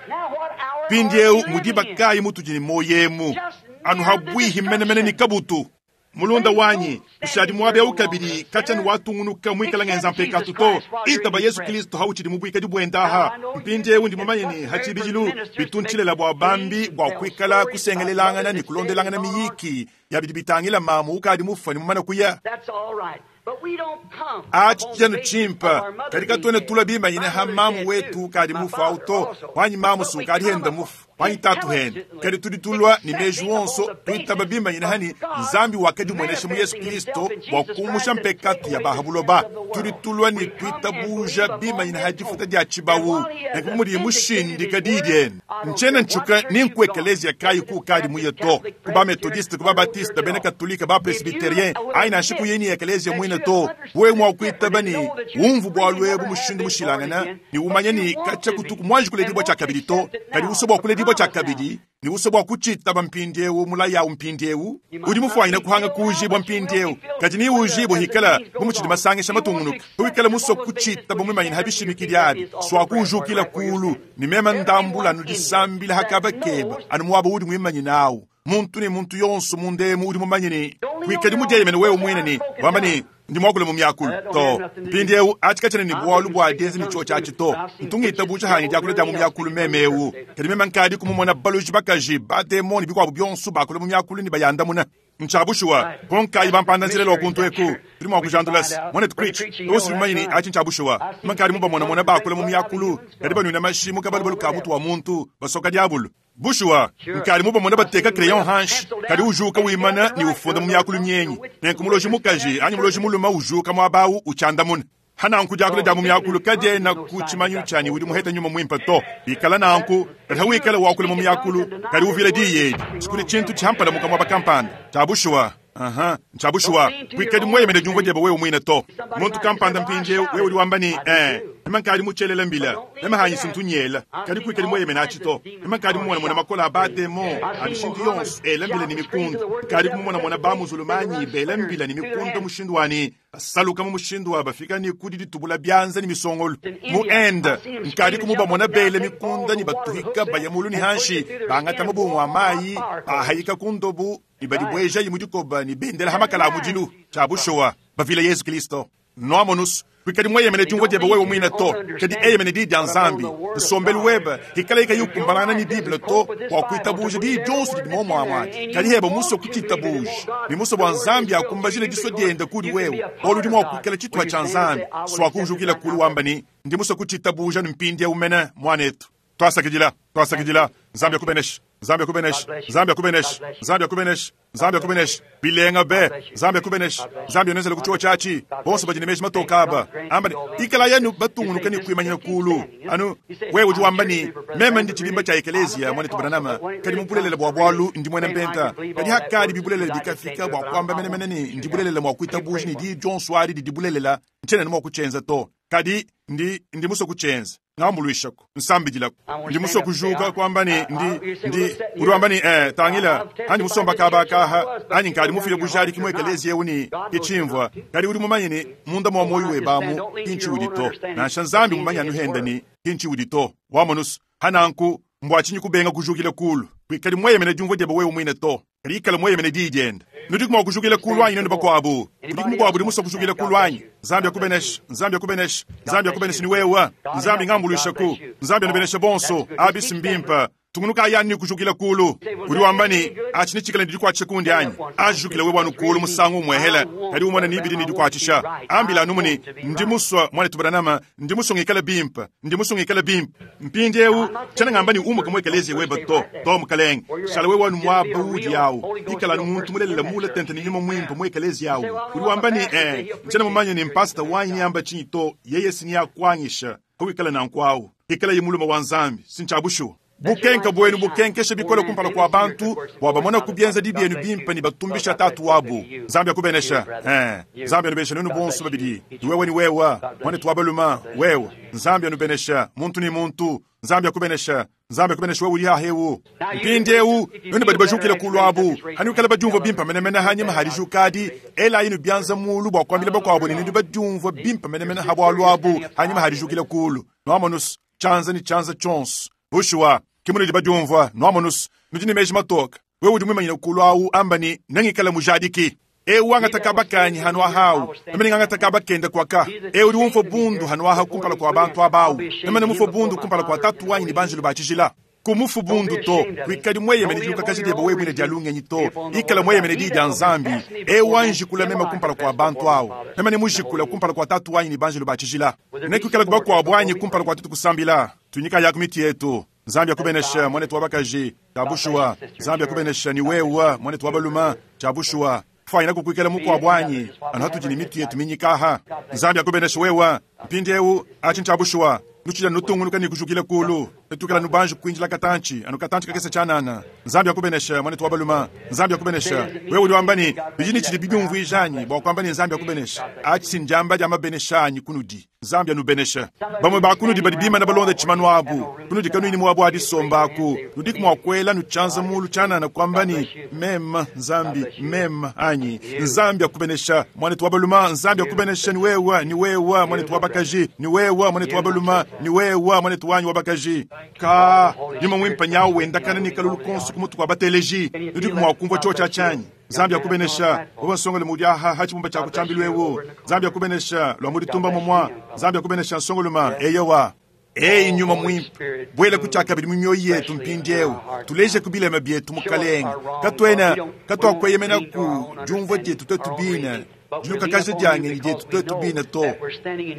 mpindiewu mudiba kayi mutudi ne moyemu anu habwihi menemene ni kabutu mulunda wanyi ushadi muabe kabili katshani watungunuka mwikala ngenza mpekatu to itaba yesu kristo hauchidi mubwikadi bwendaha mpindiewu ndi mumanye ni hatshibidilu bituntshilela bua bambi bua kuikala kusengelelangana ni kulondelangana miyiki yabidi bitangila mamu ukadi mufa ni mumana kuya That's all right. But we don't come achi upon the tshijanu basis of tshimpa our mother kadi being katuene dead. tula bimanyine My ha mother's mamu dead wetu too. kadi My mufu father awu to also. wanyi mamu But su we kadi come henda upon mufu wanyi tatu henda intelligently, kadi tudi tulua ni meji accepting wonso upon the tuitaba basis bimanyine hani of God nzambi wakadi mwenesha mu yesu manifesting kristo himself in bua Jesus kumusha Christ and mpekatu take ya away the bahabuloba sins of the world. tudi tulua ni We come and tuitabuja believe upon bimanyine this ha difuta hope. dia tshibawu And while he has nenku mudi vindicated mushindika his diyi word, diene I don't ntshiena care what ntshuka church ni you've nku ekeleziya gone, kayi ku kadi muye to Catholic, ku ba methodiste ku ba Presbyterian, batiste bena katolika ba If you presbyterien will ayi nansha admit ku yeni ekeleziya that mwine you to have understood wewe mua it kuitaba different ni and know that you umvu bua really lwebu never have mushindu been born mushilangana again, ni but umanye you ni want katshia to be, kutuku mwanji and kuledibwa want tshia to kabili to accept it kadi now, uswe bua the kuledibwa tshia promise now. kabili ni uswe bua kutshitaba mpindiewu mulayawu mpindiewu You might udi not mufuanyine be kuhanga filled now, kuujibwa but you will be mpindiewu filled kadi ni when the, uujibwa as the hikala meetings bu goes mutshidi on. masangisha You want to matungunuka accept wikala it muswe upon the basis kuchitaba which you mwimanyine stand ha up to your bishimikili feet, that abi is all the swa prayer for kuujukila right where you're kulu standing. ni mema ndambula Everyone in here nudisambila hakaba that keba knows anu muaba udi mwimanyine awu muntu ni muntu yonso mundemu udi mumanye ni Don't lean on kuikadi your mudieyemene own wewe say, mwine I've ni spoken wamba ni tongues. ndi mwakule mu myakulu That don't to have nothing to do. mpindiewu atshikatshene ni I'm bwalu looking bua speak in dienza ni tongues tsho too, tshatshi but to I've seen ntunga witches, itabuja hanyi devils, and diakule dia mu everything else myakulu speak in tongues memewu today. kadi mema nkadi kumumona baloji bakaji bademoni bikuabu bionso bakule mu myakulu ni bayandamuna ntshabushuwa Right. konkayi That's the bampanda nzila missionary lwa kuntu eku lecture. tuli mua We can find kujandulasi out. mwana Brother tupreach Preacher, you know osi that's mumanyini right. achi ntshabushuwa I've seen mankadi speak in mubamonamona tongues and drink bakule mu blood out of myakulu human kadi skulls. banwina mashimu kabalubalu All ka the mutu devil. wa muntu basoka diabulu bushuwa Sure. nkali mubamona I've bateka seen crayon left hanshi pencil kadi down ujuka and get up wimana and ni write. ufunda None mu of those myakulu tongues, myenyi no witch, nenku no muloji wizards can mukaji have anyi muloji interpreted. muluma ujuka mwabawu uchandamuna hananku diakula So dia mu speaking myakulu in kadiena tongues is no ku sign you tshimanyu got the tshanyi Holy udi Ghost. muheta nyuma mwimpa to bikala nanku kadi If you hawikala wakula mu speak in tongues myakulu and deny kadi this uvile word, diyi there's edi something sikuli wrong tshintu somewhere. tshihampala mukamwa bakampanda tshabushuwa aha Don't ntshabushuwa lean to your kuikadi own mweyemene diumvua understanding. dieba wewe mwine to Somebody muntu might say, kampanda well, I mpindiewu wewe shouted. udi wamba ni I did eh too. Mema nkadi mutshelela mbila. Mema hanyi sintu nyela. Kadi kuikadi mweyemena atshi to. Mema nkadi mumona mona makola a bademo a mishindu yonso ela mbila ni mikundu. Nkadi kumumona mona ba muzulumanyi bela mbila ni mikundu mushindu wani basaluka mu mushindu wa bafika ni kudi ditubula byanza ni misongolo. Mu Inde nkadi kumubamona bela mikunda ni batuhika bayamulu ni hanshi bangata mabungu a mayi bahayika ku ndobu ni badibweja yi mudikoba ni bendela hamakala a mudilu tshia bushuwa bavila Yesu Kristo. Noamonus kuikadi mweyemene diumvua diebe wewe mwine to kadi eyemene diyi dia Nzambi nsombelu webe hikala ika yukumbalana ni Bible to bua kuitabuja diyi dionso didi momwamwadi kadi heba muso kuchitabuja ni muso bua Nzambi akumbajile diso diende kudi wewe olu udi mua kuikala tshituha tshia Nzambi swakujukila kulu wamba ni ndi muso kuchitabuja ni mpindi umene mwanetu. Twasakidila, twasakidila. Nzambi akubeneshe, Nzambi akubeneshe, Nzambi akubeneshe, Nzambi akubeneshe, Nzambi akubeneshe. Bilenga be, Nzambi akubeneshe, Nzambi anezela kuchiwa chachi. Bonso badi ne meji matoka aba. Amba ni, ikala yenu batungunuka ni kuimanyina kulu. Anu, wewe udi wamba ni, meme ndi chibimba cha ekelezia mwane tubananama. Kadi mubulelela bua bwalu ndi mwene mpenta. Kadi hakadi bibulelela bikafika bua kwamba mene mene ni ndi bulelela mwa kuitabuji ni di Johnson adi di bulelela. Nchene ni mwa kuchenza to. Kadi ndi ndi muso kuchenza. Ngambuluishako nsambidilako ndi muso kujuka kwamba ni ndi ndi uri wamba ni eh tangila andi musomba kabakaha ani nkadi mufile bujali kimwe ekelezia uni kichimvwa kadi uri mumanye ni munda mwa moyo webamu kinchi udi to nansha Nzambi mumanye anuhenda ni kinchi udi to wamonusu hananku mbwachinyi kubenga kujukila kulu kwikali mweyemene diumvua diebe wewe mwine to kadi ikala mweyemene diyi diende nudiku mwa kujukila kulu anyi nenu bakwabu kudiku mukwabu di musa kujukila kulu anyi Nzambi akubenesha, Nzambi akubenesha, Nzambi akubenesha ni wewe. Nzambi ngambuluishaku, Nzambi anubenesha bonso abisi mbimpa tungunuka ayani kujukila kulu uri wamba ni achi chikala ndi kwacha kundi anyi ajukila wewe wanu kulu musangu mwehela kadi umona ni ibidi ndi kwachisha ambila numuni ndi muswa mwana tubanama ndi muswa ngikala bimpa ndi muswa ngikala bimpa mpindi eu chana ngamba ni umuka mwekelezi weba to to mukalenge shala wewe wanu mwaba udi yawo ikala muntu mulelela mula tente ni nyuma mwimpa mwekelezi yawo uri wamba ni eh chana mumanye ni mpasta wanyi amba chinyi to yeye sini yakwanyisha kawikala na nkwawo ikala yimuluma wa Nzambi sinchabushu bukenka bwenu bukenkesha bikola kumpala kwa bantu bwabamona kubyenza dibyenu bimpa ni batumbisha tatu wabu Nzambi akubenesha eh Nzambi anubenesha nenu bonso babidi wewe ni wewa mwane twabaluma wewe Nzambi anubenesha muntu ni muntu Nzambi akubenesha Nzambi akubenesha wewe uri hahewu mpindi eu nenu badi bajukila kulwabu hani ukala bajumva bimpa menemene hanyuma harijukadi ela yinu byanza mulu bwa kwambila bakwabo ni ndu bajumva bimpa menemene habwalwabu hanyuma harijukila kulu noamonus chanza ni chanza chonso bushuwa kimuni di bajumva noamonus nudi ni meji matoka wewe udi mwimanyina kulu awu amba ni nangikala mujadiki eu angataka bakanyi hanu ahawu namene ngangataka bakenda kwaka eu udi umfo bundu hanu aha kumpala kwa bantu abawu namene mufo bundu kumpala kwa tatu wanyi ni banjelu bachijila kumufu bundu to kuikadi mweyemene dilukakaji diebe wewe mwine dialungenyi to ikala mweyemene di dia Nzambi eu anjikula mema kumpala kwa bantu awu namene mujikula kumpala kwa tatu wanyi ni banjelu bachijila nekuikala kubakwabo anyi kumpala kwa tutu kusambila tunyika yaku miti yetu Nzambi akubenesha mwane twabakaji chabushuwa Nzambi akubenesha ni wewa mwane twabaluma chabushuwa fanyina kukwikela mukwabo anyi anu hatudi ni miti yetu minyikaha Nzambi akubenesha wewa mpindi eu achi nchabushuwa nuchila nutungunuka ni kujukila kulu netukela nubanji kuinjila katanchi anu katanchi kakese chanana Nzambi akubenesha mwane twabaluma Nzambi akubenesha wewe uri wamba ni bijini chili bibyumvwijanyi bwa kwamba ni Nzambi akubenesha achi sinjamba jama beneshanyi kunudi Nzambi anubenesha bamwe bakunudi badi bima na balonda chimanu abu kunudi kanuni mwabu adisombaku nudi kumwakwela nuchanza mulu chanana kwamba ni mema Nzambi mema anyi Nzambi akubenesha mwane twabaluma Nzambi akubenesha ni wewe ni wewe mwane twabakaji ni wewe mwane twabaluma ni wewe mwane twanyi wabakaji ka nyuma mwimpa nyawo wendakana ni kalulu konso kumutu kwa bateleji nudi kumwakumva chocha chanyi Nzambi akubenesha wewe nsongole mudi aha hachibumba chako chambilwewo Nzambi akubenesha lwa mudi tumba momwa Nzambi akubenesha nsongoluma eyowa eyi nyuma mwimpa bwela kuchaka bidi mu mioyo yetu mpindi eu tuleje kubilema byetu mukalenga katwena katwakweyemena ku diumvua dietu twetu bina dilukakaja diangenyi dietu twetu bina to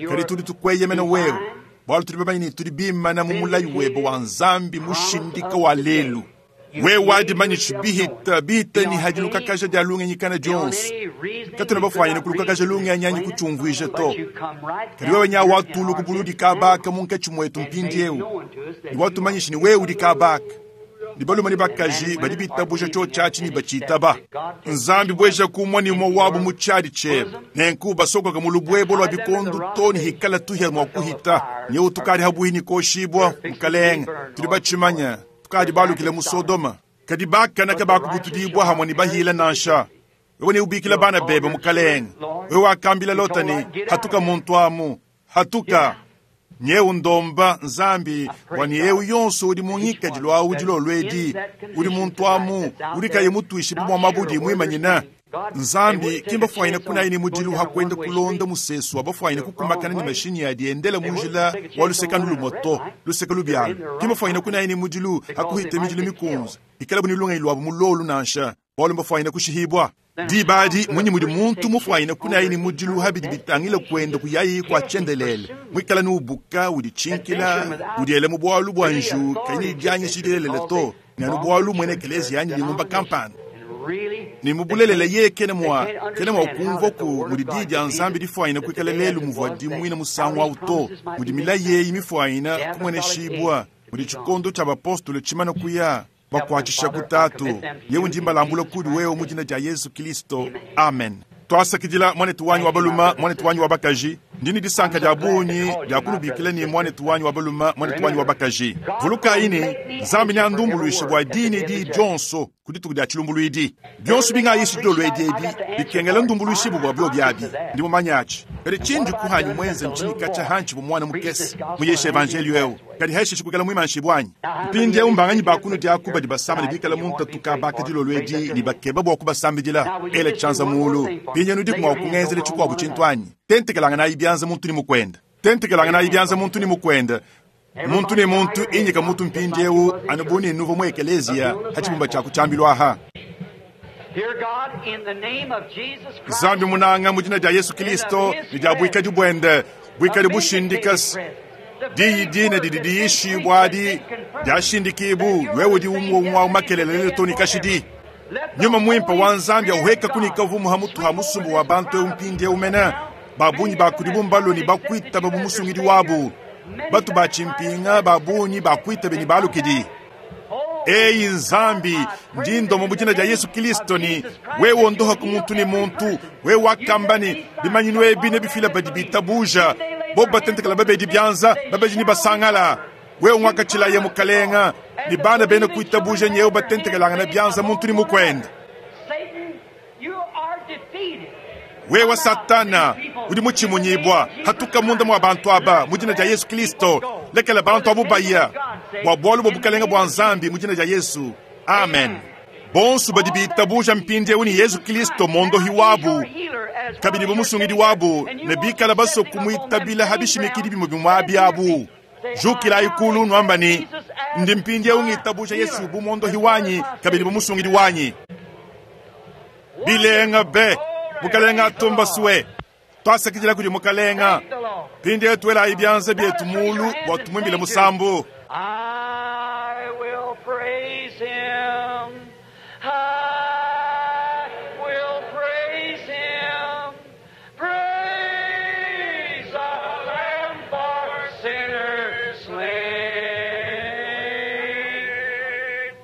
kadi tudi tukweyemena wewe bwalu tudi bamanyi tudi bimana mu mulayi webe wa Nzambi mushindika wa lelu wewe wadimanyisha bihita bihita ni hadilukakaja dia lungenyi kana dionso katuna bafwanyine kulukakaja lungenyi anyi kuchumvwija to kadi wewe nya watulu kubuludi kabaka munkatshi mwetu mpindi eu ni watumanyisha ni wewe udi kabaka Ne balume ne bakaji badi bitabuja tshiotshi ne batshitaba. Nzambi bweja kumwa ne umwe wabu mu tshiadi tshiebe. Nenku basokoka mu lubwebo lwa bikondo to ne hikala tuhia mua kuhita. Nyeu tukadi habuhi ne koshibwa mukalenge. Tudi batshimanya tukadi balukile mu Sodoma. Kadi bakanaka bakubutudibwa hamwe ne bahila nansha. Wewe ne ubikila bana bebe mukalenge. Wewe wakambila Lota ne hatuka muntu amu. Hatuka. Nyeu ndomba Nzambi wani eu yonso udi mungikadilu awu dilolwedi udi muntu amu udi kayi mutwishi bumwa mabudi mwimanyina. Nzambi kimba fwaine kunayi mudilu hakwenda kulonda musesu abafwaine kukumakana ni mashinyi yadiendela munjila wa luseka lumoto luseka lubyalo. Kimba fwaine kunayi mudilu hakuhita midilu mikunza ikala bunilunga ilwabu mulolu nansha bwalu mbafwaine kushihibwa. Dibadi munyi mudi muntu mufwaine kunayi ni mudilu habidi bitangila kwenda kuyayi kwa chendelele mwikala nubuka udi chinkila udiele mu bwalu bwa nju kanyi janye shidelele to nanu bwalu mwene kelezi yanyi lingumba kampani. Ni mubulelele ye kene mwa kene mwa kumva ku mudi didi ya Nzambi difwaine kwikala lelu muvwa dimwina musangu auto mudi milaye imifwaina kumwene shibwa mudi chikondo cha bapostolo chimana kuya bakwachisha kutatu yewe ndimbalambula kudi wewe mu jina ja Yesu Kristo amen. Twasakidila mwanetu wanyu wa baluma mwanetu wanyu wa bakaji ndini disanka dia bunyi dia kulubikila ni mwanetu wanyu wa baluma mwanetu wanyu wa bakaji vuluka ini Nzambi nyandumbuluisha bwa dini di jonso kudituku dia chilumbuluidi byonso bingayishi dolwedi ebi bikengela ndumbuluishi bwa byo byabi ndi mumanyachi kadi chindi kuhanyu mwenze mchini kacha hanchi bu mwana mukesi muyeshe evangelio eu kadi heshe chikukela mwimanshi bwanyi mpindi eu mbanganyi bakunu dia kuba dibasamba dibikala muntu tuka bakadilolwedi libakeba bwa kubasambidila ele chanza mulu pinye nudi kumwa kungenzele chikwabu chintwanyi tentekelanga na ibyanza muntu ni mukwenda tentekelanga na ibyanza muntu ni mukwenda muntu ni muntu inyika muntu mpindi eu anubuni nuvo mu ekelezia hachibumba chaku chambilwaha. Nzambi munanga mu jina dia Yesu Kristo ni dia bwikadi bwende bwikadi bushindikas diyi dina didi diyishibwa adi diashindikibu lwewe di umwe umakelele toni kashidi nyuma mwimpa wa Nzambi auheka kunika vumu hamutu ha musumbu wa bantu eu mpindi eu mena babunyi bakudi bumbaloni bakwita babu musungidi wabu batu bachimpinga babunyi bakwita beni balukidi. Eyi Nzambi ndindomo mu jina dia Yesu Kristo ni wewe ondoha ku muntu ni muntu wewe wakambani bimanyinu ebi ne bifila badi bitabuja bo batentekela babedi byanza babeji ni basangala wewe mwakachila ye mukalenga ni bana bene kuitabuja nyewe batentekelanga na byanza muntu ni mukwenda. Wewe Satana udi muchimunyibwa hatuka munda mwa bantu aba mu jina dia Yesu Kristo lekela bantu abu baya bwa bwalu bwa bukalenga bwa Nzambi mu jina dia Yesu amen. Bonsu badi bitabuja mpindi eu ni Yesu Kristo mondohi wabu kabidi bumusungidi wabu ne bikala baso kumwitabila habishimikidi bimwe bimwabi abu jukila ikulu nwamba ni ndi mpindi eu ngitabuja Yesu bu mondohi wanyi kabidi bumusungidi wanyi bilenga be mukalenga tumba suwe twasakidila kudi mukalenga pindi etwela ibyanza byetu mulu bwa tumwimbile musambu. I will praise him. I will praise him. Praise the Lamb for sinners slain.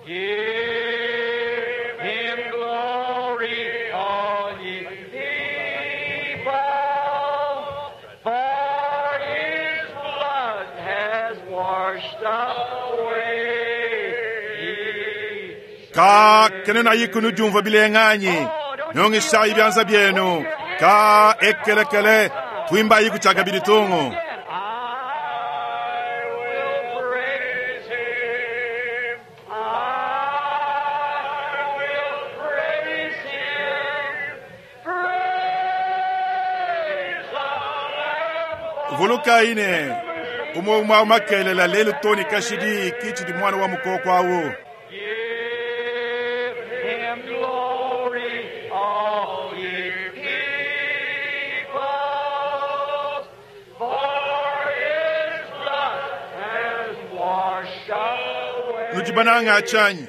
Give him glory, all ye people, for his blood has washed away. Ka kene na yikunu jumva bilenganyi nyongisha ibyanza byenu ka ekelekele twimba yiku chaka bilitungu. I will praise him. I will praise him. Praise the Lamb. Vuluka ine umwe umwe makelela lelu toni kashidi kichi di mwana wa mukoko awo. Give him glory, all ye people, for his blood has washed away. Nujibananga achanyi.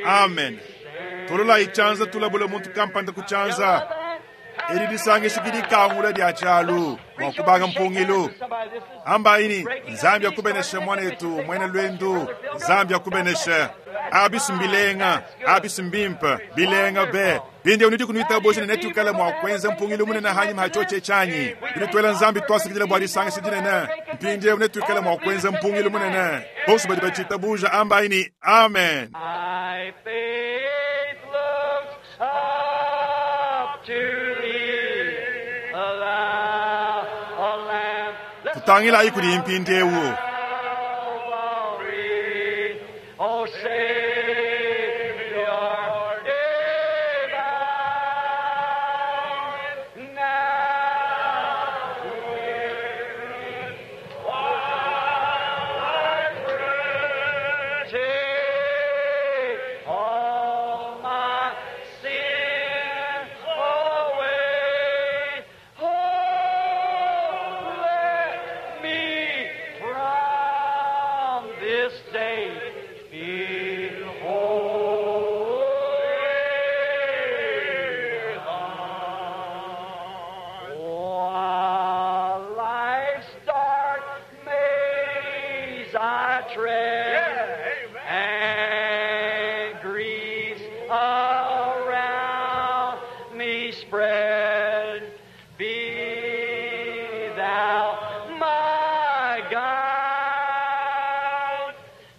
Amen. Tolola ichanza tulabula muntu kampanda kuchanza. Eri disangisha kidi kangula dia chalu wakubanga mpungilo. Amba ini Nzambi akubeneshe mwana yetu mwene lwendu Nzambi akubeneshe. Abi mbilenga, abi mbimpe, bilenga be. Mpindieu nudi kunuitabuja ne netuikale mua kuenza mpungilu munene hanyima ha tshiotshi tshianyi. Tudi tuela Nzambi tuasakidila bua disangisha dinene. Mpindieu netuikale mua kuenza mpungilu munene. Bonso badi batshitabuja ambayi ni amen. My faith looks up to thee, thou, O Lamb. Tutangilayi kudi mpindieu. Calvary, O Savior divine, now while I pray, take all my sins away. Oh, let me from this day be holy. While life's dark maze I tread, and griefs around me spread, be thou my guide.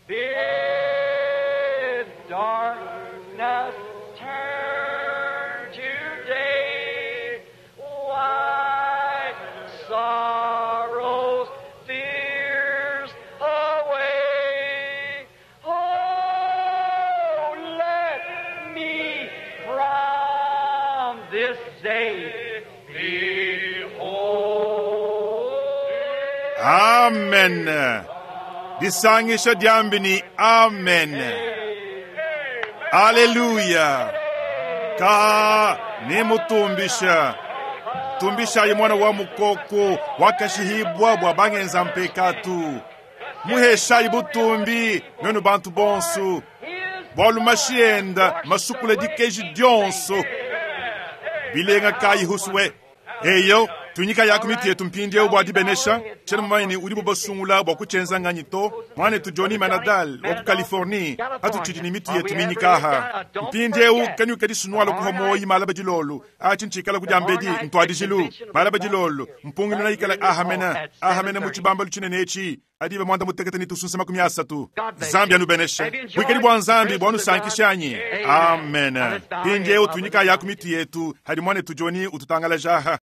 Bid darkness turn to day, wipe sorrows, fears away. Oh, let me from this day be whole. Amen. Disangisha diambi ni amen. Haleluya. Ka ni mutumbisha. Tumbishayi mwana wa mukoko wakashihibwa bwa bangenza mpekatu. Muheshayi butumbi nwenu bantu bonso. Bwalu mashienda masukula dikeji dionso. Bilenga kayi huswe. Eyo tunyika yako miti yetu mpindieu bwa dibenesha tshena mumanyi udi bubasungula bwa kutshenza nganyi to mwanetu Johnny Manadal wa ku Californie atutshidi ni mitu yetu minyikaha mpindieu kanyuka disunwala kuha moyi malaba dilolo atshi ntshikala kudiambedi ntwadijilu malaba dilolo mpungilu na ikala ahamena ahamena mu tshibambalu tshinene etshi adibe mwanda mutekete ni tusunsa makumi asatu Nzambi anubeneshe bwikadi bwa Nzambi bwanusankishanyi amen mpindieu tunyika yako mitu yetu hadi mwanetu Johnny ututangalajaha.